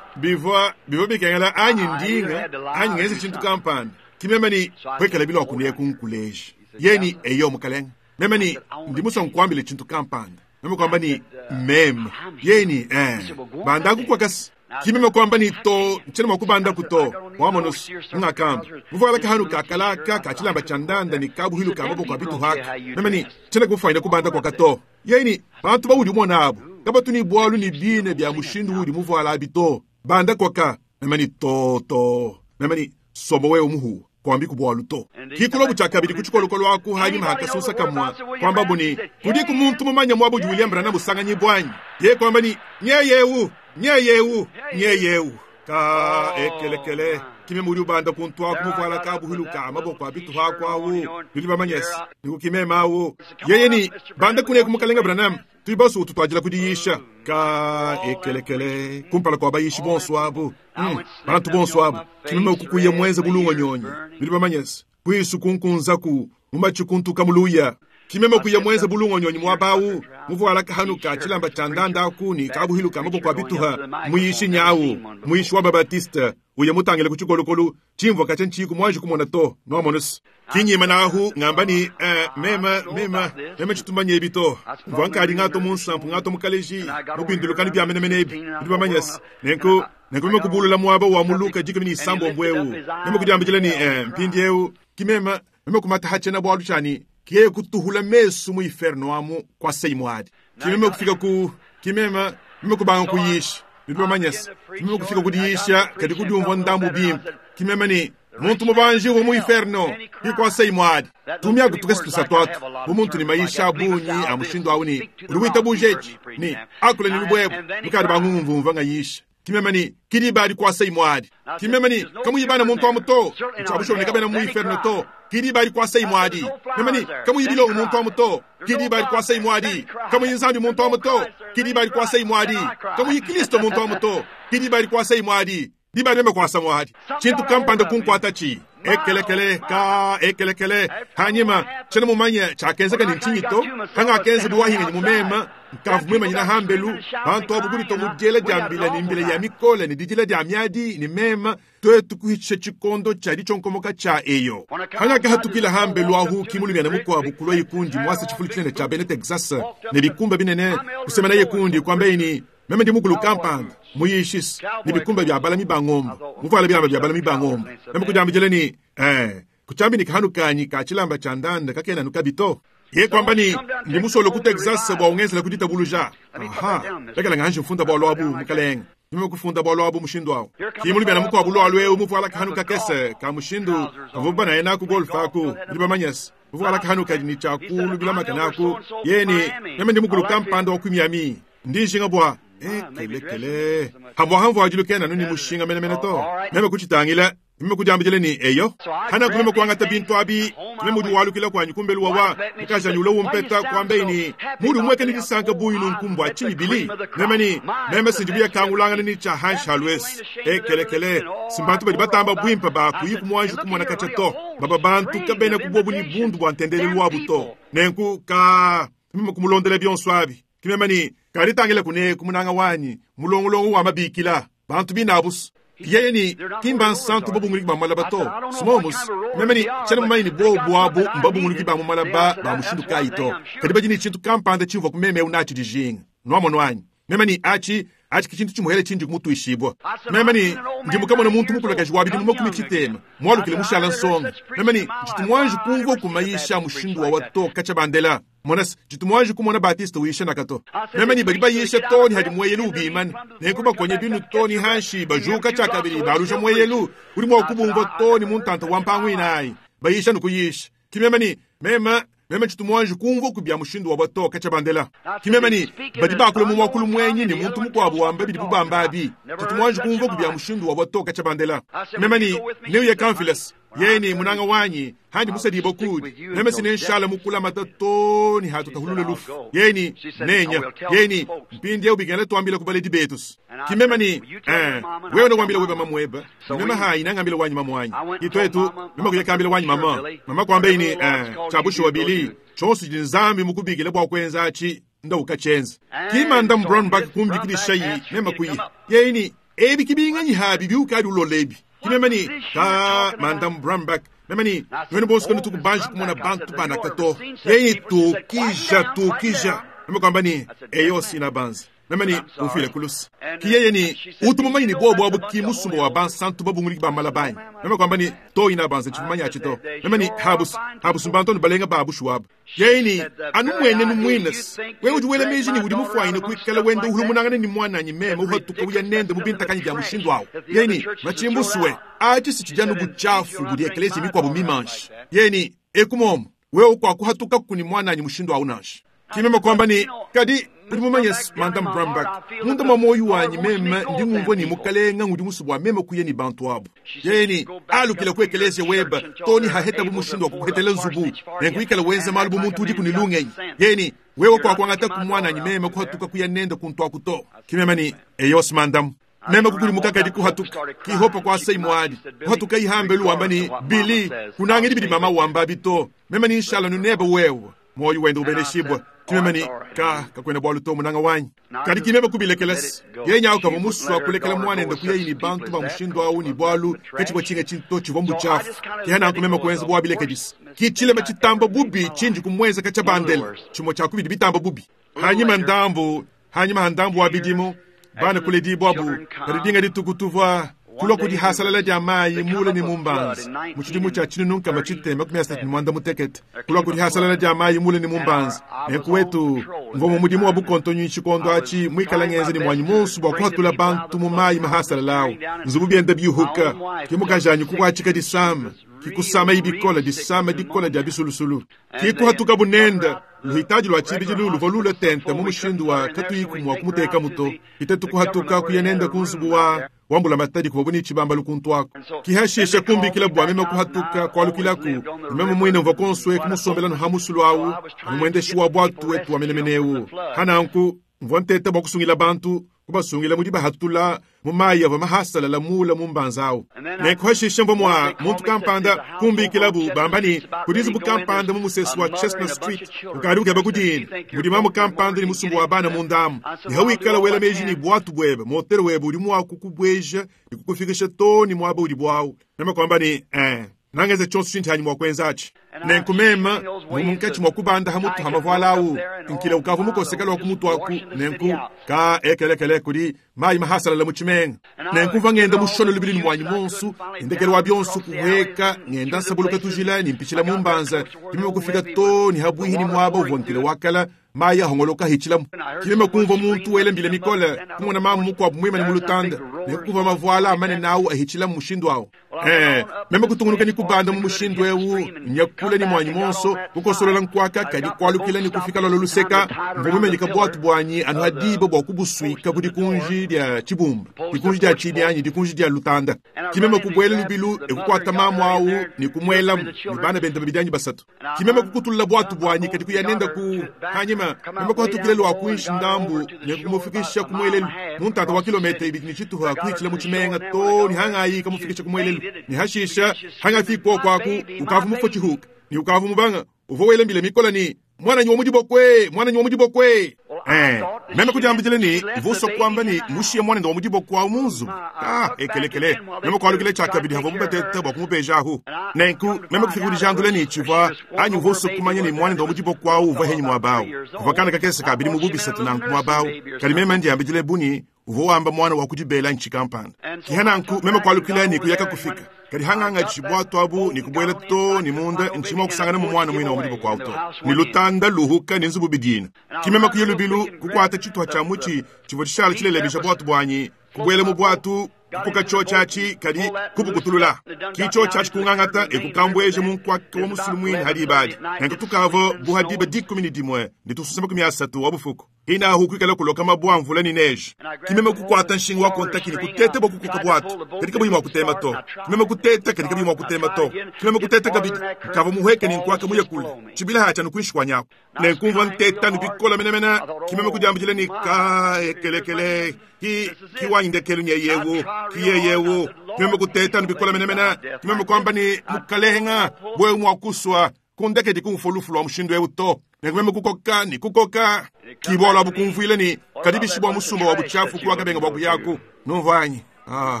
bivwa bivwa bikengela anyi ndinga anyi ngeze chintu kampanda kimeme ni kwekela bilo akunie kunkuleji yeni eyo mukalenga meme ni ndimusa nkwambile chintu kampanda meme kwamba ni meme yeni eh bandaku kwakasi Kimeme kwamba ni to nchena mwakubanda kuto wamonos ngakamba muvala kahanu kakalaka kachilamba cha ndanda ni kabuhilu kamaboko abitu haka meme ni chena kufaina kubanda kwa kato yeni bantu baudi umona abo kabatu ni bwalu ni bine bya mushindu udi muvala abito banda kwaka meme ni to to meme ni somo wewe muhu kwambi kubwalu to kikulobu cha kabili kuchikolokolo aku hanyuma hakasusa kamwa kwamba buni kudi kumuntu mumanya mwabu William Branham busanganyi bwanyi ye kwamba ni nyeyewu nyeyewu nyeyewu ka ekelekele kime muri ubanda kuntwa kumuvala kabuhiluka amaboko abitu hakwawu bili bamanyesi nikukimemawo yeye ni banda kune kumukalenga Branham tuibasu tutwajila kudiyisha ka ekelekele kumpala kwa bayishi bonso abo mm, bantu bonso abo kimeme ukukuye mwenze bulungo nyonyi bili bamanyesi kwisu kunkunzaku mumachikuntuka muluya kimeme kuye mwenze bulungo nyonyi mwabawu muvuala kahanu ka chilamba cha ndanda akuni kabuhiluka amaboko abituha muyishi nyawu muyishi wa babatiste uye mutangile kuchikolokolo chimvwa kacha nchiku mwanji kumona to noamonosi kinyima nahu ngamba ni eh, mema mema mema chitumanye ebi to mvwa nkali ngato munsampu ngato mukaleji mubindulukani bya menemene ebi bidi bamanyasi nenku nenku meme kubulula mwaba wa muluka jikumi ni isambo mbwewu meme kudiambijila ni eh, mpindi ewu kimema meme kumata hachena bwalu chani kiye kutuhula mesu mu inferno amu kwa seimwadi kimeme kufika ku kimema meme kubanga kuyisha bidi bamanyasi kimeme kufika kudiyisha kadi kudiumvwa ndambu bimpe kimeme ni muntu mubanji wo mu inferno kikwasa imwadi tumya kutukesitusa twatu bumuntu ni maisha abunyi amushindu awu ni uli bujechi ni akule ni lubwebo mukadi bang'ung'umvumva nga yisha kimeme ni kili bali kwasa imwadi kimeme ni kamuyibana muntu amuto nchabushoneka bena mu inferno to kili bali kwasa imwadi meme ni kamuyibilo muntu amuto kili bali kwasa imwadi kamuyinzambi muntu amuto kili bali kwasa imwadi kamuyikristo muntu amuto kili bali kwasa imwadi dibali meme kwasa mwadi chintu kampanda kunkwata chi ekelekele ka ekelekele hanyima chena mumanya chakenzeka ni nchinyito kanga akenze buwahinga ni mumema nkavu mwema nyina hambelu bantu abo kulito mujela jambila ni mbila ya mikole ni dijila jya myadi ni mema twetu kuhiche chikondo cha lichonkomoka cha eyo hanya kahatukila hambelu ahu kimulumya na mukwabu kulwa ikundi mwasa chifulu chinene cha bene Texas ne bikumba binene kusema naye kundi kwambe meme ndi mukulu kampanda muyishisi ni bikumba bya balami bang'ombe muvala bilamba bya balami bang'ombe meme kujambijele ni eh kuchambi ni kahanu kanyi ka chilamba cha ndanda kakena nukabito ye kwamba ni ndi musolo ku Texas bwa ungenzela kudita buluja aha lekela nganje mfunda bwa lwabu mukalenga nimwe kufunda bwa lwabu mushindu awo kimuli bya mukwa bulwa lwe muvala kahanu kakese ka mushindu avuba naye naku golf aku ndi bamanyesi muvala kahanu kadi cha kulu bila makanaku yeni meme ndi mukulu kampanda wa kumyami ndi nshinga bwa ekelekele hamwa hamvu ajulukena nuni mushinga menemene to meme kuchitangila meme kujambijele ni eyo hana kumeme kuangata bintu abi meme udi walukila kwanyu kumbelu wawa mukajanyula umpeta kwambe ni mudi mweke ni disanka buyu nunkumbwa chini bili meme ni meme sinjibuya kangulangana ni cha hanshi halwesi ekelekele simbantu badi batamba bwimpa ba kuyiku mwanju kumona kacha to baba bantu kabena kubwobu ni bundu bwa ntendele lwabu to nenku ka meme kumulondela byonso abi kimeme ni kalitangile kune kumunanga wanyi mulongolongo wa mabikila bantu binabusu yeye ni kimba nsantu babunguliki bamalaba to simomus meme ni chena mumanyi ni bobu abu mbabunguliki bamumalaba ba mushindu kayi to kadi badi ni chintu kampanda chivwa kumeme unachi dijinga nwamono anyi meme ni achi achi kichintu chimuhele chinji kumutuishibwa meme ni ndi mukamona muntu mukulakaji wabidi mumakumi chitema mwalukile mushala nsonga meme ni nchitumwanji kumva kumayisha mushindu wa wato kacha bandela monasi chitumwanji kumona batista wisha nakato meme ni bali bayisha toni hadi mweyelu ubimana nenku bakonye binu toni hanshi bajuka chakabili balusha mweyelu uli mwakubumva toni muntanta wa mpangu inayi bayisha nukuyisha kimeme ni mema meme chitumwanji kumva kubya mushindu wa bato kacha bandela kimeme ni badi bakule mu mwakulu mwenyi ni muntu mukwabu wamba bidi bubamba abi chitumwanji kumva kubya mushindu wa bato kacha bandela meme ni niuye kamfilas yeni munanga wanyi handi musadibo kudi meme sine nshala mukula matatoni hatutahulule lufu yeni nenya yeni mpindi ubigana tuambila kubaledi betus kimeme ni eh wewe nokwambila weba mamweba meme hayi nangambila wanyi mamwanyi itwetu meme kuyakambila wanyi mama mama kwamba ini eh chabusho wabili chonso jinzambi mukubigile bwa kwenza achi nda ukachenza kimanda brown bak kumbikilisha meme kuyi yeni ebi kibinganyi habi biukali ulolebi kimeme ni ka mandam brambak meme ni wene bonso kanu tukubanji kumona bantu banakato yeni tukija tukija meme kwamba ni eyo sina banzi Meme ni umfile kulusi. Ki yeye ni utu mumanyi ni bobo abu ki musumba wa bansantu babunguliki ba malabanyi. Meme kwamba ni to ina banza chifumanya achito. Meme ni habus habus mbanto balenga babu shuwabu. Yeye ni anu mwene nu mwines. Wewe ujuwele meji ni udi mufwaine kuikala wende uhulumunangane ni mwananyi meme uhatuka uya nende mubintakanyi bya mushindu awo. Yeye ni machimbuswe achi sichijanu buchafu budi eklesi mikwabu mimanshi. Yeye ni ekumomo wewe kwa kuhatuka kuni mwananyi mushindu awo nashi. Kimeme kwamba ni kadi udi mumanye Madam Brambach munda mwa moyo wanyi meme ndi ngumvua ni mukalenga ngudi musubwa meme kuye ni bantu abo. Yeye ni alukila ku eklezia weba toni haheta bu mushindu wa kukuhetela nzubu nenkuikala wenza malu bu muntu udi kunilungenyi. Yeye ni wewe kwa kuangata ku mwananyi meme kuhatuka kuya nenda kuntu akuto. Kimeme ni eyos mandam meme kukulimuka kadi kuhatuka kihopa kwa sei mwadi kuhatuka ihambe luwamba ni bili kunangidi bidi mama wamba bito meme ni inshallah nuneba wewe moyo wenda ubeneshibwa. Kimeme ni ka kakwenda bwalu to munanga wanyi kadi kimeme kubilekelesi yenyawo kava muswa kulekela mwana kuyeyi ni bantu ba mushindu awu ni bwalu kachibwa chinga chinto chivwa mbuchafu kihana kumeme kuenza bwabilekedisi kichilema chitamba bubi chinji kumweza kacha bandela chimo cha kubidi bitamba bubi hanyima ndambu hanyima handambu wa bidimo bana kuledibwa bu kadidinga ditukutuvwa kulwa kudi hasalala dia mayi mule ni mumbanza muchidimu cha chinununka machitema makumi asatu ni mwanda mutekete kulwa kudi hasalala dia mayi mule ni mumbanza nenkuwetu mvomo mudimu wa bukonto nyinshi kondo achi mwikala ngenze ni mwanyi munsu bwa kuhatula bantu mu mayi mahasalalawo nzubu byenda byuhuka kimukajanyi kukwachika disama kikusama ibikola disama dikola dia bisulusulu kikuhatuka bunenda luhitaji lwa chibiji lulu volula tenta mu mushindu wa katuyikumwa kumuteka muto itetu kuhatuka kuyenenda kunzubu wa wambula matadi kubabuni chibamba lukuntu wako kihashisha kumbikila bwa meme kuhatuka kwalukilaku meme mwine mva konswe kumusombela no hamusulu awu mumwendeshi wa bwatu wetu wa menemenewu hananku mvwa ntete bwa kusungila bantu kubasungila mudi bahatula mu mayi ava mahasalala mula mu mbanzawu nenkuhashisha mvwa mwa muntu kampanda kumbikilabu bambani kudizubu kampanda mu musesi wa Chestnut Street ukali ukeba kudini mudima mu kampanda ni musumbu wa bana mundamu nihawikala wela meji ni bwatu bwebe motero webe uli mwaku kubweja nikukufikisha toni mwaba uli bwawu nama kwamba ni eh nangeze chonso chinthanyi mwakwenzachi nenkumema mumunkachi mwakubanda hamutu hamavwalawu nkila ukavu mukosekela wa kumutu aku nenku ka ekelekele kuli mayi mahasalala muchimenga nenkumva ngenda mushono lubili ni mwanyi monsu indekelo wa byonsu kuheka ngenda nsabuluka tujila nimpichila mumbanza kimema kufika to ni habwihi ni mwaba uvwa nkila wakala mayi ahongoloka hichilamu kimema kumva muntu wele mbile mikola kumona mamu mukwabu mwima ni mulutanda nekuva mavuala amane nawu ahichilamu mushindu awo eh meme kutungunuka ni kubanda mu mushindu ewu nyakula ni mwanyi monso kukosolola nkwaka kadi kwalukila ni kufika lolo luseka mvumemenyika bwatu bwanyi anu hadiba bwa kubuswika kudi kunji dia chibumba dikunji dia chibyanyi dikunji dia lutanda kimeme kubwela lubilu ekukwata mamu awu ni kumwelamu ni bana benda babidanyi basatu kimeme kukutulula bwatu bwanyi kadi kuyanenda ku hanyima meme kuhatukile lwa kuishi ndambu nekumufikisha kumwelelu muntata wa kilomita ibili ni chituha kuichila muchimenga to ni hangayi kamufikisha kumwelelu ni hashisha hangafikwa kwaku ukavu mufo chihuka ni ukavu mubanga uvo welembile mikola ni mwana nyi wamudibokwe mwana nyi wamudibokwe eh meme kujambijile ni vuso kwamba ni mushiye mwana ndo wamudibokwa munzu ah ekelekele meme kwalukile chakabidi havo mubatete bwa kumupejahu nenku meme kufikuri jandule ni chivwa anyu vuso kumanya ni mwana ndo wamudibokwa uva henyi mwabawu kuvakana kakese kabili mububisa tunanku mwabawu kali meme ndiyambijile buni uvo wamba mwana wa kudibela nchikampanda kihananku meme kwalukile ni kuyaka kufika kali hanganga chibwatu abu ni kubwela to ni munda nchima kusangana mu mwana mwina wa mudibo kwa auto ni lutanda luhuka ni nzubu bidina kimema kuye lubilu kukwata chitwa cha muchi chivo chishala chilelebisha bwatu bwanyi kubwela mu bwatu kukoka cho chachi kali kubukutulula kicho chachi kungangata ekukambweje mu nkwaka wa musulu mwini hadi ibadi nenkutukavo buhadiba dikumi ni dimwe nditususema kumi asatu wa bufuku ina hukwikala kuloka mabwa mvula ni neje kimeme kukwata nshinga wa kontakini kutete bwa kukoka bwatu katika buyima kutema to kimeme kuteta katika buyima kutema to kimeme kuteta kabidi kava muheke ni nkwaka muye kule chibila hacha nukuishi nyako nenkumva nteta nubikola menemena kimeme kujambijile ni ka ekelekele ki kiwanyindekelu nyeyewo kiyeyewo kimeme kuteta nubikola menemena kimeme kwamba ni mukalehenga bwe mwakuswa kundeke dikumfulufu wa mushindu ewu to nekumeme kukoka ni kukoka kibola bukumvwile ni kadibishibwa musumba wa buchafu kuwakabenga bwa kuyaku numvanyi ah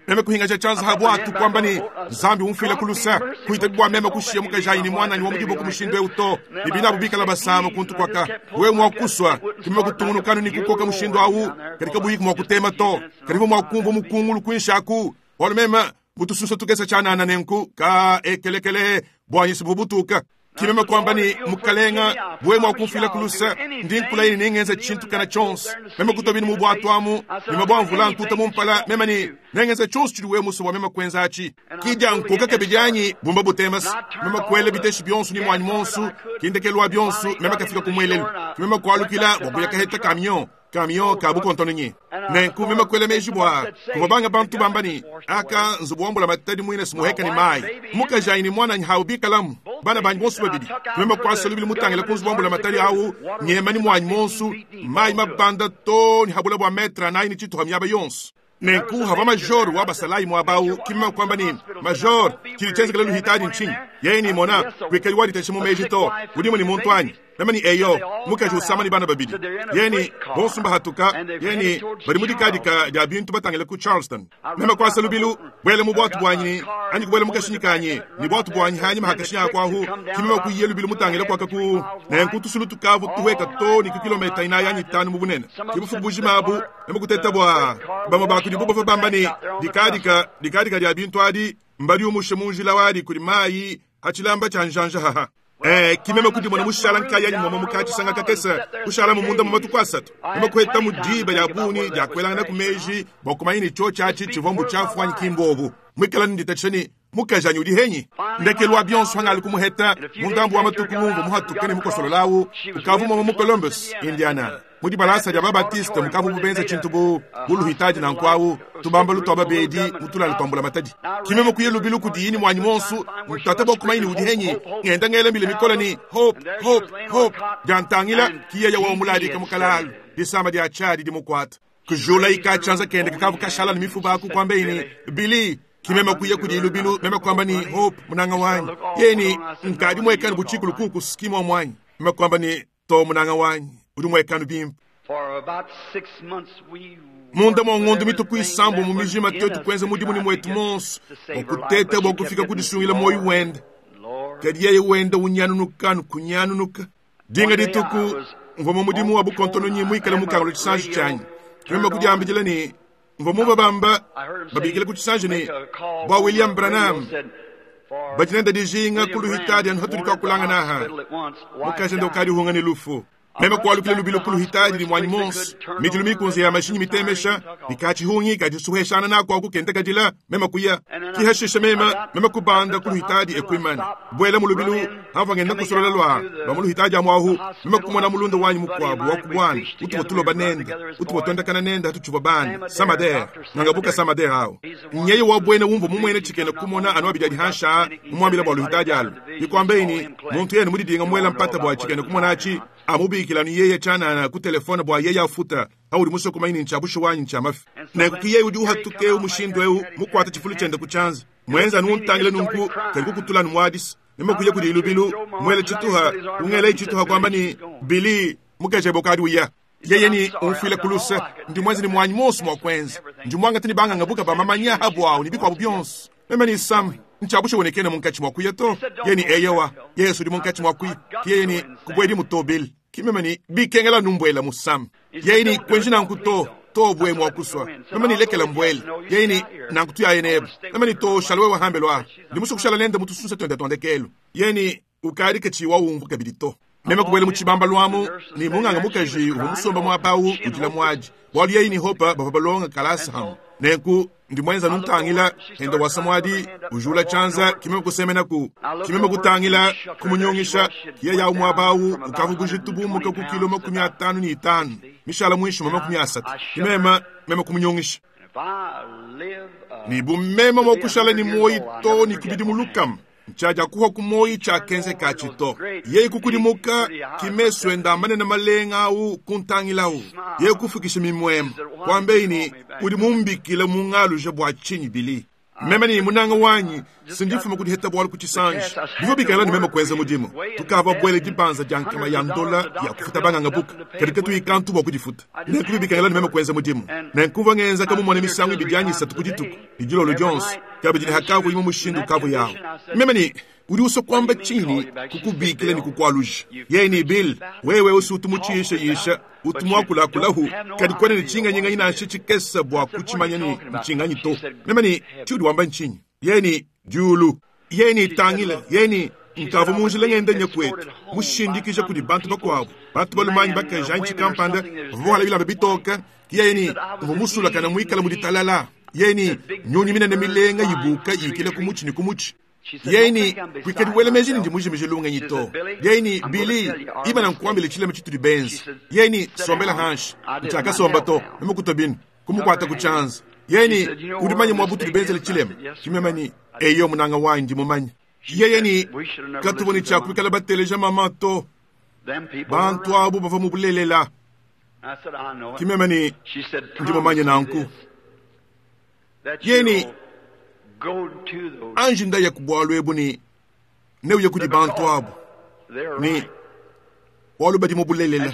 Meme kuhingaja tshianza ha bwatu kwamba ni Nzambi umfile kulusa kuitabi bwa meme kushiya mukajayi ni mwananyi wa mudibo ku mushindu eu to ni binabu bikala basama kuntu kwaka wewe mwakuswa kimeme kutungunukanu ni kukoka mushindu awu katika buyiku mwakutema to karibu mwakumva mukungulu kwinshaku walo meme mutususa tukesa chanana nenku ka ekelekele bwanyisi bubutuka kimeme kwamba ni mukalenga bwe mwakumfila kulusa ndi nkulaini ningenza tshintu kana tshonso meme kutobini mu bwatu amu meme bwamvula ntuta mumpala meme ni nengenza tshonso tshidi we muso wa meme kwenza atshi kidya nkoka kabidyanyi bumba butemasi meme kwele biteshi bionso ni mwanyi monsu kindekelwa bionso meme kafika kumwelelu kimeme kwalukila bwakuya kaheta kamion kamion kabu kontononye nenku meme kwele meji bwa kuva banga bantu bambani aka nzubu wambula matadi mwine simuheka ni mayi mukajayi ni mwananyi hawu bikalamu bana banyi bonso babidi meme kwasa lubili mutangila ku nzubu wambula matadi awu nyema ni mwanyi monsu mayi mabanda to ni habula bwa metra nayi ni tshituha miaba yonso nenku hava major wa basalayi mwabau kimeme kwamba ni major tshili tshenzekela luhitadi ntshini yeye ni mona kwikali waditeshe mu meji to udimu ni muntu anyi meme ni eyo mukaji usama ni bana babidi yeni bonso mbahatuka yeni bali mudikadika dia bintu batangile ku Charleston meme kwasa lubilu bwele mu bwatu bwanyi anyi kubwele mukashinyi kanyi ni bwatu bwanyi hanyi mahakashinya akwahu kimeme kuyiye lubilu mutangile kwaka ku nenku tusulu tukavu tuweka to ni ku kilomita inayi anyi tanu mu bunene kibufu bujima abu meme kuteta bwa bamwe bakudi bubava bamba ni dikadika dikadika dia bintu adi mbali umushe munjila wadi kuli mayi hachilamba cha njanja haha Eh, kimeme kuti mwana mushala nkaya ni mwa mukachi sanga kakesa kushala mumunda mu matuku asatu meme kweta mudiba ya buni ya kwelanga ku meji bokumayini cho chachi chivombu chafu anyi kimbobu mwikala nditacheni mukajanyi udi henyi ndekelwa bionso hangali kumuheta mundambu wa matuku mumvu muhatukene mukosololawu ukavu mwa mu Columbus Indiana mudi balasa dia babatiste mukavu bubenza tshintu bu buluhitaji na nkwawu tubamba lutwa babedi mutulala twambula matadi kimeme kuye lubilu kudiyini mwanyi monsu mutata bokumayini udi henyi ngenda ngela mbile mikola ni hope hope hope jantangila kiyeya wa muladika mukalalu disamba dia chadi dimukwata kujula ikachanza kende kakavu kashala ni mifuba aku kwambeini bili kimeme kuye kudi lubilu meme kwamba ni hope munanga wanyi yeni nkadi mwekani buchikulu kuku skima mwanyi meme kwamba ni to munanga wanyi udi mwekani bimpe For about six months we munda mwa ng'ondo mituku isambo mu mijima tetu kwenza mudimu ni mwetu monso bwakuteta bwakufika kudisungila moyo wende kadi yeye wenda unyanunukanu kunyanunuka dinga dituku mva mu mudimu wa bukontononyi mwikale mukangalo tshisanji tshanyi kimeme kudiambidila ni mva mu babamba babikila ku tshisanji ni bwa William Branham bajinenda dijinga kuluhitadi anu hatuli kakulanga naha mukajenda ukadi hunga ni lufu meme kwalukile lubilo kuluhitadi limwanyi monsi midilu mikunzi ya mashinyi mitemesha nikachihungi kadisuheshana nako akukenda kadila meme kuya kihashisha meme meme kubanda kuluhitadi ekwimana bwela mulubilu hava ngenda kusolola lwa lwa muluhitadi amwahu meme kumona mulunda wanyi mukwabu wakubwana utubo tuloba nenda utubo twendakana nenda hatuchuva bana samader nangabuka samader awo nyeye wabwene wumva mumwene chikene kumona anu abidi adihansha mumwambila bwa luhitadi alu ikwambeini muntu yene mudidinga mwela mpata bwa chikene kumona achi amubikila ni yeye chanana ku telefone bwa yeye afuta auli musoko maini nchabusho wanyi nchamafi nekuki yeye udi uhatuke umushindu eu mukwata chifulu chenda kuchanza mwenza nuntangile nunku kali kukutula numwadisi nimekuja kudi ilubilu mwele chituha ungele chituha kwamba ni bili mukejebo kadi uya yeye ni umfile kulusa ndi mwenzi ni mwanyi monso mwakwenza ndi mwanga tini banga ngabuka bamamanya habu awo ni bikwabu byonso meme ni sam nchabusho wonekene munkachi mwakuya to yeye ni eyewa yesu di munkachi mwakuya yeye ni kubwedi mutobili kimeme ni bikengela numbwela musam yeye ni kwenji nanku to to bwe mwakuswa meme ni lekela mbwele yeye ni nanku tuya yenebo meme ni to shalwe wahambelwa ndi musukushala nende mutusunsa twende twandekelo yeye ni ukali kechiwa umvu kabili to meme kubwele muchibamba lwamu ni munganga mukaji umusomba mwapawu ujila mwaji bwalu yeye ni hopa bava balonga kalasa hamu nenku ndi mwenza nuntangila henda wasamwadi ujula chanza kimeme kusemenaku kimeme kutangila kumunyongisha kiye yawu mwabawu ukavugujitubumuka ku kilo makumi atanu ni itanu mishala mwisho ma makumi asatu kimema meme kumunyongisha ni bumema mwakushala ni moyi to ni kubidi mulukam nchaja kuha kumoyi cha kenze kachito yeyi kukudimuka kimeswe ndambane na malenga au kuntangilawu yeyi kufikisha mimwema kwambeini udi mumbikile mungaluje bwa chinyi bili Meme ne munanga wanyi sindifuma kudiheta bwalu ku tshisanji bivua bikala ne meme kuenza mudimu tukava bwele dibanza dia nkama ya ndola ya kufuta banganga buka kadi katuyikantu bua kudifuta nenku bikala ne meme kuenza mudimu nenkuva ngenza kamumone misangu ibidi anyi isatu ku dituku lidilolo dionso kabidi ne hakavu imwe mushindu kavu yawo meme ni udi uswa kwamba chini kukubikila ni kukwaluja yeye ni Bill wewe usi utumuchisha utumwakulakulahu kadi kwene ni chinganyinganyi nansha chikesa bwa kuchimanya ni nchinganyi to meme ni chiudi wamba nchinyi yeye ni diulu yeye ni tangila yeye ni nkavu munjila ngenda nyakwetu mushindikisha kudi bantu bakwabo bantu balumanyi bakaja nchikampanda vavuhala bilamba bitoka yeye ni mvumusulakana mwikala muditalala yeye ni nyunyi minene milenga yibuka yikile kumuchi ni kumuchi yeni kwikadi wele meji ndi mujimije lunga to yeni Bili iba nkwambile chilema chituli benzi yeni sombela hanshi nchaka somba to nimukutobini kumukwata kuchanza yeni udimanye mwabutu benzele chilema chimemani eyo munanga wanji mumanye yeyeni katuboni chakubikala bateleja mama to bantu abo bava mubulelela kimemani ndi mumanye nanku yeni anji ndaya kubwalu ebu ni neuye kudi bantu abo ni walu badi mubulelela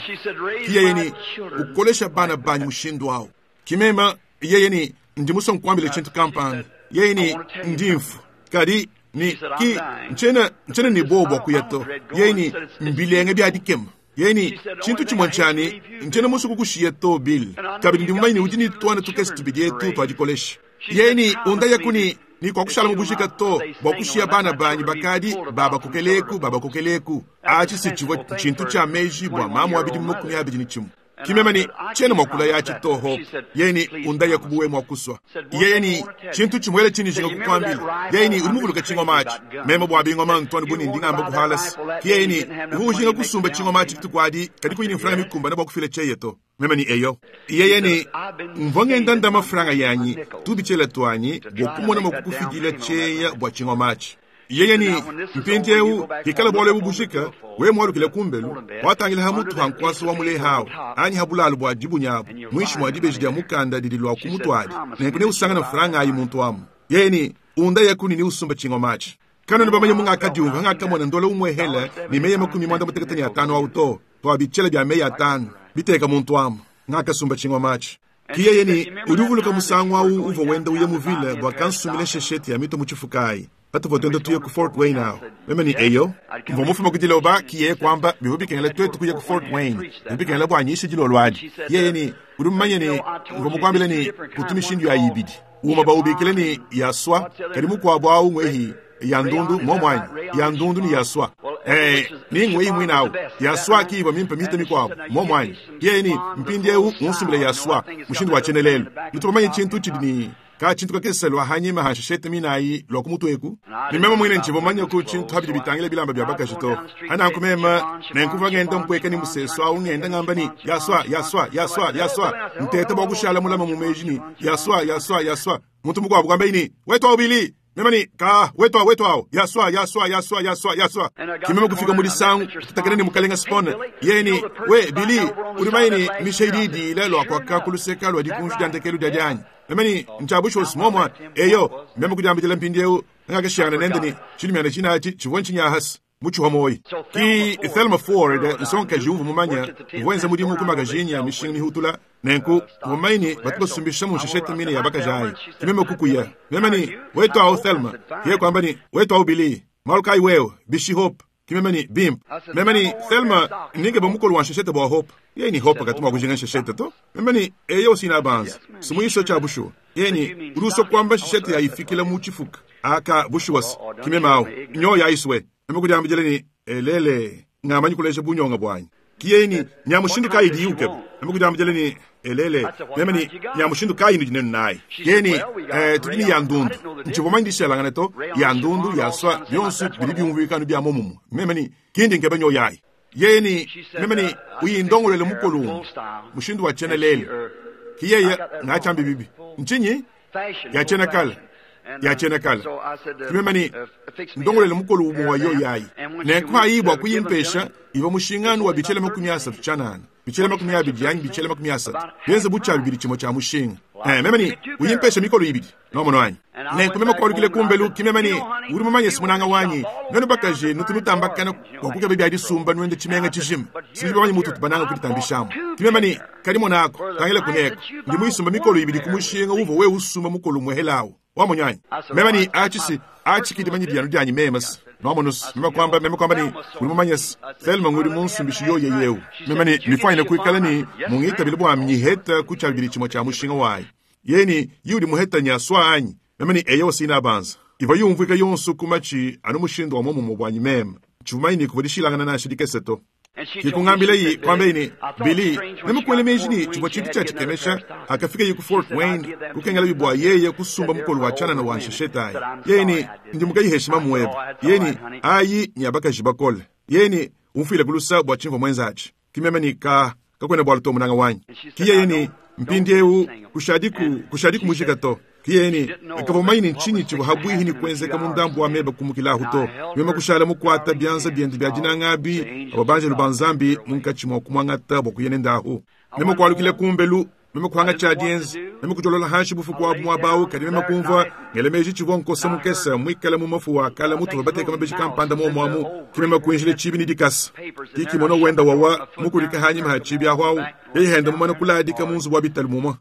kiyeyeni ukolesha bana banyi mushindu awo kimema yeyeni ndi musonkwambile chintu kampanda yeyeni ndi mfu kadi ni ki nchena nchena ni bobo kuyato yeyeni mbilenge bya dikema yeni chintu chimwe nchani nchena musuku kushiya to Bill kabidi ndi mumanyi udi ni twana tukesi tubidi etu twadikolesha yeni undaya kuni ni kwa kushala mubushika to bwa kushiya bana banyi bakadi baba kukeleku baba kukeleku achi sichivo chintu cha meji bwa mamu abidi mukumi abidi ni chimu kimemani chena mwakula yachi to Hope yeni undaya kubuwe mwakuswa yeni chintu chimwele chini jinga kukwambila yeni ulimuvuluka chingoma achi meme bwa bingoma ntwani buni ndingamba kuhalasi yeni uvujinga kusumba chingoma achi kitukwadi kadi kuyini mfranga mikumba na bwakufila cheye to meme ni eyo yeyeni mvongenda ndama franga yanyi tubichela twanyi bwokumona mwakukufidila cheya bwa chingoma achi yeyeni mpindiewu hikala bwalo bubushika we mwalukile kumbelu watangila hamutu hankwasa wa mule hawo anyi habulalu bwa dibunyabo mwishi mwa dibeji dia mukanda didi lwa kumutwali nenkune usangana franga ayi muntu amu yeyeni unda yakuni ni usumba chingomachi kano nibamanye mungakadiumva ngakamona ndola umwehela ni meya makumi mwanda muteketani atano auto twabichela bya meya atano biteka muntu amu ngakasumba chingomachi kiyeyeni udi uvuluka musangu awu uva wenda uye muvile bwa kansumile shesheti ya mito muchifukayi patuvotenda tuye ku Fort Wayne awo meme ni eyo mvomufuma kudiloba kiye kwamba bivubikengela twetu kuye ku Fort Wayne bivubikengela bwanyisha dilolwadi yeyeni udi mumanye ni mvomukwambile ni kutumishindu ya ibidi uma baubikile ni yaswa kadi mukwabo awu ngwehi ya ndundu momwanyi ya ndundu ni yaswa eh ningwe imwe nawo yaswa kiba mimpe mite mikwabo momwanyi yeyeni mpindiewu unsumbile yaswa mushindu wa chenelelo nitubamanye chintu chidi ni ka chintu kakeselwa hanyima hasheshete minayi lwa kumutweku nimema mwine nchivomanya ku chintu habidi bitangile bilamba bya bakaji to anankumema nenkuva ngenda mpweka ni museso awu ngenda ngamba ni yaswa yaswa yaswa yaswa ntete bwa kushala mulama mumeji ni yaswa yaswa yaswa muntu mukwabo kwamba ini wetwa ubili mema ni ka wetwa wetwa yaswa yaswa yaswa yaswa yaswa kimema kufika muri sangu tutakene ni mukalenga spone yeni we Bili ulimaini mishaididi ile lwa kwa kakuluseka lwa dikunju dandekelu dyajanyi memeni nchabusho simomwa eyo meme kujambijela mpindiewu ngakashiyana nendeni chilimyana chinachi chivonchinyahasi muchihomoyi ki Thelma Ford nsonka jiuvu mumanya mvuenza mudimu kumagazini ya mishinga mihutula nenku mumaini batubasumbisha munsheshete mine ya bakajayi kimeme kukuya memeni wetu awo Thelma ye kwamba ni wetu awo Bili malukai wewe bishi Hope kimemeni bimp memeni Thelma ninge bomukolo wa nsheshete bwa Hope ye ni Hope akatuma kujinga nsheshete to memeni eyo sina banza simuisho cha bushu yeni uruso kwamba nsheshete yayifikila muchifuka aka bushuwas kimemao nyo yaiswe namukujambijele ni elele ngamanyi kulesha bunyonga bwanyi kiyeni nyamushindu kayi diyuke namukujambijele ni elele memeni nyamushindu kayi ni dinenu nayi yeni eh, tudini ya ndundu nchivomanyi dishelangane to ya ndundu yaswa byonsu bili byumvikano bya momumu memeni kindi nkebe nyo yayi yeni memeni uyindongolele mukolumu mushindu wa chenelele kiyeye ngachambi bibi nchinyi yachena kala yachena kala kimemani ndongolele mukolu umu wa yo yayi nenku ayibwa kuyimpesha iva mushingano wa bichele makumi asatu chanana bichele makumi abidi yanyi bichele makumi asatu byenze bucha bibili chimo cha mushinga Eh, meme ni uyimpesha mikolo ibidi nomono wanyi nenku meme kualukile kumbelu kimeme ni uri mumanye simunanga wanyi nenu bakaje nutu nutambakana bua bya disumba nuende tshimenga tshijima sinji bamanyi mutu tubananga kuditambishamu kimeme ni kadi monako tangila kuneko ndi muyisumba mikolo ibidi kumushinga uva we usumba mukolo muhelawo wamunyanyi meme ni achisi achikidi manyi dyanu dyanyi memasi nomonus meme kwamba meme kwamba ni uri mumanyesi Thelma nguri munsumbishi yoye yewu meme ni mifwanyine kuikala ni mungitabile bwa mnyiheta kuchabili chimwe cha mushinga wayi yeni yudi muheta nyaswa anyi meme ni eyo sina banza iva yumvika yonso kumachi anu mushindo wa momumo bwanyi meme chumaini kuvudishilangana na shidikeseto kikungambile yi kwamba ini Billy nemukwele meji chibwa chintu chachikemesha akafika yiku Fort Wayne kukengela bibwa yeye kusumba mukolo wa chana na wansheshetayi yeni ndi mukayiheshima muweba yeni ayi nyabakaji bakole yeni umfile kulusa bwa chimvo mwenzachi kimeme ni ka kakwene bwa lutomu nanga wanyi kiye yeni mpindi eu kushadiku kushadiku mujika to kiyeni kavomaini nchinyi chivo habwihi ni kwenzeka mundambu wa meba kumukilahu to mema kushala mukwata byanza byendu bya dinangabi abo banjelu banzambi munkachi mwa kumwangata bwa kuyene ndahu mema kwalukile kumbelu mema kuhanga cha dienzi mema kujolola hanshi bufuku wabu mwabawu kadi mema kumva ngelemeji chivo nkosa mukesa mwikala mu mafu wa kala mutu babateka mabeji kampanda mo mwamu kimema kuinjile chibi ni dikasa kikimono wenda wawa mukulika hanyima ha chibi ahwawu yeyihenda mumana kuladika munzu wa bitalu mumwa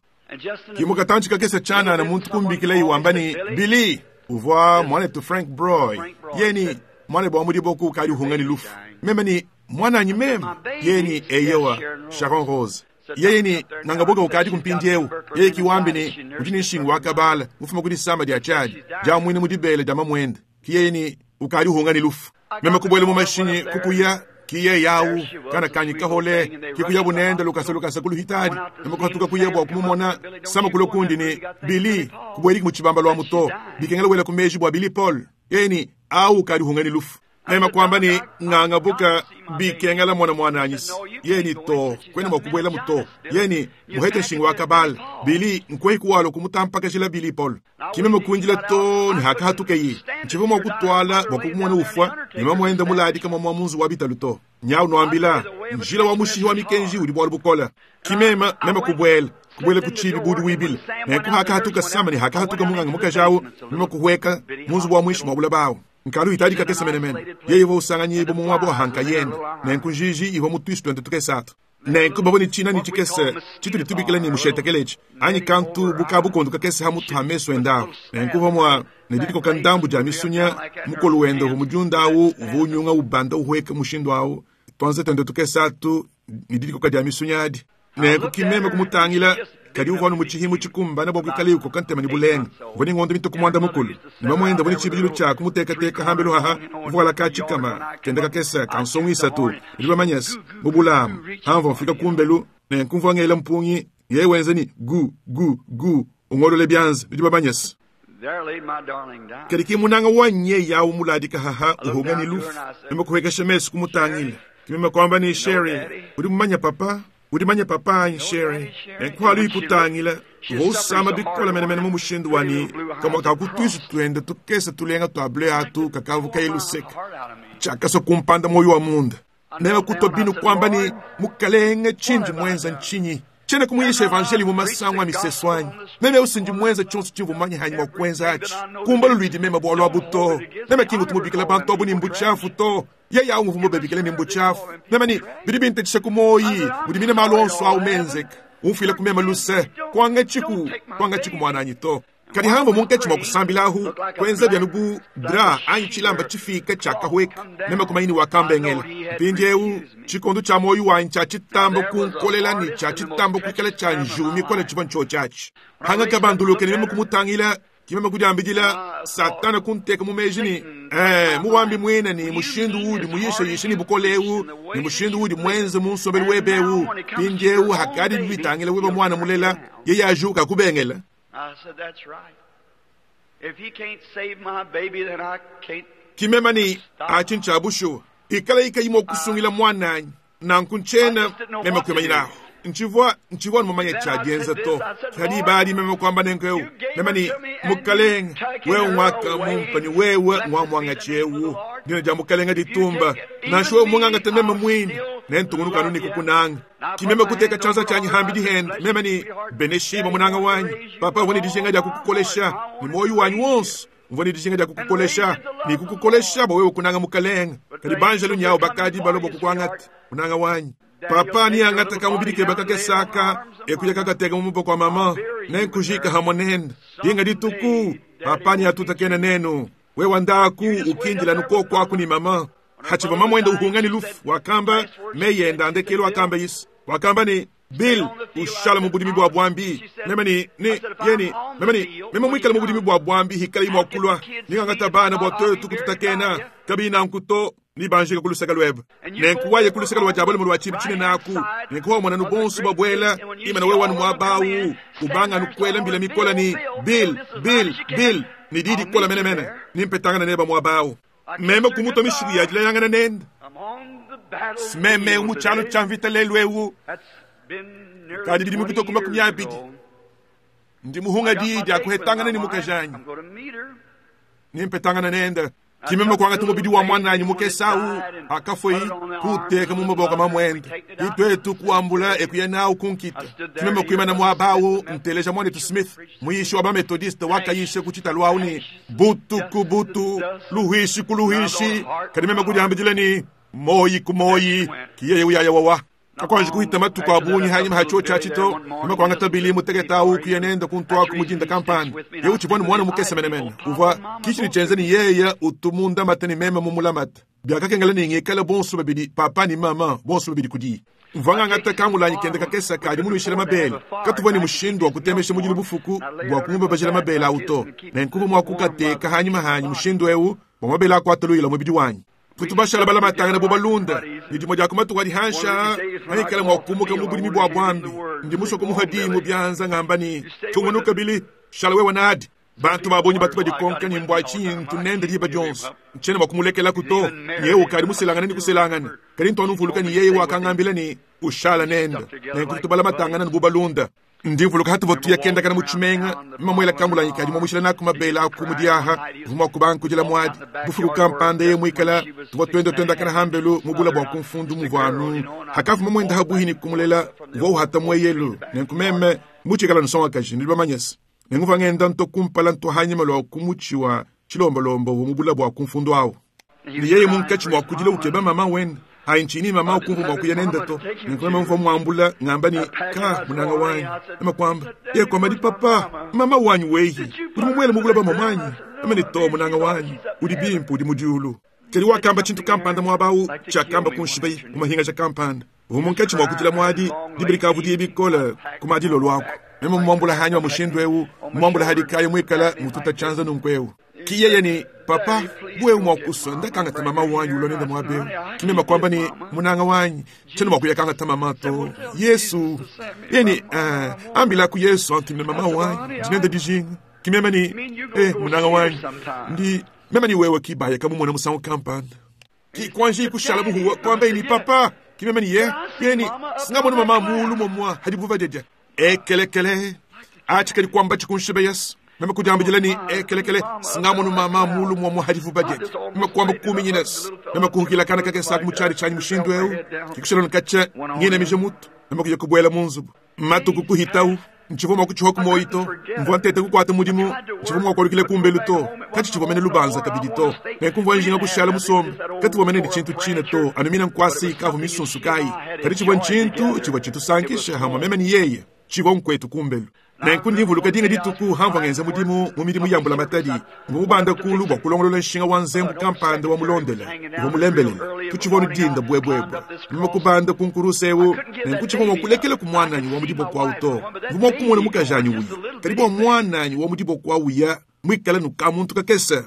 kimukatanchi kakese chana na muntu kumbikile iwamba ni Billy uvwa mwanetu Frank Broy yeni mwane bwa mudiboku kali uhungani lufu meme ni mwananyi meme yeni eyewa Sharon Rose yeye ni nangaboka ukadi kumpindi eu yeye kiwambi ni udi nshingu wakabala mufuma kudi samba dia chadi ja mwini mudibele dama mwende kiyeye ni ukadi uhungani lufu meme kubwele mu mashinyi kukuya kiye yawu kana kanyi kahole kikuya bunenda lukasa lukasa kuluhitadi namakuhatuka kuya bwa kumumona sama kulo kundi ni Billy kubweriki muchibamba lwa muto bikengela wela kumeji bwa Billy Paul yeni au kali hungani lufu nema kwamba ni nganga buka bikengela mwana mwana anyisi yeni to kwena mwakubwela muto yeni muhete nshingu wakabala Billy nkwehi kuwalo kumutampakashila Billy Paul kimeme kunjila to ni hakahatuke yi nchivo mwakutwala bwakumona ufwa nema mwenda muladika mwa mwamunzu wa bitalu to nyau noambila njila wa mushihi wa mikenji uli bwalu bukola kimema mema kubwela kubwela kuchibi budi wibile nenku hakahatuka sama ni hakahatuka munganga mukajawu mema kuhweka munzu wa mwishi mwabula bawu nkalu itadi kakesa menemene yeye vo usanganye bo mumwa bo hanka yenda nenku njiji ivo mutwisu twende tukesatu nenku babo ni china ni chikese chitu litubikile ni mushetekelechi anyi kantu bukabu kakese hamutu hameso endawo nenku vomwa nedidiko kandambu ja misunya mukolu wenda humujundawu uvunyunga ubanda uhweka mushindu awu twanze twende tukesatu nididiko kadya misunya adi nenku kimeme kumutangila kadi uvanu muchihimu chikumbana bwa kuikala yuko kantema ni bulenga voni ngondo mito kumwanda mukulu nimamwenda voni chibilu cha kumutekateka hambelu haha vuala kachikama kenda kakesa kansongwisa tu ndibamanyasi mubulamu hamva mfika kumbelu nenkumva ngela mpungi ye wenzeni gu gu gu ungolole byanza ndibamanyasi kadi kimunanga wanye yawu muladika haha uhunga ni lufu nimekuhekesha mesu kumutangila kimema kwamba ni Sherry uri mumanya papa uri manya papa anyi Sherry nenkuhalu ikutangila vosama bikola menemene mu mushindu wani kamwa kakutwisu twende tukese tulenga twa ble atu kakavu kailuseka chakaso kumpanda moyo wa munda nema kutwa binu kwamba ni mukalenge chinji mwenza nchinyi chene kumuyisha evangeli mu masango a miseso anyi meme usinji mwenza chonso chimvu manye hanyi mwa kwenza achi kumbalo lwidi mema bwalo abuto meme kingu tumubikila bantu abu ni mbuchafu to yeye awu nguvu bebikile ni mbuchafu meme ni bidi bintethisha kumoyi mudi mine malonso awu menzeka umfile kumema luse kwanga chiku kwanga chiku mwananyi to kadi hambo munkatshi mwa kusambilahu kwenza byanubu dra anyi chilamba chifika chakahweka meme kumaini wakambengela mpindi eu chikondo cha moyo wanyi cha chitambo kunkolela ni cha chitambo kuikala cha njumi kola chiva ncho chachi hanga kabanduluke ni meme kumutangila kimeme kudiambidila satana kunteka mumeji ni eh muwambi mwina ni mushindu udi muyisha yisha ni bukolewu ni mushindu udi mwenze munsobeli webewu pindi eu hakadi bitangila weba mwana mulela yeye ajuka kubengela I said, that's right. If he can't save my baby, then I can't. Kimema ni achincha bushu ikala ika yimo kusungila mwananyi nankunchena mema kwemanyiraho nchivwa nchivwa mumanya chajenza to kadi bali mema kwamba nenkeu mema ni mukaleng wewe mwaka mumpani wewe mwa mwanga chewu Dina dia Mukalenga ditumba. Nansha wewe mungangate meme mwine, nentungunuka anu ne kukunanga. Ki meme kuteka tshianza tshianyi hambi dihende, meme ni beneshima munanga wanyi. Papa uvua ne dijinga dia kukukolesha, ne muoyo wanyi wonso mvua ne dijinga dia kukukolesha, ne kukukolesha bua wewe kunanga Mukalenga. Kadi banjelu nyawu bakadi balua bua kukuangata, munanga wanyi. Papa niangata kamubidi kebe kakesaka, ekuya kakateka mu maboko a mama, nenkujika hamwe nende. Dinga dituku, papa niatutakena nenu. Wewe ndaku ukindila nukoko aku ni mama. Hachiva mama wenda uhungani lufu, wakamba meyenda andekelo wakamba Yesu. Wakamba ni Bill ushala mu budimi bwa bwambi. Meme ni ni yeni meme ni meme mwikala mu budimi bwa bwambi hikala imwa kulwa. Ningangata bana bwa twetu kututakena kabina nkuto ni banjika kulusaka lweba. Nenkuwaye kulusaka lwa jabali mu lwa chibi chine naku. Nenkuwa mwana nubonsu babwela imana wewe wanu mwabawu ubanga nukwela mbila mikola ni Bill Bill Bill ni didi kola mene mene nimpetangana neba mwabawu. Meme kumuto mishiku ya jila yangana nenda. Smeme umuchalo chamvita lelwewu. Kadi bidi mupito kuma kumyabidi. Ndi muhunga didi akuhetangana ni mukajanyi. Nimpetangana nenda. Kimeme kwangata mubidi wa mwananyi mukesau akafoi kuteka mu maboko mamwende. Itwetu kuambula ekuya nawu kunkita. Kimeme kuimana mwabawu nteleja mwanetu Smith muyishi wa bamethodiste wakayishe kuchita lwawu ni butu ku butu luhishi ku luhishi. Kadi meme kudiambidila ni moyi ku moyi kiyeye uyaya wawa. Akwanje kuhita matuku abunyi hanyuma hacho chachito meme kwangata bili muteketa uku yenenda kuntwa kumujinda kampani ye uchibona mwana mukesa menemene uva kichini chenze ni yeya utumunda matani meme mumulamata byakakengela ni ngikala bonso babidi papa ni mama bonso babidi kudi mvanga ngata kangulanyi kende kakesa kadi muluishila mabele katuva ni mushindu wa kutemesha mujili bufuku bwa kumba bajila mabele auto nenkuba mwakukateka hanyuma hanyi mushindu ewu bwa mabele akwataluila mubidi wanyi tutubashala bala matanga na bobalunda ni dimo dia kumatuka dihansha maikala mwakumuka mu bulimi bwa bwambi ndi musoko muhadimu byanza ngamba ni tungunuka bili shala wewe nadi bantu babonyi batu badikonka ni mbwa chintu nende liba Jones nchene bakumulekela kuto yewe kali muselangana ni kuselangana kali ntwanu mvuluka ni yeye wakangambila ni ushala nenda nenkutubala matanga na bobalunda ndi mvuluka hatu votuya kenda kana muchimenga mamwela kambula nyikali mwamushila naku mabela aku mudiaha vuma kubanku jila mwadi bufuku kampanda ye mwikala tuva twenda twenda kana hambelu mubula bwa kumfundu muvanu hakafu mamwenda habuhini kumulela vwa uhata mweyelu nenkumeme muchikala nsonga kaji ndi bamanyesa nenguva ngenda nto kumpala nto hanyima lwa kumuchiwa chilombolombo mubula bwa kumfundu awo ni yeye munkachi mwakujila ukeba mama wenda hainchini mama ukumvu mwakuya nenda to nenkumeme mva mwambula ngamba ni ka munanga wanyu ama kwamba ye kwamba di papa mama wanyu weyi uri mumwele mubula ba mamanyi ama ni to munanga wanyu uri bimpu uri mudiulu keli wakamba chintu kampanda mwabawu chakamba kunshibai kumahinga cha kampanda umunkachi mwakujila mwadi dibirika vudiye bikola kumadilo lwako meme mwambula hanyu wa mushindu ewu mwambula hadi kayo mwikala mututa chanza nunkwewu kiyeye ni papa bwe mwakuso ndakanga mama wanyu ulonenda mwabewu kimema kwamba ni munanga wanyu cheno mwakuya kanga mama to Yesu yeni uh, ambila ku Yesu antumine mama wanyu dinenda dijinga kimema ni eh munanga wanyu ndi mema ni wewe kibaya kama mwana musango kampanda ki kwanje kushala buhuwa kwamba ni papa kimema ni ye yeni singamona mama mulu momwa hadi buva dedia ekelekele achikali kwamba chikunshibe Yesu meme kujambijila ni ekelekele singamonu mama mulu mwa hadifu budget meme kwamba kumi nyines meme kuhukila kana kake saku muchari chanyi mushindu eu kikushela nkacha ngine mije mutu meme kuja kubwela munzubu matuku kuhitau nchivoma kuchiho kumoyito mvua ntete kukwata mudimu nchivoma kwalikile kumbelu to kati chivomene lubanza kabidi to nekumvua njinga kushala musombe kati vomene ni chintu chine to anumina nkwasi kavu misunsu kai kati chivwa nchintu chivwa chintu sankisha hamwa meme ni yeye chivwa nkwetu kumbelu nenku ndimvuluka dinga dituku hamva ngenza mudimu mu midimu yambula matadi ngumubanda kulu bwa kulongolola nshinga wa nzembu kampanda wa mulondela wa mulembelela tuchivonu dinda bwebwebwe mima kubanda kunkurusewu nenku chivomwa kulekele ku mwananyi wa mudibo kwawu to ngumwa kumona mukajanyi uya kadi bwa mwananyi wa mudibo kwawu ya mwikala nukamuntu kakesa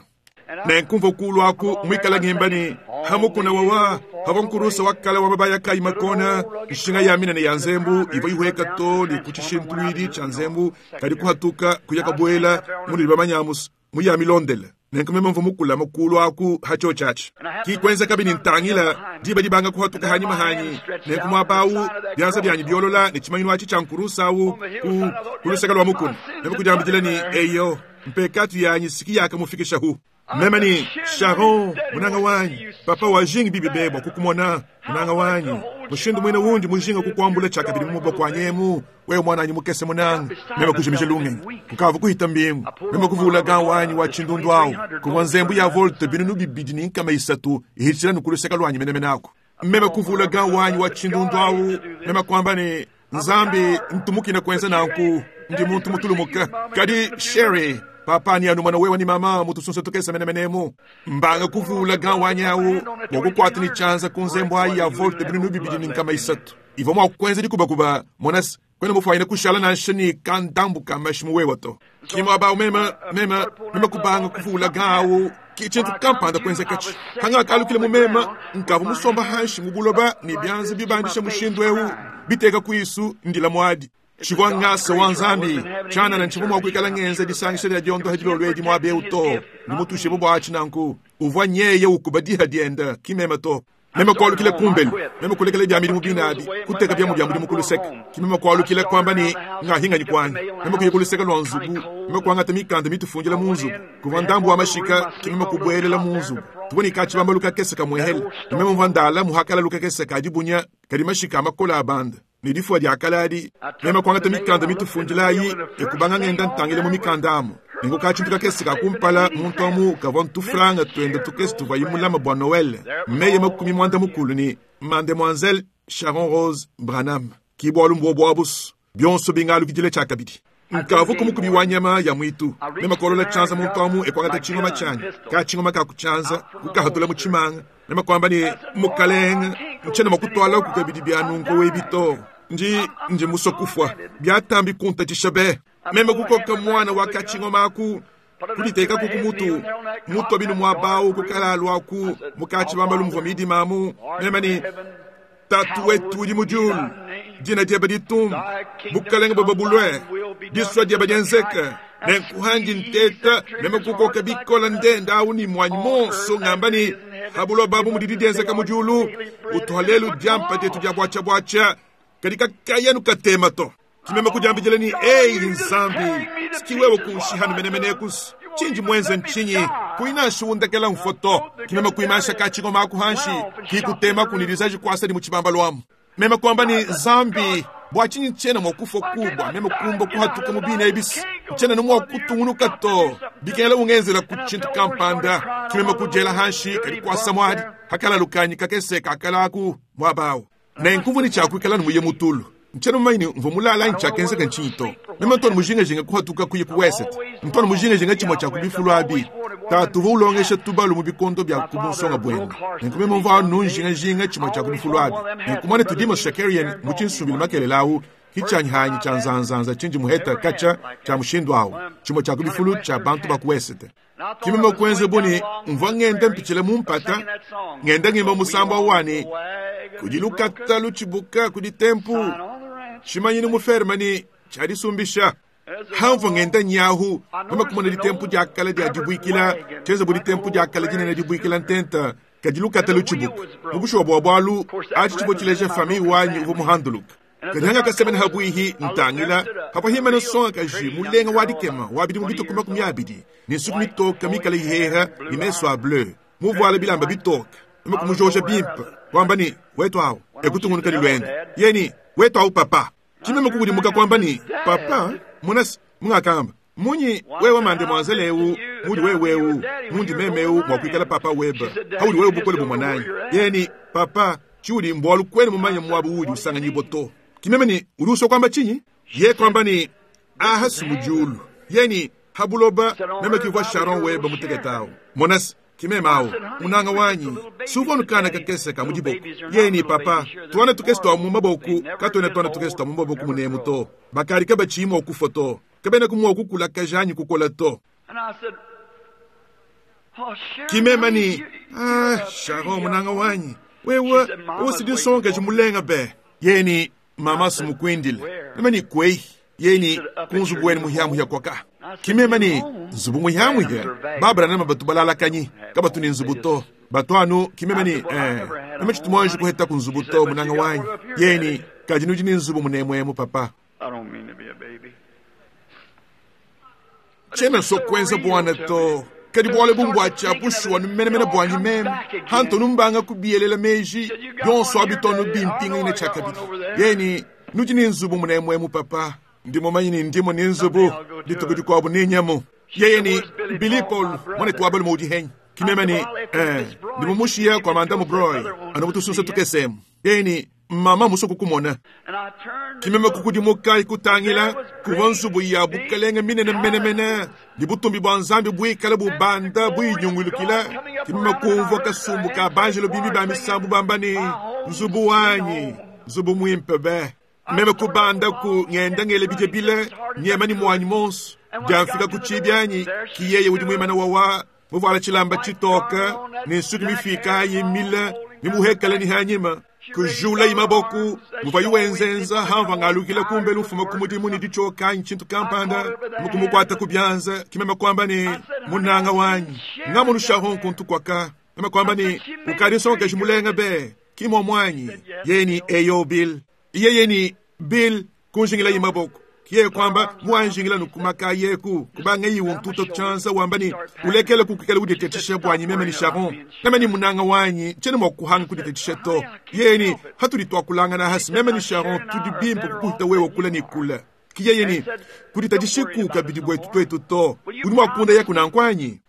nenkumva kulu aku mwikala ngimbani hamukuna wawa hava nkurusa wakala wa mabaya kai makona nshinga ya minene ya nzembu ivo ihweka to ni kuchishintwidi cha nzembu kadi kuhatuka kuya kabwela muli bamanyamusa muya milondela nenkumema mva mukula makulu aku hacho chachi kikwenza kabini ntangila diba dibanga kuhatuka hanyuma hanyi nenkumwabawu byanza byanyi byolola nechimanyino achi cha nkurusa awu ku kulusaka lwa mukuna nemukujambijila ni eyo mpekatu yanyi siki yakamufikisha hu Meme ni Sharon munanga wanyi, papa wajingi bibi bebwa kukumona munanga wanyi, mushindu mwine wundi mujinga kukwambula chakabili mumuboko wanyemu wewe mwananyi mukese munanga. Meme kujimisha lungenyi kukava kuhita mbingu. Meme kuvula gan wanyi wa chindundu awu kuvwa nzembu ya volte binunu bibidi ni nkama isatu ihitshila nukuluseka lwanyi menemene ako. Meme kuvula gan wanyi wa chindundu awu meme kwamba ni Nzambi ntumukina kwenza nanku ndi muntu mutulumuka kadi Sherry papa ni anumana wewe ni mama mutusunse tukesa menemenemu mbanga kuvula gan wanyawu wakukwata ni chanza kunzembo ayi ya volte binunu bibidi ni nkama isatu ivo mwa kwenza dikubakuba monas kwena mufaina kushala nansha ni kandambu kamashimu wewa to kimwa ba mema mema mema kubanga kuvula gawu kichintu kampanda kwenza kachi hanga kalukile mumema nkavu musomba hanshi mubuloba ni byanzi bibandisha mushindu ewu biteka kuisu ndila mwadi chigwa ngasa wa Nzambi chana na nchivu mwakwikala ngenze disangisha lya diondo hajilo lwedi mwabe uto nimutushe bubwachi nanku uvwa nyeye ukubadiha dienda kimema to mema kwalukile kumbelu mema kulekele bya milimu binabi kuteka bya mubya mulimu kuluseka kimema kwalukile kwamba ni ngahinga ni kwani mema kuye lwa nzubu mema kwangata mikanda mitufunjila mu nzubu kuva ndambu wa mashika kimema kubwelela mu nzubu tuboni kachibamba lukakese kamwehele mema mvandala muhakala lukakese kajibunya kadi mashika amakola abanda nidifua lyakalali mema kwangata mikanda mitufunjilayi ekubanga ngenda ntangile mu mikanda amo ningo kachintu kakese kakumpala muntu amu kavwa ntufranga twenda tukese tuva yimulama bwa Noel meye makumi mwanda mukulu ni Mademoiselle Sharon Rose Branham kibwalu mbwo bwabusu byonso bingalu kijile chakabidi nkavu kumukubi wa nyama ya mwitu mema kolola chanza muntu amu ekwangata chingoma chanyi kachingoma kakuchanza kukahatula muchimanga mema kwamba ni mukalenga nchena makutwala kukabidi byanungo webito nji nji musokufwa byatambi kunta chishabe meme kukoka mwana wakachingoma aku kuliteka kukumutu mutu abinu mwabawu kukalalwa aku mukachibamba lumvwa midimamu meme ni tatu wetu udi mujulu dina dieba ditumba bukalenga bweba bulwe diswa dieba dienzeka nenkuhanji nteta meme kukoka bikola ndenda awu ni mwanyi monso ngamba ni habulo babu mudidi dienzeka mujulu utuhalelu diampa tetu dia bwacha bwacha kadika kayanu katema to kimeme kujambijele ni ei Nzambi sikiwewe kunshihanu menemenekus chinji mwenze nchinyi kuinashu undekela mfoto kimeme kuimasha kachingoma akuhanshi kikutema kunilizaji kwasa ni muchibamba lwamu meme kwamba ni Zambi bwachinyi nchena mwakufa kubwa meme kumba kuhatuka mubina ebisi nchena nomwa kutungunuka to bikela ungenzela kuchintu kampanda kimeme kujela hanshi kali kwasa mwadi hakala lukanyi kakese kakalaku mwabawu nenkuvu ni chakwikala numuye mutulu nchena mumaini mvo mulala nchakenzeka nchinto meme ntoni mujingajinga kuhatuka kuye kuwesete ntoni mujingajinga chimwe chakubifulu abi tatuva ulongesha tubalu mu bikondo bya kubunsonga bwenu nenkumeme mva nunjingajinga chimwe chakubifulu abi nenkumone tudima shakarian muchinsubili makelelawu hichanyihanyi cha nzanzanza chinji muheta kacha cha mushindu awu chimwe chakubifulu cha bantu bakuwesete kimeme kwenze buni mvwa ngenda mpichile mumpata ngenda ngimba musamba wani kudilukata luchibuka kuditempu chimanyini mufermani chadisumbisha hamvo ngenda nyahu mama kumona ditempu diakala dia dibwikila cheze buditempu diakala dinene dibwikila ntenta kadilukata luchibuka mubushuwa bwa bwalu achi chibo chileja fami wanyi uvo muhanduluka kadihanga kasemene habwihi ntangila hapo himene songa kaji mulenga wadikema wabidi mubituku makumi abidi ni nsuku mitoka mikala ihera ni meso a bleu muvuala bilamba bitoka mama kumujoja bimpa kwamba ni wetu awo ekutungunuka ni lwenda yeni wetu awo papa chimeme kukudimuka kwamba ni papa munasi mungakamba munyi wewe mademoiselle ewu mudi wewewu mundi memewu mwakwikala papa weba hauli wewe bukole bumwananyi yeni papa chiuli mbwalu kwene mumanya mwabu uli usanganyibo to kimeme ni uliuso kwamba chinyi ye kwamba ni aha sumujulu yeni habuloba meme kivwa Sharon weba muteketawo monasi kimeme awo munanga wanyi suvonukana kakese ka mudiboko yeni papa tuwana tukese twa mu maboku katwene twana tukese twa mu maboku munemu to bakali kabachimwa okufa to kabene kumwa okukula kajanyi kukola to kimema ni ah Sharon munanga wanyi wewe usidisonga chimulenga be yeni mama sumukwindile meme ni kwei yeni kunzubu weni muhyamuhya kwaka kimema ni nzubu muhyamuhya babra nama batu balalakanyi kabatu ni nzubu to batu anu kimema ni eh meme chitumonji kuheta kunzubu to munanga wanyi yeni kajinuji ni nzubu munemwemu papa chena so kwenza bwana to Kadi bualu ebu mbua bushuwa numenemene buanyi meme. Hantu numbanga kubielela meji byonso abitono bimpinganyine tshiakabidi. Yeni nudi ne nzubu munemwemu papa. Ndi mumanyi ne ndimo ne nzubu dituku dikuabu ne nyamu. Yeye ni Billy Paul mwanetu wa balume udi henyi. Kimema ni eh ndi mumushiya kwa mandamu Broy anu mutusunsa tukesemu. Yeye ni mama muso kukumona. Kimema kukudimuka ikutangila kuva nzubu ya bukalenge minene menemene ni butumbi bwa nzambi bwikala bubanda bwinyungulukila. Kimema kumvwa kasumbu ka banjelo bibi ba misambu bamba ni nzubu wanyi nzubu mwimpe be. Meme kubanda ku ngenda ngele bije bile nyema ni mwanyi monso. Jamfika kuchibyanyi kiyeye udi mwimana wawa muvala chilamba chitoka ni nsuki mifika yimile ni muhekala ni hanyima. Kujula imaboku muva yuwenzenza hamva ngalukila kumbe lufuma kumudimu ni dichoka nchintu kampanda mukumukwata kubyanza kimema kwamba ni munanga wanyi ngamunushaho nkuntu kwaka mema kwamba ni ukali nsonga jimulenga be kimo mwanyi yeni eyo Bill yeye ni Bill kunjingila imaboku kiye kwamba muanjingila nukumaka yeku kubanga yiwo ntuto chanza wamba ni ulekele kukikela udetetisha bwanyi meme ni Sharon meme ni munanga wanyi chene mwakuhanga kudetetisha to yeni hatuli twakulanga na hasi meme ni Sharon tudi bimpo kukuta wewe kula ni kula kiye yeni kuditatisha kabidi bwetu twetu to udi mwakunda yeku nankwanyi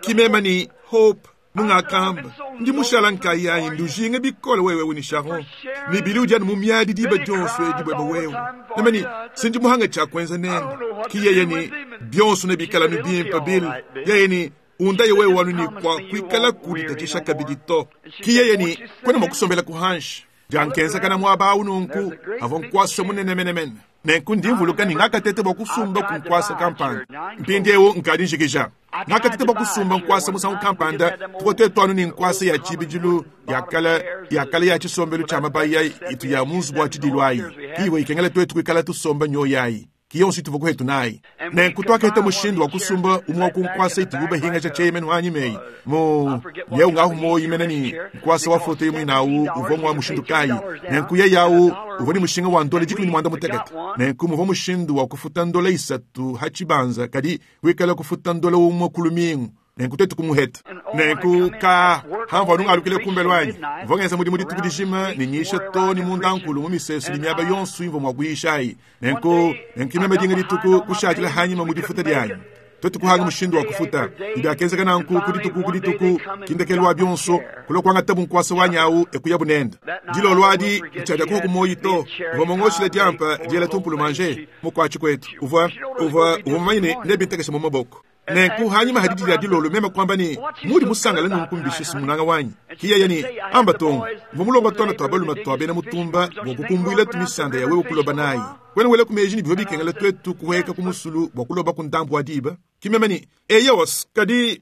kimema ni Hope mungakamba ndi mushala nkayanyi ndujinga bikole wewe uni Sharon ni bili ujani mumyadi diba jonso edibweba wewe namani sinji muhanga chakwenza nene kiyeye ni byonso ne bikala ni bimpa Bill yeye ni undaye wewe wanu ni kwa kwikala kuditatisha kabidi to kiyeye ni kwena mwakusombela kuhanshi jankenza kana mwaba ununku avo nkwasa munenemenemene nenku ndimvuluka ningakatete bwa kusumba kunkwasa kampanda mpindiewu nkadi njikija ngakatete bwa kusumba nkwasa musangu kampanda tukote twanu ni nkwasa ya chibijilu yakala yakala ya chisombelo cha mabaya itu ya munzu bwa chidilwayi kiwe ikengela twetu kwikala tusomba nyoyayi kiyonsi tuvuku hetu nayi nenku twakete mushindu wa kusumba umwe kunkwasa itububa hinga cha chemenu hanyimeyi mu yeu ngahu moyi meneni nkwasa wa foto imwe nawu uvomwa mushindu kayi nenku ye yawu uvoni mushinga wa ndole jikumi ni mwanda mutekete nenku muvo mushindu wa kufuta ndole isatu hachibanza kadi wikala kufuta ndole umwe kulumingu nenku tetu kumuheta nenku ka hamva nungalukile kumbe lwanyi mvongeza mudimu dituku dijima ni nyisha to ni mundankulu mu misesu ni miaba yonso imvo mwakuyishayi nenku nenku imeme dinga dituku kushatila hanyima mudifuta dyanyi twetu kuhanga mushindu wa kufuta ibyakenzeka nanku kudituku kudituku kindekelwa byonso kulokwanga tabu nkwasa wanyawu ekuya bunenda dilolwadi nchada kuho kumoyi to uva mongoshile dyampa dyela tumpulu manje mukwachi kwetu uva uva uva mumanyine nebintekesha mu maboko nenku hanyuma hadidi ya dilolo mema kwamba ni mudi musangala nunkumbisha munanga wanyi kiye ni amba tongo mva mulongo tona twabaluma twabena mutumba bwokukumbuila tumisanda ya wewe kuloba nayi kwena wele kumeji ni bivyo bikengela twetu kuweka kumusulu bwakuloba kundambu wadiba kimema ni eyos kadi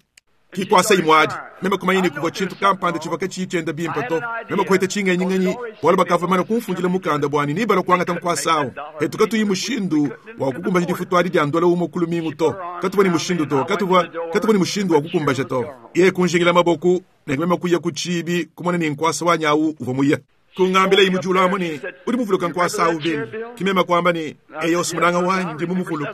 kikwasa imwadi mema kumanyini kuvwa chintu kampanda chivaka chichenda bimpa to mema kuheta chingenyi wala bakava mana kumfundila mukanda bwani nibala kwanga tankwasawo hetu katuyi mushindu wa kukumba difutwali dya ndola umo kulumingu to katuba ni mushindu to katuba katuba ni mushindu wa kukumbaja to ye kunjingila maboku ne mema kuya kuchibi kumona ni nkwasa wanyawu uva muya kungambila imujula amoni uri muvuluka nkwasa ubini kimema kwamba ni eyo simunanga wanyi ndi mumuvuluka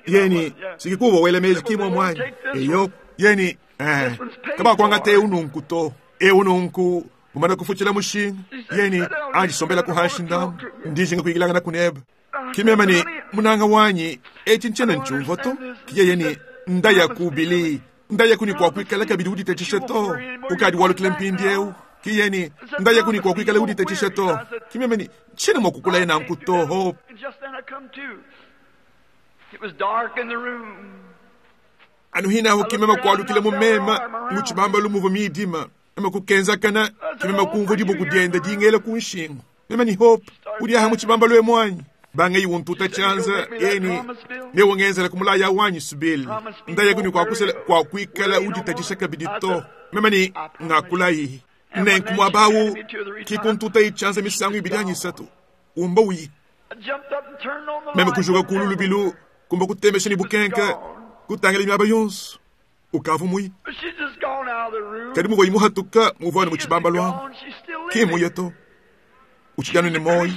yeni sikikuwa wele meji kimwe mwanyi eyo yeni eh kaba kwanga te ununku to e ununku mumana kufuchila mushinga yeni anjisombela kuhashinda ndijinga kuigilanga na kuneba kimema ni munanga wanyi echinchena nchumvo to kiye yeni ndaya kubili ndaya kuni kwa kuikala kabidi uditechishe to ukadi walukile mpindi eu kiyeni ndaya kuni kwa kuikala uditechishe to kimema ni chene mwakukula yena nkuto ho. Anu hina ho kimema kwalukile mumema muchibamba lumuvo midima mema kukenza kana kimema kumvo dibo kudienda dingele kunshingo mema ni Hope udi aha muchibamba lwe mwanyi banga yiwuntuta chanza yeni newongenzela kumulaya wanyi subili ndaya kuni kwa kusela kwa kuikala uditatisha kabidi to mema ni ngakulayi nenku mwabawu kikuntuta ichanza misango ibidanyi satu umba uyi mema kujuka kululubilu kumba kutemesha ni bukenka kutangela miaba yonso ukavu muyi kadi muvo imuhatuka muvone muchibamba lwamu kimuye to uchijanu ni moyi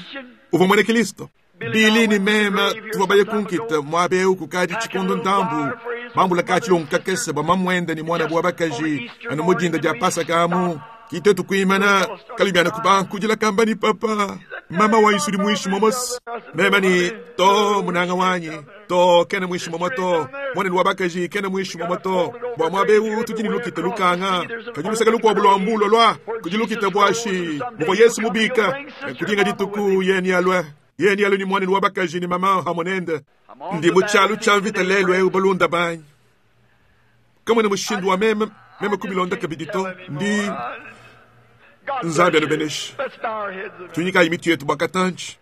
uvo mwene Kristo. Bili ni mema tuvua baye kunkita muaba eu kukadi tshikondo ndambu bambula katshilongo kakese bua mamwenda ni mwana bwa bakaji anu mudinda dia pasaka amu kitetu kuimana kalubiana kubankudila kamba ni papa mama wanyi sudi muishi momosi mema ni to munanga wanyi to kene muishi momo to mwana wa bakaji kene muishi momo to bua muaba eu tudi ni lukita lukanga kadi lusaka lukuabu lua mbulo lua kudi lukita buashi muvua Yesu mubika kudinga dituku yeni alue yeni alue ni mwana wa bakaji ni mama hamonende ndi mutshalu tsha mvita lelo eu balunda banyi kamwe ni mushindu wa meme meme kubilonda kabidi to ndi Nzambi anubeneshe tunyikayi mitu yetu bwakatanji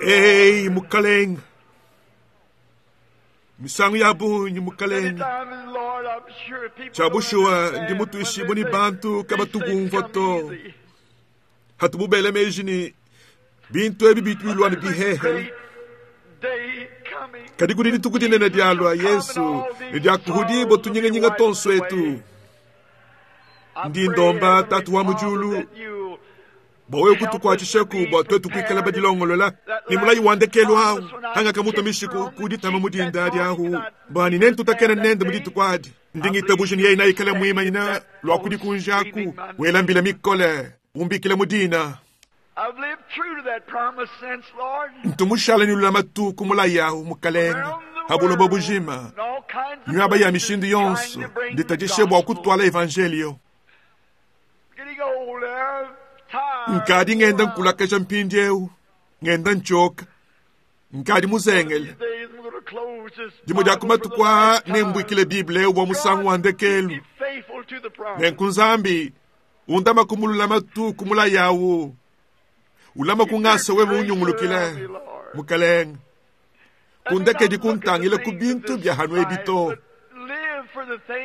ei mukalenga misangu ya bunyi mukalenga tshabushuwa ndi mutuishibu ni bantu kabatubumva to hatububele meji ni bintu ebi bituilwa ni bihehele kadi kudi dituku dinene dialua Yesu ni diakuhudibo tunyingenyinga tonso etu ndi ndomba tatu wa mujulu bwa kutukuatshishaku bua twetu kuikala badilongolola ni mulayi wandekelu awu hanga kamuta mishiku kuditama mudinda adi ahu bani nentutakena nende mudituku adi ndingitabuja ni yeye naikala mwimanyina lua kudikunjaku welambila mikole umbikile mudina ntumushala ni lulama tuku mulayi ahu mukalenga habulobo bujima nywaba ya mishindu yonso nditadishe bua kutwala evangelio nkadi ngenda nkulakaja mpindi eu ngenda nchoka nkadi muzengele dimwe dia kumatukwa nembwikile biblia eu bua musangu wa ndekelu nenku nzambi undama kumululama tuku mulayi awu ulama kungasa wewe unyungulukile mukalenga kundekedi kuntangile ku bintu bya hanu ebi to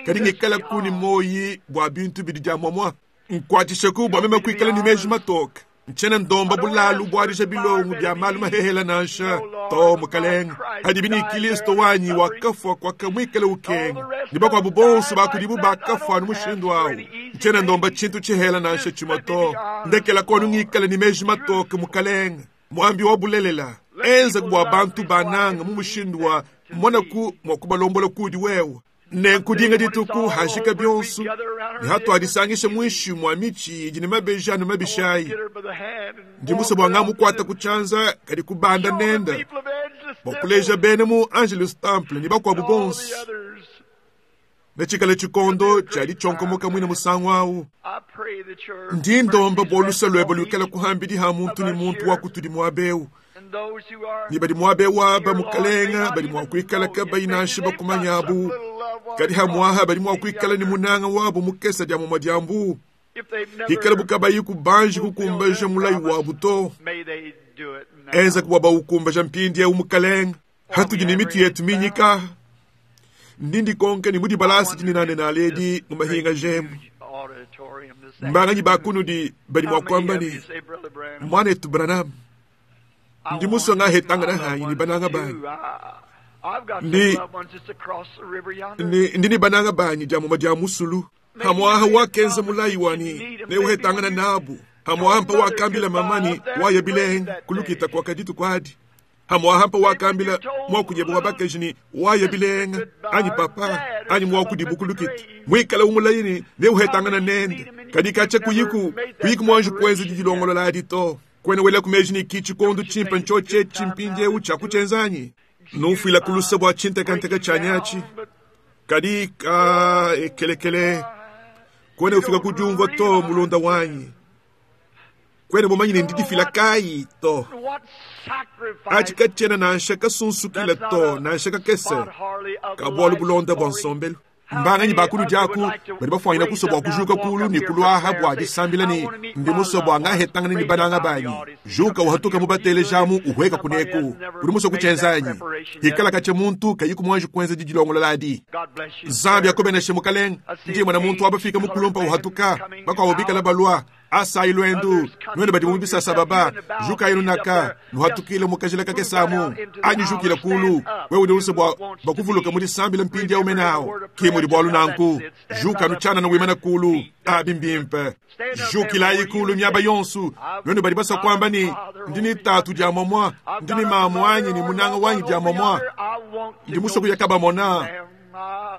kadi ngikala kuni moyi bua bintu bidi dia mwamwa nkwatshisheku bua meme kuikala ni meji matoka ntshiena ndomba bulalu buadisha bilongo bia malu mahehela nansha to mukalenga hadi bini Kristo wanyi wakafua kwakamuikala ukenga ni bakuabu bonso bakudibu bakafua anu mushindu awu ntshiena ndomba tshintu tshihela nansha tshimue to ndekela konu ngikala ni meji matoka mukalenga mwambi wa bulelela enza bua bantu bananga mu mushindu wa monaku mua kubalombola kudi wewe nenkudinga dituku hajika bionso ne hatuadisangisha muinshi mua mitshi idi ne mabeji anu mabishayi ndi musa bua ngamukuata ku tshianza kadi kubanda nenda bua kuleja bene mu Angelus Temple ni bakuabu bonso netshikale tshikondo tshia tshionkomoka muine musangu awu ndi ndomba bua lusa luebe luikale kuhambidi ha muntu ni muntu wa kutudi muaba ni badi muaba aba mukalenga badi mua kuikala kabayi nansha bakumanya abu kadi hamuaha badi mua kuikala ni munanga wabu mukesa dia muma diambu hikala bukabayi kubanji kukumbaja mulayi wabu to enza kubwa baukumbaja mpindi eu mukalenga hatudi ni mitu yetu minyika ndindi konke ni mudi balasi dininane naledi mu mahinga jemu mbanganyi bakunudi badi mua kuamba ni mwanetu Branham ndi musonga hetanga na hanyi ni bananga banyi ndi ndi ndi ni bananga banyi dia muma dia musulu hamwaha wakenza mulayi wani neuhetangana nabu hamwaha mpa wakambila mamani waya bilenga kulukita kwa kaditu kwadi hamwaha mpa wakambila mwakunyeba wa bakaji ni waya bilenga anyi papa anyi mwakudibu kulukita mwikala umulayini neuhetangana nende kadi kacha kuyiku kuyiku mwanju kwenza didilongolola adi to kwene wela kumeji ni kichi kondo chimpa nchoche chimpinje ucha kuchenzanyi nufuila kulusa bua chintekanteka chanyachi kadi ka ekelekele kwene ufika kudiumvua to mulonda wanyi kwene bomanyine ndidifila kayi to achi kachena nansha kasunsukila to nansha kakese kabualu bulonda bua nsombelu mbanganyi bakulu diaku badi bafuanyina kusa bua kujuka kulu ni kuluaha bua disambila ni ndi musa bua ngahetangana ni bananga banyi juka uhatuka mubatelejamu uhweka kuneku udi musa kuchenzanyi hikala kacha muntu kayiku mwanji kuenza didilongolola adi Nzambi akobeneshe mukalenga ndi mwana muntu wabafika mukulumpa uhatuka bakwabo bikala balua Asayi lwendu nwenu badi mu bisasa baba jukayi lunaka nuhatukile mukajila kakesamu anyi jukile kulu wewe udi use bwa bakuvuluka mudi sambila mpindi ya umenawo kimudi bwalu nanku juka nuchana na wimana kulu abi mbimpe jukilayi kulu miaba yonsu nwenu badi basa kwamba ni ndini tatu dia momwa ndini mamu anyi ni munanga wanyi dia momwa ndi musoku yakabamona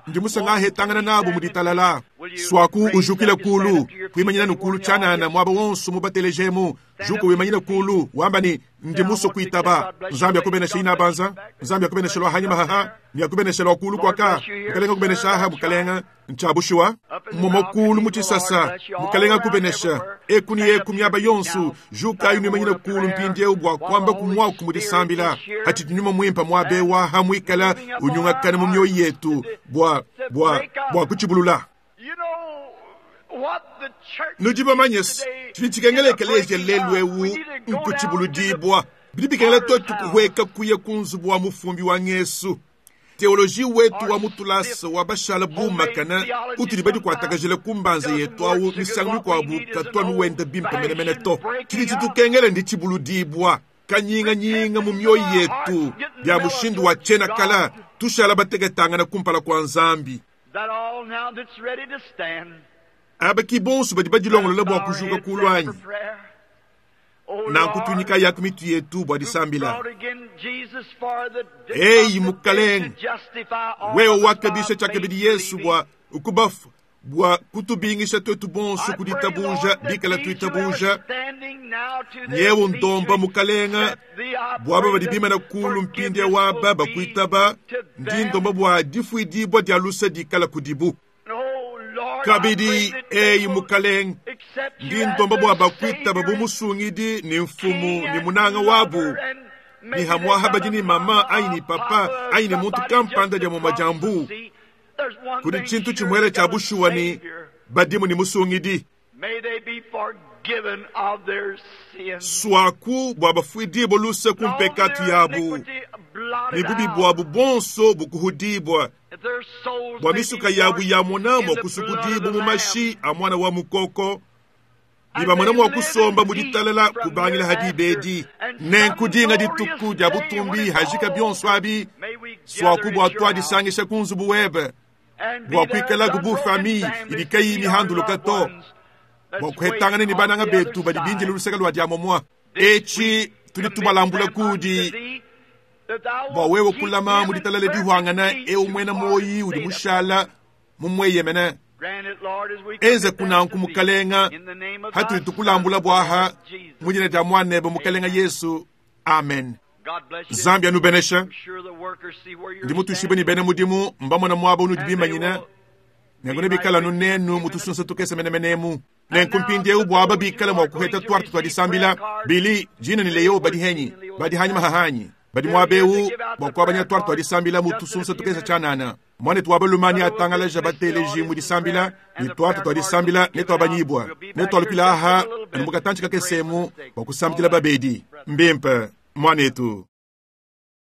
ndi musangahetangana nabo muditalala swaku ujukile kulu kuimanyina nukulu chanana mwaba wonso mubatelejemu juka wimanyina kulu wamba ni ndi muso kuitaba nzambi akubenesha ina banza nzambi akubenesha lwa hanyuma haha ni akubenesha lwa kulu kwaka mukalenga kubenesha aha mukalenga nchabushiwa momokulu muchisasa mukalenga kubenesha eku ni eku miaba yonsu juka ayu nimanyina kulu mpindiewu bwa kwamba kumwaku mudisambila hati nyuma mwimpa mwabewa hamwikala unyungakana mu myoyo yetu bwa bwa bwa kuchibulula nudi bamanye tshidi tshikengela ekeleziya lelu ewu nkuchibuludibwa bidi bikengela twetu kuhweka kuya ku nzubu wa mufumbi wa ngesu teoloji wetu wa mutulasa wa bashala bumakana utudi badi kuatakajila kumbanza yetu awu misangu mikuabu katwa nuwenda bimpe menemene to tshidi tshitukengela ndi tshibuludibwa kanyinganyinga mu mioyo yetu bya mushindu wa tshena kala tushala bateketangana kumpala kua nzambi aba ki bonso badi badilongolola bua kujuka kulwanyi nanku tunyika yaku mitu yetu bua disambila eyi mukalenge wewe wakabisha tshiakabidi yesu bua ukubafu bua kutubingisha twetu bonso kuditabuja bikala tuitabuja nyewu ndomba mukalenga bwaba badi bimana kulu mpindi waba bakuitaba ndi ndomba bua difuidibua dia lusa dikala kudibu kabidi eyi mukalenge ndi ndomba bua bakuitaba bu musungidi ni mfumu ni munanga wabu ni hamwaha badi ni mama anyi ni papa anyi ni muntu kampanda dia mu majambu kudi tshintu tshimwele tshia bushuwa ni badimu ni musungidi swaku bua bafuidibwa luse ku mpekatu yabu ni bubi bwabu bonso bukuhudibwa bua misuka yabu ya mona mua kusukudibwa mu mashi a mwana wa mukoko ni bamona mua kusomba mu ditalala kubangila hadibedi nenkudinga dituku dia butumbi hajika bionso abi swaku bua twadisangisha ku nzubu webe bua kuikalaku bu famiye idi kayi mihanduluka to bua kuhetangana ni bananga betu badi bindile luseke lua diamomua eci tudi tubalambula kudi bua wewe kulama mu ditalala dihwangana ewu mwena moyi udi mushala mumweyemene enze kunanku mukalenga hatuli tukulambula bwaha mudina dia mwanebe mukalenga yesu amen zambi anubenesha ndi mutushibwe ni bene mudimu mbamona mwaba unudi bimanyina nengu nebikala nunenu mutusunsa tukese menemenemu nenku mpindiewu bwaba bikala mua kuheta twartu twa disambila bili jina ni leyo badi henyi badi hanyuma hahanyi badi mwabewu bua kuabanya twartu twa disambila mutusunsa tukese tshanana mwanetu wa balumani atangalaja bateleji mu disambila ni twartu twa disambila ne twabanyibwa ne twalukila aha anu mukatantshi kakesemu bua kusambila babedi mbimpe mwanetu.